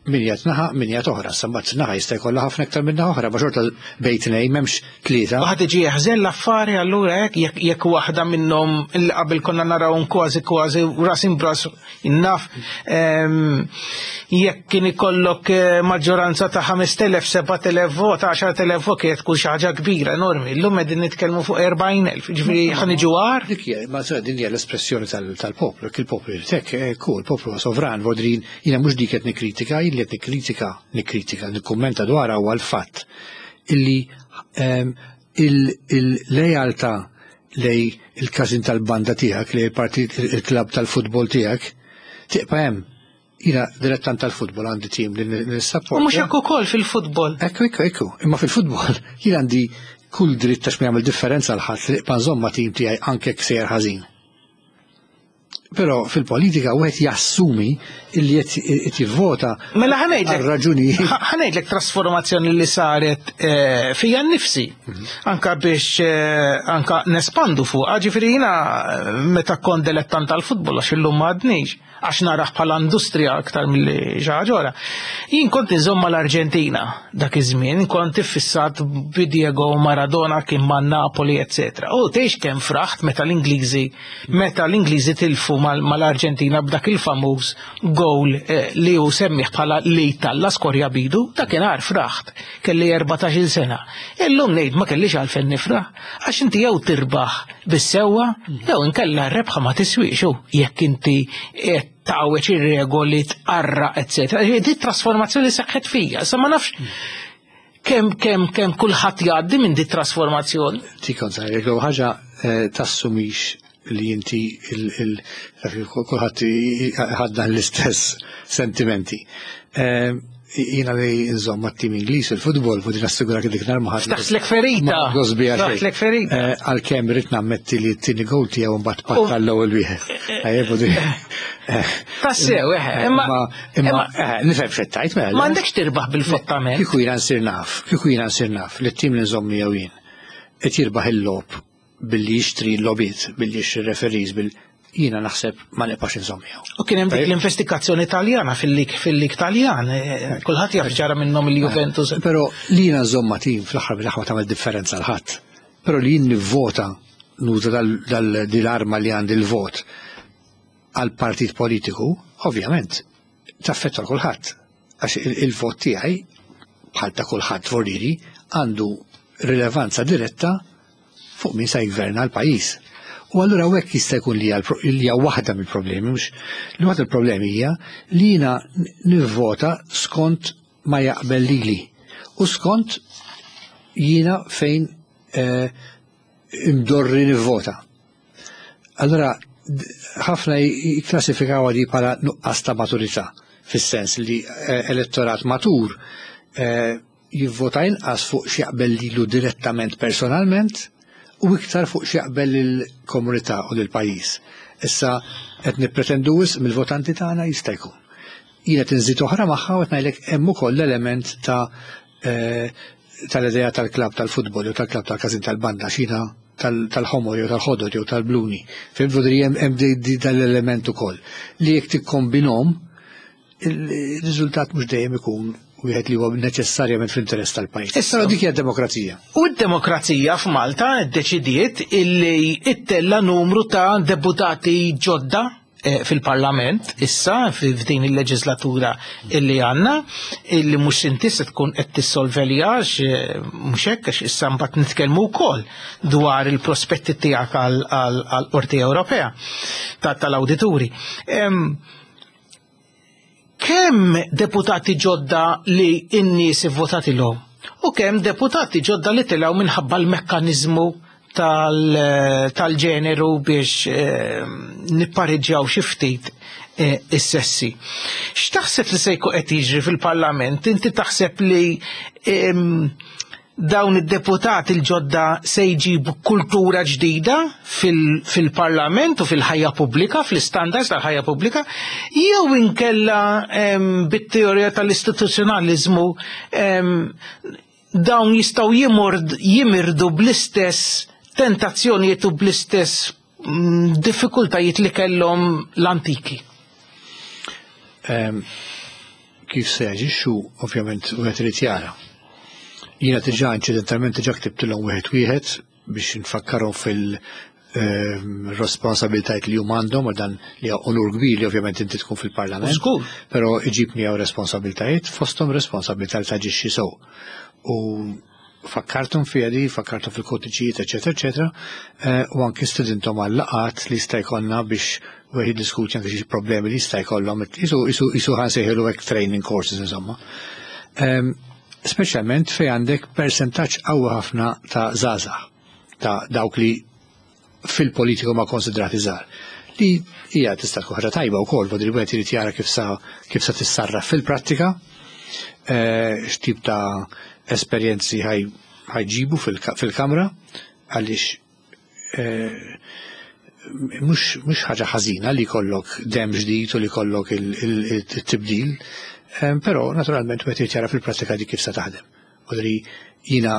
min jgħat naħa, min jgħat oħra. Sambat naħa jista' jkollha ħafna iktar minn naħa oħra, ma xorta bejn tnejn m'hemmx tlieta. Waħda tiġi jeħżen l-affari allura hekk jekk jekk waħda minnhom li qabel konna naraw kważi kważi ras imbras innaf ehm, jekk kien ikollok eh, maġġoranza ta' ħamest elef, sebat elef vot, għaxart elef vot kienet tkun xi ħaġa kbira enormi. Illum qegħdin nitkellmu fuq erbgħin elf, ġifieri ħa niġu agħar. Dik hija, ma sa din hija l-espressjoni tal-poplu, jekk il-poplu jrid hekk, eh, ku, il-poplu huwa sovran, vodrin, jiena mhux dik qed nikkritika, jien li qed nikkritika, nikkritika, nikkummenta dwar huwa l-fatt illi, ehm, il-lejaltà lej il-każin tal-banda tiegħek, lej il-partit, il-klabb tal-futbol tiegħek, tibqa' hemm. Jiena dilettant tal-futbol, għandi tim li nissapporta. U mhux hekk ukoll fil-futbol. Ekku, ekku, ekku. Imma fil-futbol jien għandi kull dritt ta' x'ma jagħmel differenza l ħadd li nibqa' nżomm ma' tim tiegħi anke jekk sejjer ħażin. Però fil-politika wieħed jassumi illi qed jivvota Mela ħa ngħidlek għal raġunijiet. ħa ngħidlek trasformazzjoni li saret, eh, fija nnifsi. Anka biex, eh, anka nespandu fuq. Ġifieri jiena eh, meta kont dilettant tal-futbol, għax illum m'għadniex, għax naraħ bħala industrija aktar milli xi ħaġa oħra. Jien kont inżomm mal-Arġentina dak iż-żmien, kont iffissat bi Diego Maradona kien ma' Napoli, eccetera. U tgħix kemm fraħt meta l-Ingliżi meta l-Ingliżi tilfu mal- mal-Arġentina b'dak il-famuż goal, eh, li hu semmih bħala li talla skorja bidu, dakinhar fraħt, kelli erbatax-il sena. Illum ngħid ma kellix għalfejn nifraħ, għax inti jew tirbaħ bis-sewwa, jew inkella r-rebħa ma tiswix u jekk inti qed tgħawweġ ir-regoli, tqarra, eccetera. Di trasformazzjoni seħħet fija, sa ma nafx kemm kemm kemm kulħadd jgħaddi minn di trasformazzjoni. Ti kont ngħidlek ħaġa, eh, tassumix li inti kulħadd ħaddan l-istess sentimenti. Eh, jiena li nżomm mat-tim Ingliż il-futbol, fu din assigura dik nar ma ħadd. Ftaħtlek ferita. Ma gosbi għal xejn. Ftaħtlek ferita. Eh, għalkemm irrid nammetti li t-tieni goal tiegħu mbagħad patta l-ewwel wieħed. Tajjeb, u di- eh, Tassew, eh, eh, imma imma imma, eh, nifhem x'qed tgħid, mela. Ma għandekx tirbaħ bil-fottament. Kieku jiena nsir naf, kieku jiena nsir naf li t-tim li nżomm miegħu jien qed jirbaħ il-logħob billi jixtri l-logħbiet, billi jixtri referees, bil jiena naħseb ma nibqax inżomm miegħu. U kien hemm dik l-investigazzjoni Taljana fil-lig fil-lig Taljan, eh, kulħadd jaf ġara minnhom il-Juventus. Però li jiena nżomm ma' tim fl-aħħar mill-aħħar ma tagħmel differenza l ħadd. Però li jien nivvota, nuża dal-arma li għandi l-vot għal partit politiku, ovvjament, taffettwa kulħadd. Għax il-vot tiegħi bħal ta' kulħadd voriri għandu rilevanza diretta fuq min sa jgverna l-pajjiż. U allura hekk jista' jkun li hija waħda mill-problemi, mhux li waħda mill-problemi hija li jiena nivvota skont ma jaqbel lili u skont jiena fejn, eh, imdorri nivvota. Allora ħafna jikklassifikaw di bħala nuqqas ta' maturità, fis-sens li, eh, elettorat matur, eh, jivvota inqas fuq x'jaqbel lilu direttament personalment u iktar fuq x'jaqbel lill-komunità u lill-pajjiż. Issa qed nippretendu wisq mill-votanti tagħna, jista' jkun. Jiena tinżid oħra magħha u qed ngħidlek hemm ukoll l-element ta' eh, tal-idea tal-klab tal-futbol jew tal-klab tal-każin tal-banda, xina tal-ħomor jew tal-ħodor jew tal-bluni. Fhimt, vodri hemm dal-element ukoll li jekk tikkombinhom, il-riżultat mhux dejjem ikun wieħed li huwa neċessarjament fl-interess tal-pajjiż. Issa dik hija demokrazija. U d-demokrazija f'Malta ddeċidiet illi ittella numru ta' deputati ġodda eh, fil-parlament issa f'din il-leġislatura illi għandna, illi mhux inti se tkun qed tissolveljax, eh, mhux hekk, għax issa mbagħad nitkellmu wkoll dwar il-prospetti tiegħek għall-Qorti Ewropea tal-Awdituri. Kemm deputati ġodda li n-nies ivvotatilhom u kemm deputati ġodda li tilgħu minħabba l-mekkaniżmu tal-ġeneru biex eh, nippareġġjaw xi ftit eh, is-sessi. X'taħseb li se jkun qed jiġri fil-Parlament? Inti taħseb li dawn id-deputati l-ġodda se jġibu kultura ġdida fil-parlament u fil-ħajja pubblika, fil-standards tal-ħajja pubblika, jew inkella bit-teorija tal-istituzzjonalizmu dawn jistgħu jimirdu bl-istess tentazzjonijiet u bl-istess mm, diffikultajiet li kellhom l-antiki? Kif se jaġixxu, ovvjament, wieħed irid jara. Jiena diġà inċidentalment diġà ktibtilhom wieħed wieħed biex nfakkarhom fil-responsabilitajiet li huma għandhom, u dan li onur kbir li ovvjament inti tkun fil-parlament. Żgur. Però iġib miegħu responsabilitajiet, fosthom responsabilità li taġixxi sew. U fakkartum fiha di, fakkartum fil-kodiċijiet, eċetera, eċetera, u anki stedinthom għal laqgħat li jista' jkollna biex wieħed jiddiskuti anke xi problemi li jista' jkollhom, isu ħa nsejħilu hekk training courses, insomma. Speċjalment fej għandek percentaġġ qawwi ħafna ta' żgħażagħ, ta' dawk li fil-politiku ma konsidrati żgħar. Li hija tista' tkun ħaġa tajba wkoll, vodri wieħed irid jara kif sa kif sa tissarraf fil-prattika, x'tip ta' esperjenzi ħajġibu fil-kamra, għaliex mhux ħaġa ħażina li jkollok dem ġdid u li jkollok il-tibdil, però naturalment wieħed irid jara fil-prattika di kif sa taħdem. Vodri jiena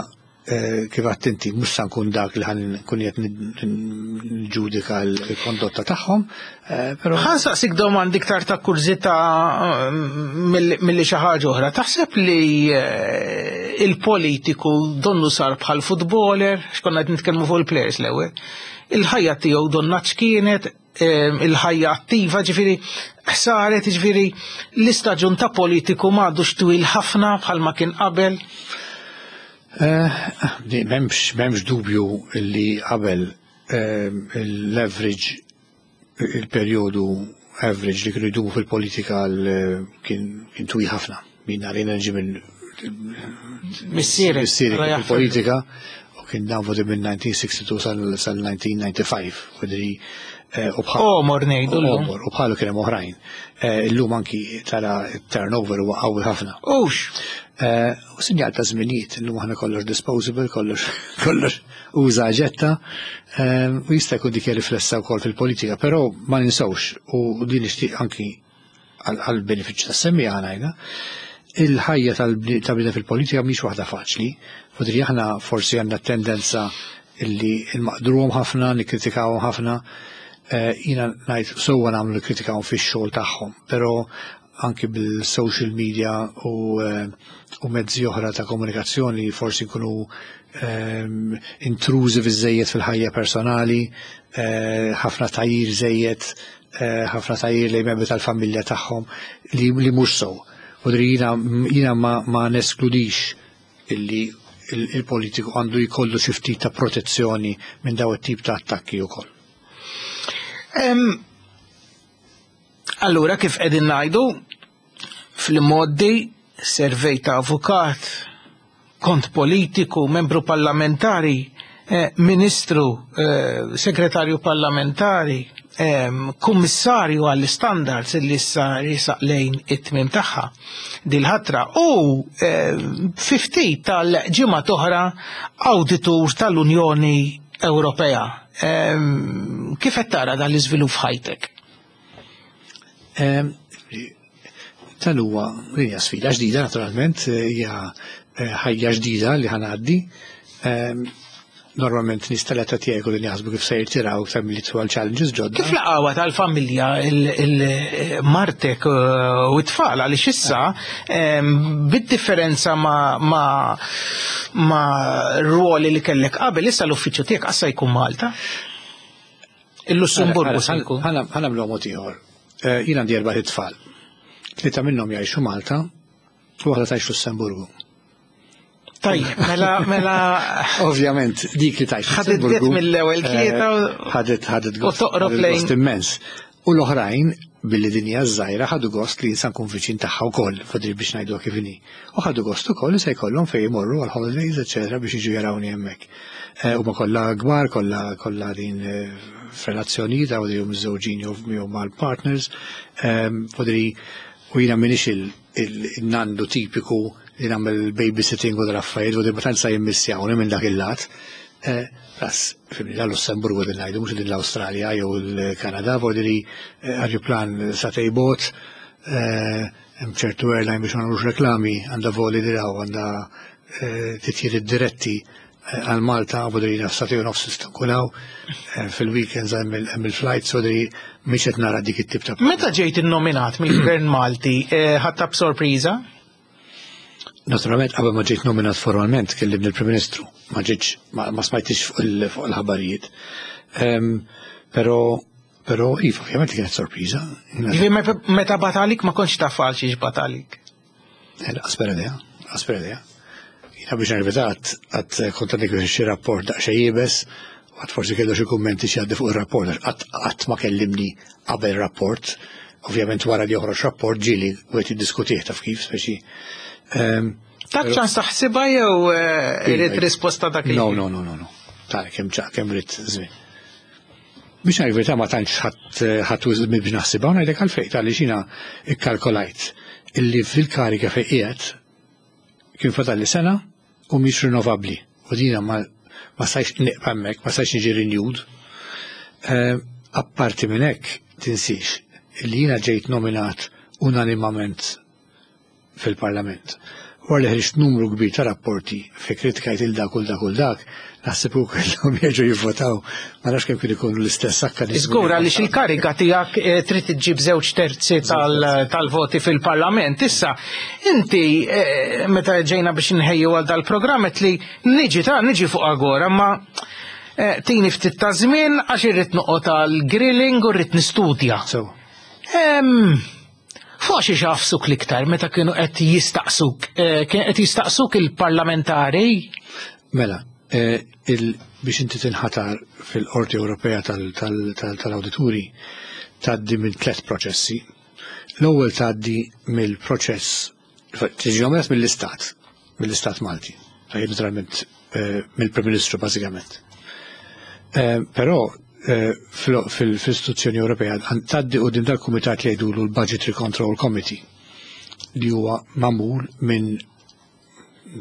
kif attenti mhux sa nkun dak li ħan nkun qed nġudika l-kondotta tagħhom, però Ħa nsaqsik domandi iktar ta' kurżità milli xi ħaġa oħra. Taħseb li il-politiku donnu sar bħal futboler, x'konna qed nitkellmu fuq il-players l-ewwel. Il-ħajja tiegħu donna x'kienet, il-ħajja attiva, ġifieri saret, ġifieri l-istaġun ta' politiku m'għadux twil ħafna bħalma kien qabel. M'hemmx, m'hemmx dubju li qabel l-average, il-perjodu average li kienu jdumu fil-politika kien twil ħafna. Min għalina nġi minn Missieri, missieri kien fil-politika u kien dan voti minn nineteen sixty-two sal nineteen ninety-five. Vodri, u bħal Omor ngħidu llum. Omor, u bħalu kien hemm oħrajn. Illum anki tara turnover huwa qawwi ħafna. Ux. U sinjal ta' żminijiet, illum aħna kollox disposable, kollox, kollox uża ġetta, u jista' jkun dik riflessa wkoll fil-politika, però ma ninsewx, u din nixtieq anki għal benefiċċju tas-semmiegħa ngħidha, il-ħajja tal-bniedem fil-politika mhix waħda faċli. Fodri aħna forsi għandna tendenza illi nmaqdruhom ħafna, nikkritikawhom ħafna. Jiena ngħid sewwa nagħmlu nikkritikawhom fix-xogħol tagħhom, però anki bil-social media u, u mezzi oħra ta' komunikazzjoni forsi nkunu intrusive iżejjed fil-ħajja personali, ħafna tajjir żejjed, ħafna tajjir lejn membri tal-familja tagħhom li, li mhux sew. Vodri jiena, jiena ma, ma neskludix illi il-politiku għandu jkollu xi ftit ta' protezzjoni minn daw it-tip ta' attakki wkoll. Allura kif qegħdin ngħidu fil-modi servej ta' avukat, kont politiku, membru parlamentari, eh, ministru, eh, segretarju parlamentari, ehm, kummissarju għall-standards li issa risaq lejn it-tmiem tagħha dil-ħatra u, ehm, fifty tal-ġimgħa oħra awditur tal-Unjoni Ewropea. Ehm, Kif qed tara dan l-iżvilupp f'ħajtek? Ehm, Tal huwa hija sfida ġdida naturalment, hija eh, ħajja ġdida li ħa ngħaddi. Ehm, Normalment nies tal-età tiegħi li jaħsbu kif se jirtiraw iktar milli għal challenges ġodda. Kif laqgħuha tal-familja il-martek u t-tfal għaliex issa em, bid-differenza ma' ma' ma' ruoli li kellek qabel issa l-uffiċċju tiegħek issa jkun Malta? Il-Lussemburgu se jkun. Ħa nagħmlu mod ieħor. Eh, Jien għandi erba' tfal. Tlieta minnhom jgħixu Malta u waħda tgħix Lussemburgu. Tajjeb, mela mela Ovvjament dik li tgħix Ħadet Lussemburgu, mill-ewwel tlieta u- eh, ħadet ħadet u gost toqrob ħadet lejn- gost immens. U l-oħrajn billi din hija żgħira ħadu gost li jinsa nkun viċin tagħha wkoll, fadri biex ngħidu kif inhi. U ħadu gost ukoll li se jkollhom fejn jmorru għal holidays, eċetera, biex jiġu jarawni hemmhekk. Eh, Huma kollha kbar, kollha kollha din eh, f'relazzjonijiet għaw li hum miżżewġin jew jew mal-partners. Ehm, Fadri u jiena m'iniex il-nandu tipiku li nagħmel babysitting u dal-affarijiet u di ma tantx sa jimmissjawni minn dak il-lat. Eh, Plus, fimni, la Lussemburgu din ngħidu, mhux din l-Awstralja jew il-Kanada, voldiri ajruplan sagħtejn bogħod, eh, hemm ċertu airline biex ma nagħmlux reklami, għandha voli diraw, għandha eh, titjiriet diretti eh, għal Malta, voldiri sagħtejn u nofs tista' tkun hawn, eh, fil-weekends hemm il- hemm il-flights, voldiri mhix qed nara dik it-tip ta' Meta ġejt innominat mill-Gvern Malti, eh, ħadtha b'sorpriża? Naturalment, qabel ma ġejt nominat formalment, kellimni il-Prim Ministru, ma ġejtx, ma, ma smajtix fuq il- fuq il-ħabarijiet. Um, pero, pero, iva, ovvjament kienet sorpriża. Ġifieri me- meta bagħathielek ma kontx taf għal xiex bagħathielek. Aspera idea, aspera idea. Jiena biex nervita għad kont għandek xi rapport daqsxejn iebes, u għad forsi kellu xi kummenti xi għaddi fuq il-rapport, għax qatt qatt ma kellimni qabel rapport, ovvjament wara li joħroġ rapport ġieli u qed jiddiskutih taf kif, speċi. Ehm, Tak ċans taħsibha jew eh, irid risposta dak il No, no, no, no, no. Tara kemm ċa kemm ridt żmien. Biex ngħid verità ma tantx ħadd ħadd żmien biex naħsibha u ngħidlek għalfejn tal jiena ikkalkolajt illi fil-karika fejn qiegħed kien fadalli sena u mhix rinnovabbli. U dina ma ma stajx nibqa' hemmhekk, ma stajx niġi renewed. Eh, Apparti minn hekk tinsix illi jiena ġejt nominat unanimament fil-Parlament. Wara li ħriġt numru kbir ta' rapporti fi kritikajt il dak u dak u dak, naħseb u kellhom jerġgħu jivvotaw, ma nafx kemm kien ikunu l-istess akkaniżmu. Żgur għaliex il-kariga tiegħek eh, trid iġġib żewġ terzi tal- tal-voti fil-Parlament. Issa, inti eh, meta ġejna biex nħejju għal dal-programm qed li niġi ta' niġi fuq Agora, ma eh, tini ftit ta' żmien għax irrid noqgħod għal grilling u rrid nistudja. So, Em, Fuq xi xafsuk l-iktar meta kienu qed jistaqsuk, eh, kien qed jistaqsuk il-parlamentari mela, eh, il, biex inti tinħatar fil-Qorti Ewropea tal-Awdituri tgħaddi minn tliet proċessi. L-ewwel tgħaddi mill-proċess tiġi nominat mill-Istat, mill-Istat Malti, tajjeb naturalment eh, mill-Prim Ministru bażikament. Eh, Però eh, fil- fil- fil-istituzzjoni Ewropea tgħaddi quddiem dal-kumitat li jgħidulu l-Budgetary Control Committee li huwa magħmul minn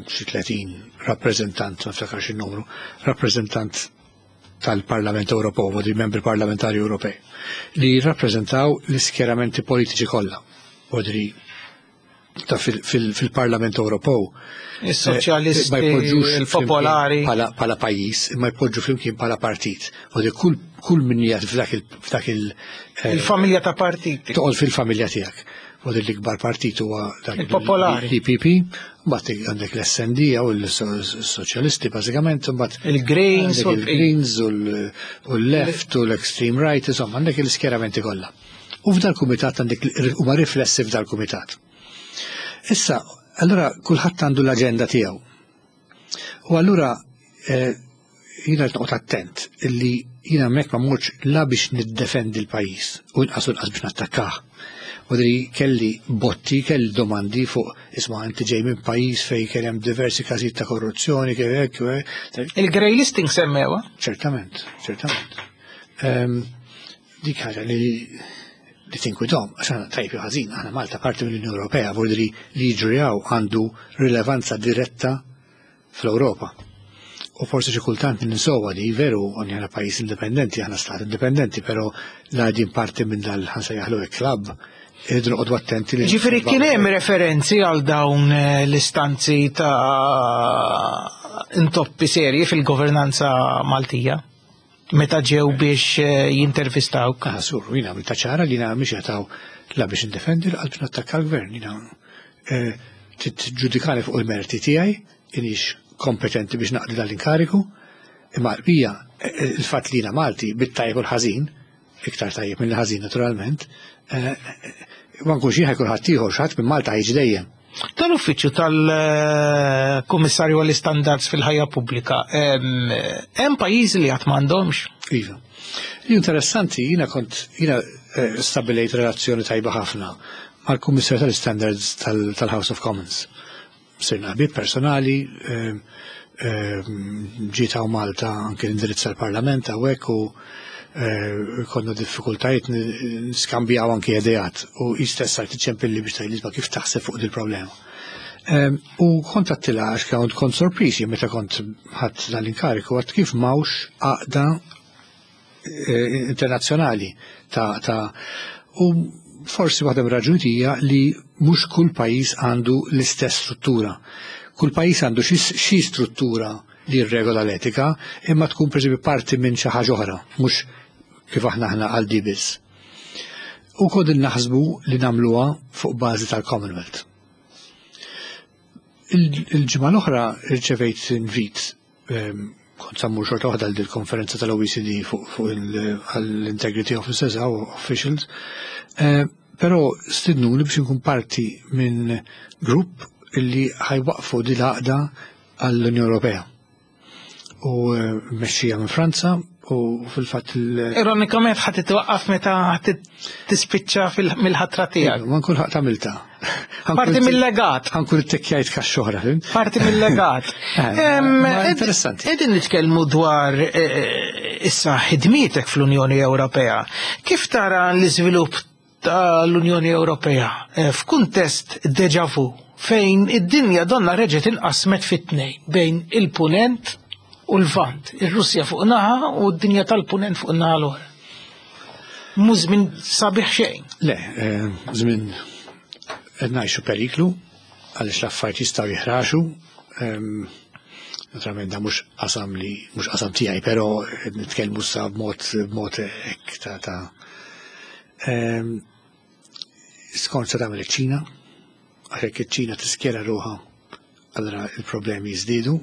xi tletin rappreżentant, ma niftakarx il-numru, rappreżentant tal-Parlament Ewropew, u di membri parlamentari Ewropej, li jirrappreżentaw l-iskjeramenti politiċi kollha. Odri ta' fil- fil- fil-Parlament Ewropew. Is-soċjalisti, eh, ma jpoġġux il-popolari. flimkien Bħala bħala pajjiż, imma jpoġġu flimkien bħala partit. U di kull kull min jgħid f'dak il f'dak il eh, il-familja ta' partiti. toqgħod fil-familja tiegħek. U di l-ikbar partit huwa dak Il-popolari. l-E P P, mbagħad għandek l-S and D u l-soċjalisti bażikament, mbagħad Il-Greens u għandek il-Greens u l- u l-Left u l-Extreme Right, insomma, għandek l-iskjeramenti kollha. U f'dal-kumitat għandek huma riflessi f'dal-kumitat. Issa, allura kulħadd għandu l-aġenda tiegħu. U allura eh, jiena qed noqgħod attent illi jiena hemmhekk ma mmorx la biex niddefendi l-pajjiż u inqas u inqas biex nattakkah. U dri kelli botti, kelli domandi fuq isma' inti ġej minn pajjiż fejn kien hemm diversi każijiet ta' korruzzjoni, kif hekk, u hekk. Il-grey listing semmewa. Ċertament, ċertament. Ehm, dik ħaġa li li tinkwitahom, għax aħna tajb jew ħażin, aħna Malta parti mill-Unjoni Ewropea, vuol li li jiġri hawn għandu rilevanza diretta fl-Ewropa. U forsi xi kultant ninsowa li veru aħna pajjiż indipendenti, aħna stat indipendenti, però la din parti minn dal-ħa nsejjaħlu club, irridu noqogħdu attenti li. Ġifieri kien hemm referenzi għal dawn eh, l-istanzi ta' intoppi serji fil-governanza Maltija meta ġew biex eh, jintervistawk? Ah, sur, jiena għamiltha ċara li jiena mhix jataw la biex indefendi l biex nattakka l-gvern. Jiena eh, tiġġudikani fuq il-merti tiegħi, inix kompetenti biex naqdi dal-inkariku, imma bija il-fatt li jiena Malti bit-tajjeb u l-ħażin, iktar tajjeb minn l-ħażin naturalment, eh, ma nkunx jien ħajkun ħadd ieħor, xi ħadd minn Malta ħiġi dejjem. Tal-uffiċċju tal-Kummissarju għall-Istandards fil-ħajja pubblika, hemm pajjiżi li qatt m'għandhomx? Iva. Li interessanti, jiena kont jiena eh, stabilejt relazzjoni tajba ħafna mal-Kummissarju tal-Standards tal-House of Commons. Sirna ħbieb personali, ġiet hawn Malta anke indirizza l-Parlament hawnhekk u eh, konna diffikultajiet niskambjaw anke ideat u jistess sart iċċempilli biex tgħidli kif taħseb fuq dil-problema. U kont għedtilha għax kont kont sorpriż meta kont ħadt dal-inkariku għedt kif m'hawnx għaqda eh, internazzjonali ta' ta' u forsi waħda mir-raġuni hija li mhux kull pajjiż għandu l-istess struttura. Kull pajjiż għandu xi struttura li jirregola l-etika, imma tkun pereżempju parti minn xi ħaġa oħra, mhux kif aħna aħna għal di biss. U kod naħsbu li nagħmluha fuq bażi tal-Commonwealth. Il-ġimgħa l-oħra rċevejt invit, ehm, kont sa mmur xorta waħda għal konferenza tal-O E C D fuq l-Integrity Officers u Officials, eh, però stidnuni biex nkun parti minn grupp illi ħa jwaqqfu di l-għaqda għall-Unjoni Ewropea. U eh, mexxija minn Franza u fil-fatt il- Ironikament ħa titwaqqaf meta ħa tispiċċa mill-ħatra tiegħek. Ma nkun ħadd għamilta. Parti mill-legat. Ħa nkun ittekkjajt kaxxa oħra. Parti mill-legat. Eh, interessanti. Qegħdin nitkellmu dwar eh, issa ħidmietek fl-Unjoni Ewropea. Kif tara l-iżvilupp tal-Unjoni Ewropea eh, f'kuntest deja vu fejn id-dinja donna reġgħet inqasmet fit-tnejn bejn il-punent u l-Lvant, ir-Russja fuq naħa u d-dinja tal-punent fuq naħa l-oħra? Mhu żmien sabiħ xejn. Le, żmien qed ngħixu periklu għaliex l-affarijiet jistgħu jiħraxu. Naturalment da mhux qasam li mhux qasam tiegħi, però nitkellmu sa b'mod b'mod hekk ta' ta' skont se tagħmel iċ-Ċina, għax hekk iċ-Ċina tiskjera ruħha, allura il-problemi jiżdiedu.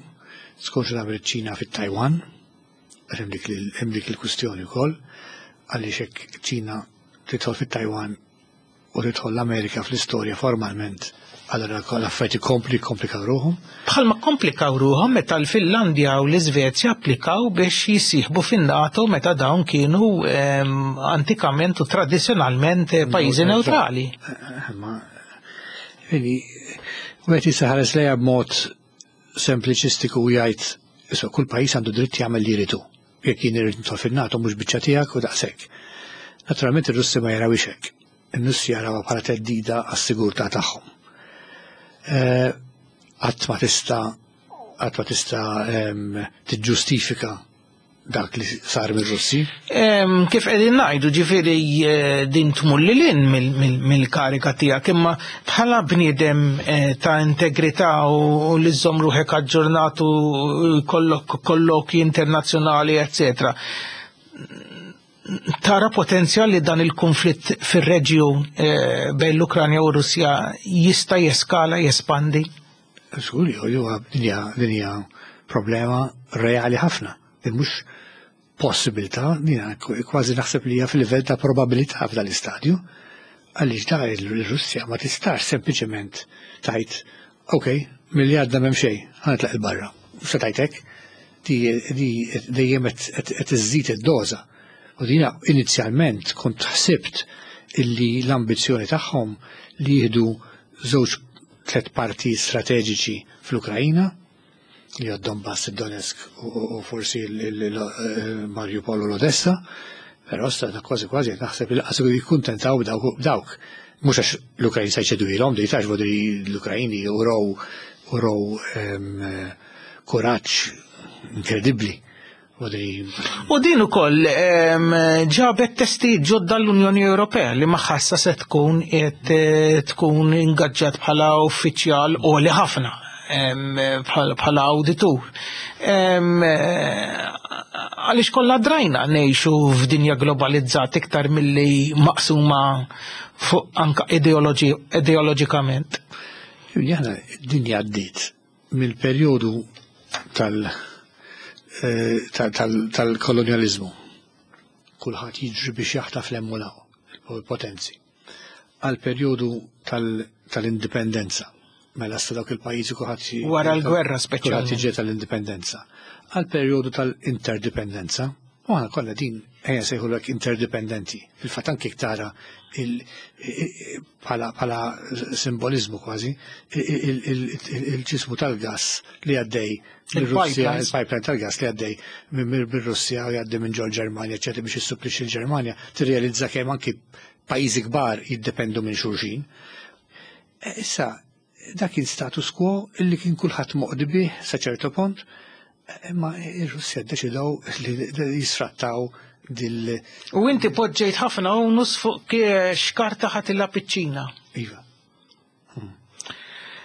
Skont se tagħmel iċ-Ċina fit-Taiwan, għax hemm dik il-kwistjoni wkoll, għaliex hekk ċina tidħol fit-Taiwan u tidħol l-Amerika fl-istorja formalment, allura l-affarijiet ikompli komplikaw ruħhom. Bħalma komplikaw ruħhom meta l-Finlandja u l-Iżvezja applikaw biex jissieħbu fin-NATO meta dawn kienu ehm, antikament u tradizzjonalment eh, pajjiżi neutrali. Eh, ma Vedi, wieħed jista' ħares lejha b'mod sempliċistiku u jgħid, issa kull pajjiż għandu dritt jagħmel li jridu. Jekk jien irid nidħol fin-NATO mhux biċċa tiegħek u daqshekk. Naturalment ir-Russi ma jarawhiex hekk. Ir-Russi jarawha bħala theddida għas-sigurtà tagħhom. Eh, qatt ma tista' qatt ma tista' ehm, tiġġustifika dak li sar mir-Russi. Em, Kif qegħdin ngħidu, ġifieri eh, din tmur lil hinn mill-karika tiegħek, imma bħala bniedem eh, ta' integrità u u li żżomm ruħek aġġornat u kollok kollokji internazzjonali, eccetera. Tara potenzjal li dan il-konflitt fir-reġjun eh, bejn l-Ukranja u Russja jista' jeskala, jespandi? Żgur, huwa dinja dinja problema reali ħafna. Din mhux possibilità, dina kważi naħseb li hija fil-livell ta' probabilità f'dan l-istadju. Għaliex da il-Russja ma tistax sempliċement tgħid, ok, milli għadda m'hemm xejn, ħa nitlaq 'il barra. Mhux se tgħid hekk, di di dejjem qed iżżid id-doża. U dina inizjalment kont ħsibt illi l-ambizzjoni tagħhom li jieħdu żewġ tliet parti strateġiċi fl-Ukrajina, li għad Donbass, il-Donetsk u forsi il-Mariupol u l-Odessa, però sta kważi kważi naħseb li lanqas jikkuntentaw b'dawk. Mhux għax l-Ukrajin se jċedu ilhom, di tax vodri l-Ukrajini uraw uraw kuraġġ Inkredibbli. U din ukoll ġabet testi ġodda l-Unjoni Ewropea li magħha se tkun qed tkun ingaġġat bħala uffiċjal għoli ħafna bħala awditur. Għaliex kollha drajna ngħixu f'dinja globalizzata iktar milli maqsuma fuq anka ideoloġikament. Aħna d-dinja għaddiet mill-perjodu tal- tal-kolonializmu. Kulħadd jiġri biex jaħtaf l-emmulaw, il-potenzi. Għal perjodu tal-indipendenza. Mela sta dawk il-pajjiżi kulħadd wara l-gwerra speċjalment. Kulħadd jiġri tal-indipendenza. Għal perjodu tal-interdipendenza. U aħna kollha din ejja sejħulek interdipendenti. Fil-fatt anke tara bħala simbolizmu kważi il-ġismu tal-gas li għaddej mir-Russja, il-pipeline tal-gas li għaddej mir-Russja u jgħaddi minn ġol Ġermanja, eċetera, biex jissupplixxi l-Ġermanja, tirrealizza kemm anki pajjiżi kbar jiddependu minn xulxin. Issa, dak kien status quo illi kien kulħadd moqdi bih sa ċertu punt, imma ir-Russja ddeċidew li jisfrattaw dil. U inti poġġejt ħafna onus fuq x'karta ħadd il-piċċina. Iva.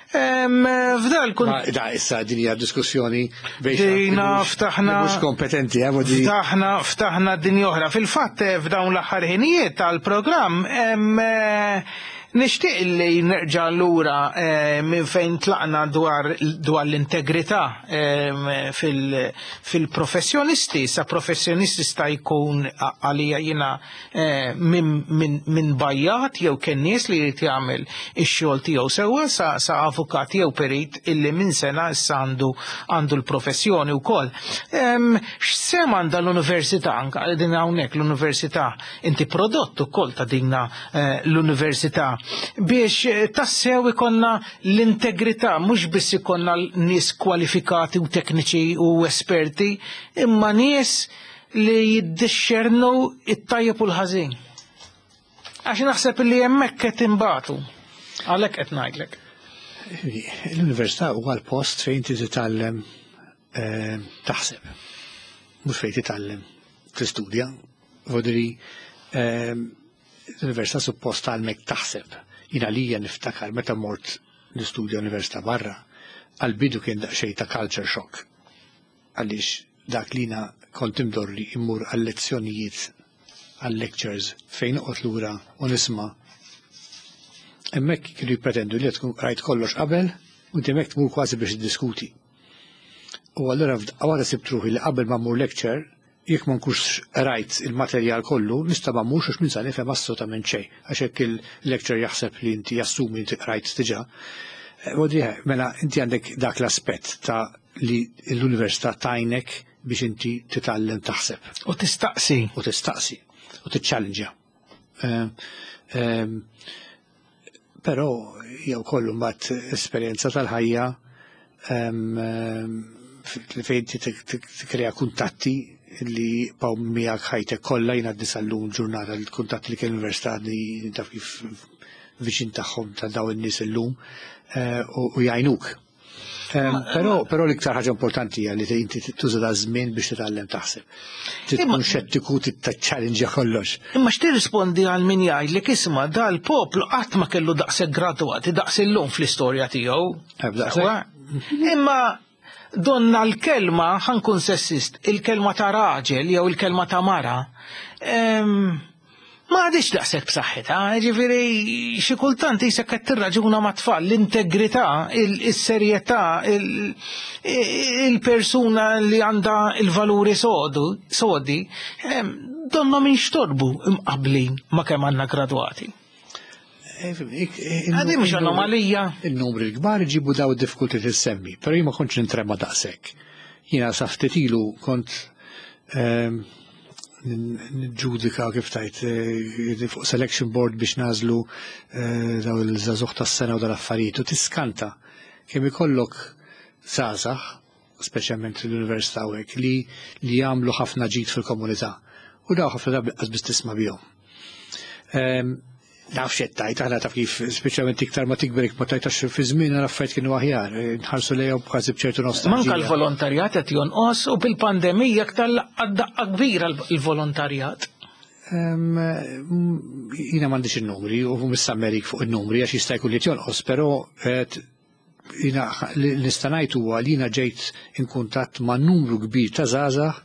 F'dal kun. Da, issa din hija diskussjoni Dina ftaħna. Mhux kompetenti, eh, Ftaħna, ftaħna din oħra. Fil-fatt f'dawn l-aħħar ħinijiet tal-programm nixtieq li nerġa' lura minn fejn tlaqna dwar dwar l-integrità fil-professjonisti. Sa professjonisti sta jkun għalija jiena minn bajjat jew kien nies li jrid jagħmel ix-xogħol tiegħu sewwa sa, sa avukat jew perit illi minn sena issa għandu għandu l-professjoni wkoll. X'sehem għandha l-università anke din hawnhekk l-università inti prodott ukoll ta' dinna l-università biex tassew ikonna l-integrità, mhux biss ikonna nies kwalifikati u tekniċi u esperti, imma nies li jiddixxernu it-tajjeb u l-ħażin. Għax naħseb li hemmhekk qed inbatu. Għalhekk qed ngħidlek. L-università huwa l-post fejn inti titgħallem taħseb, mhux fejn titgħallem tistudja. Vodri l-università suppost tgħallmek taħseb. Jina lija niftakar meta mort nistudja università barra, għal-bidu kien daqsxejn ta' culture shock. Għaliex dak li jiena kont imdorri immur għal-lezzjonijiet, għal-lectures, fejn noqgħod lura u nisma'. Hemmhekk kienu jippretendu li tkun rajt kollox qabel u inti hemmhekk tmur kważi biex tiddiskuti. U allura għawada sibt ruħi li qabel ma mmur lecture, jekk ma nkunx rajt il-materjal kollu, nista' ma mmurx għax min sa nifhem assolutament xejn, għax hekk il-lecture jaħseb li inti jassumi inti rajt diġà. Mela inti għandek dak l-aspett ta' li l-università tajnek biex inti titgħallem taħseb. U tistaqsi. U tistaqsi. U tiċċallenġja. Però jew kollu mbagħad esperjenza tal-ħajja fejn tikkrea kuntatti li baw miegħek ħajtek kollha. Jiena għaddi sal-lum ġurnata l-kuntatti li kien l-università li taf kif viċin tagħhom ta' daw in-nies illum u jgħinuk. Però però l-iktar ħaġa importanti hija li inti tuża da żmien biex titgħallem taħseb. Tkun xettiku, tiċċallenġja kollox. Imma x'tirrispondi għal min jgħidlek isma' dal-poplu qatt ma kellu daqshekk gradwati daqs illum fl-istorja tiegħu. Imma donna l-kelma, ħankun sessist, il-kelma ta' raġel jew il-kelma ta' mara, ma għadix daqshekk b'saħħitha, ġifieri xi kultant isek qed tirraġuna ma' tfal, l-integrità, is-serjetà, il-persuna li għandha il-valuri sodi, donna minn xtorbu imqablin ma' kemm għandna gradwati. Għadi mhux anomalija. Il-numri l-kbar ġibu daw id-diffikulti tissemmi, però jien ma kontx nintrema daqshekk. Jiena sa ftit ilu kont nġudika kif tajt fuq selection board biex nażlu daw il-żagħżugħ tas-sena u dal-affarijiet u tiskanta kemm ikollok żgħażagħ, speċjalment l-università u hekk, li li jagħmlu ħafna ġid fil-komunità u daw ħafna drabi qas biss tisma' bihom. Naf x'qed tajt, aħna taf kif speċjalment iktar ma tikber ma tajtax fi żmien l-affarijiet kienu aħjar, nħarsu lejhom kważi b'ċertu nostalġija. Manka l-volontarjat qed jonqos u bil-pandemija aktar daqqa kbira l-volontarjat. Jiena m'għandix in-numri u mhux Amerik fuq in-numri għax jista' jkun li jonqos, però jiena li nista' ngħid huwa li jiena ġejt in kuntatt ma' numru kbir ta' żgħażagħ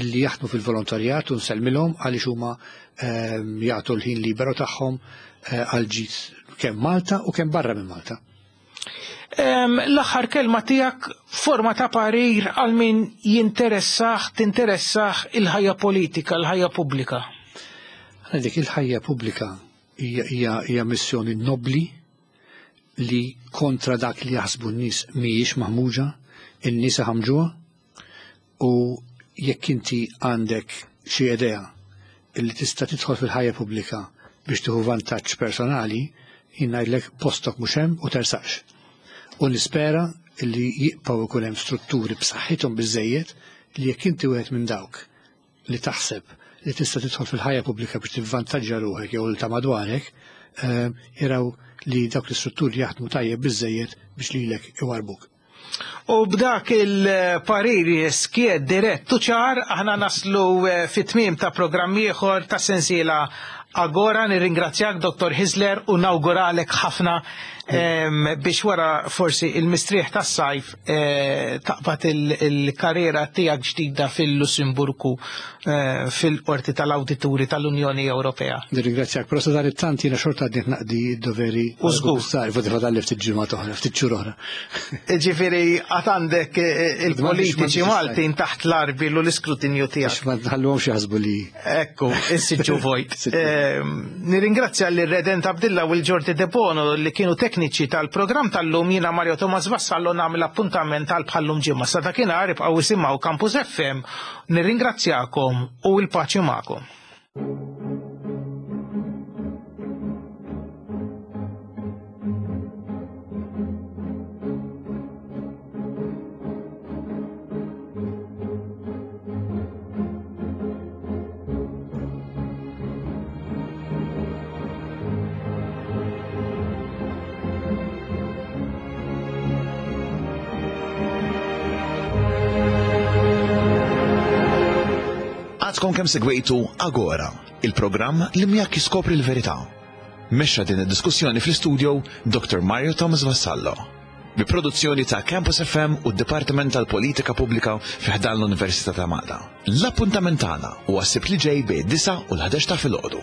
illi jaħdmu fil-volontarjat u nsellmilhom għaliex huma jagħtu l-ħin liberu tagħhom għal ġid kemm Malta u kemm barra minn Malta. L-aħħar kelma tiegħek forma ta' parir għal min jinteressah, tinteressah il-ħajja politika, il-ħajja pubblika. Dik il-ħajja pubblika hija hija missjoni nobli li kontra dak li jaħsbu n-nies mhijiex maħmuġa, in-nies ħamġuha, u jekk inti għandek xi idea illi tista' tidħol fil-ħajja pubblika biex tieħu vantaġġ personali, jien ngħidlek postok mhux hemm u tersaqx. U nispera illi jibqgħu jkun hemm strutturi b'saħħithom biżejjed li jekk inti wieħed minn dawk li taħseb li tista' tidħol fil-ħajja pubblika biex tivvantaġġa ruħek jew ta' madwarek, jaraw li dawk l-istrutturi jaħdmu tajjeb biżejjed biex lilek iwarbuk. U b'dak il-pariri skied dirett u ċar aħna naslu fit-tmiem ta' programm ieħor ta' sensiela Agora. Nirringrazzjak Dottor Hyzler u nawguralek ħafna biex wara forsi il-mistrieħ tas-sajf taqbad il-karriera tiegħek ġdida fil-Lussemburgu fil-Qorti tal-Awdituri tal-Unjoni Ewropea. Nirringrazzjak, però sa dan it-tant jiena xorta għadni naqdi d-doveri. U żgur. Fodi fadalli ftit ġimgħat oħra, ftit xhur oħra. Ġifieri għad għandek il-politiċi Maltin taħt l-arbil u l-iskrutinju tiegħek. Ma tħalluhomx jaħsbu li. Ekku, is-siġġu vojt. Nirringrazzja l-Redent Abdilla u l-Ġordi Debono li kienu tekniċi tal-programm tal-lum. Jiena Mario Thomas Vassallo nagħmel appuntament għal bħallum ġimgħa. Sa dakinhar ibqgħu isimgħu Campus F M. Nirringrazzjakom u l-paċi magħkom. Għadkom kemm segwejtu Agora, il-programm li miegħek jiskopri l-verità. Mexxa din id-diskussjoni fl-istudio Doctor Mario Thomas Vassallo. Bi produzzjoni ta' Campus F M u d-Dipartiment tal-Politika Pubblika fi ħdan l-Università ta' Malta. L-appuntament tagħna huwa s-Sibt li ġej bejn disa' u l-ħdax ta' filgħodu.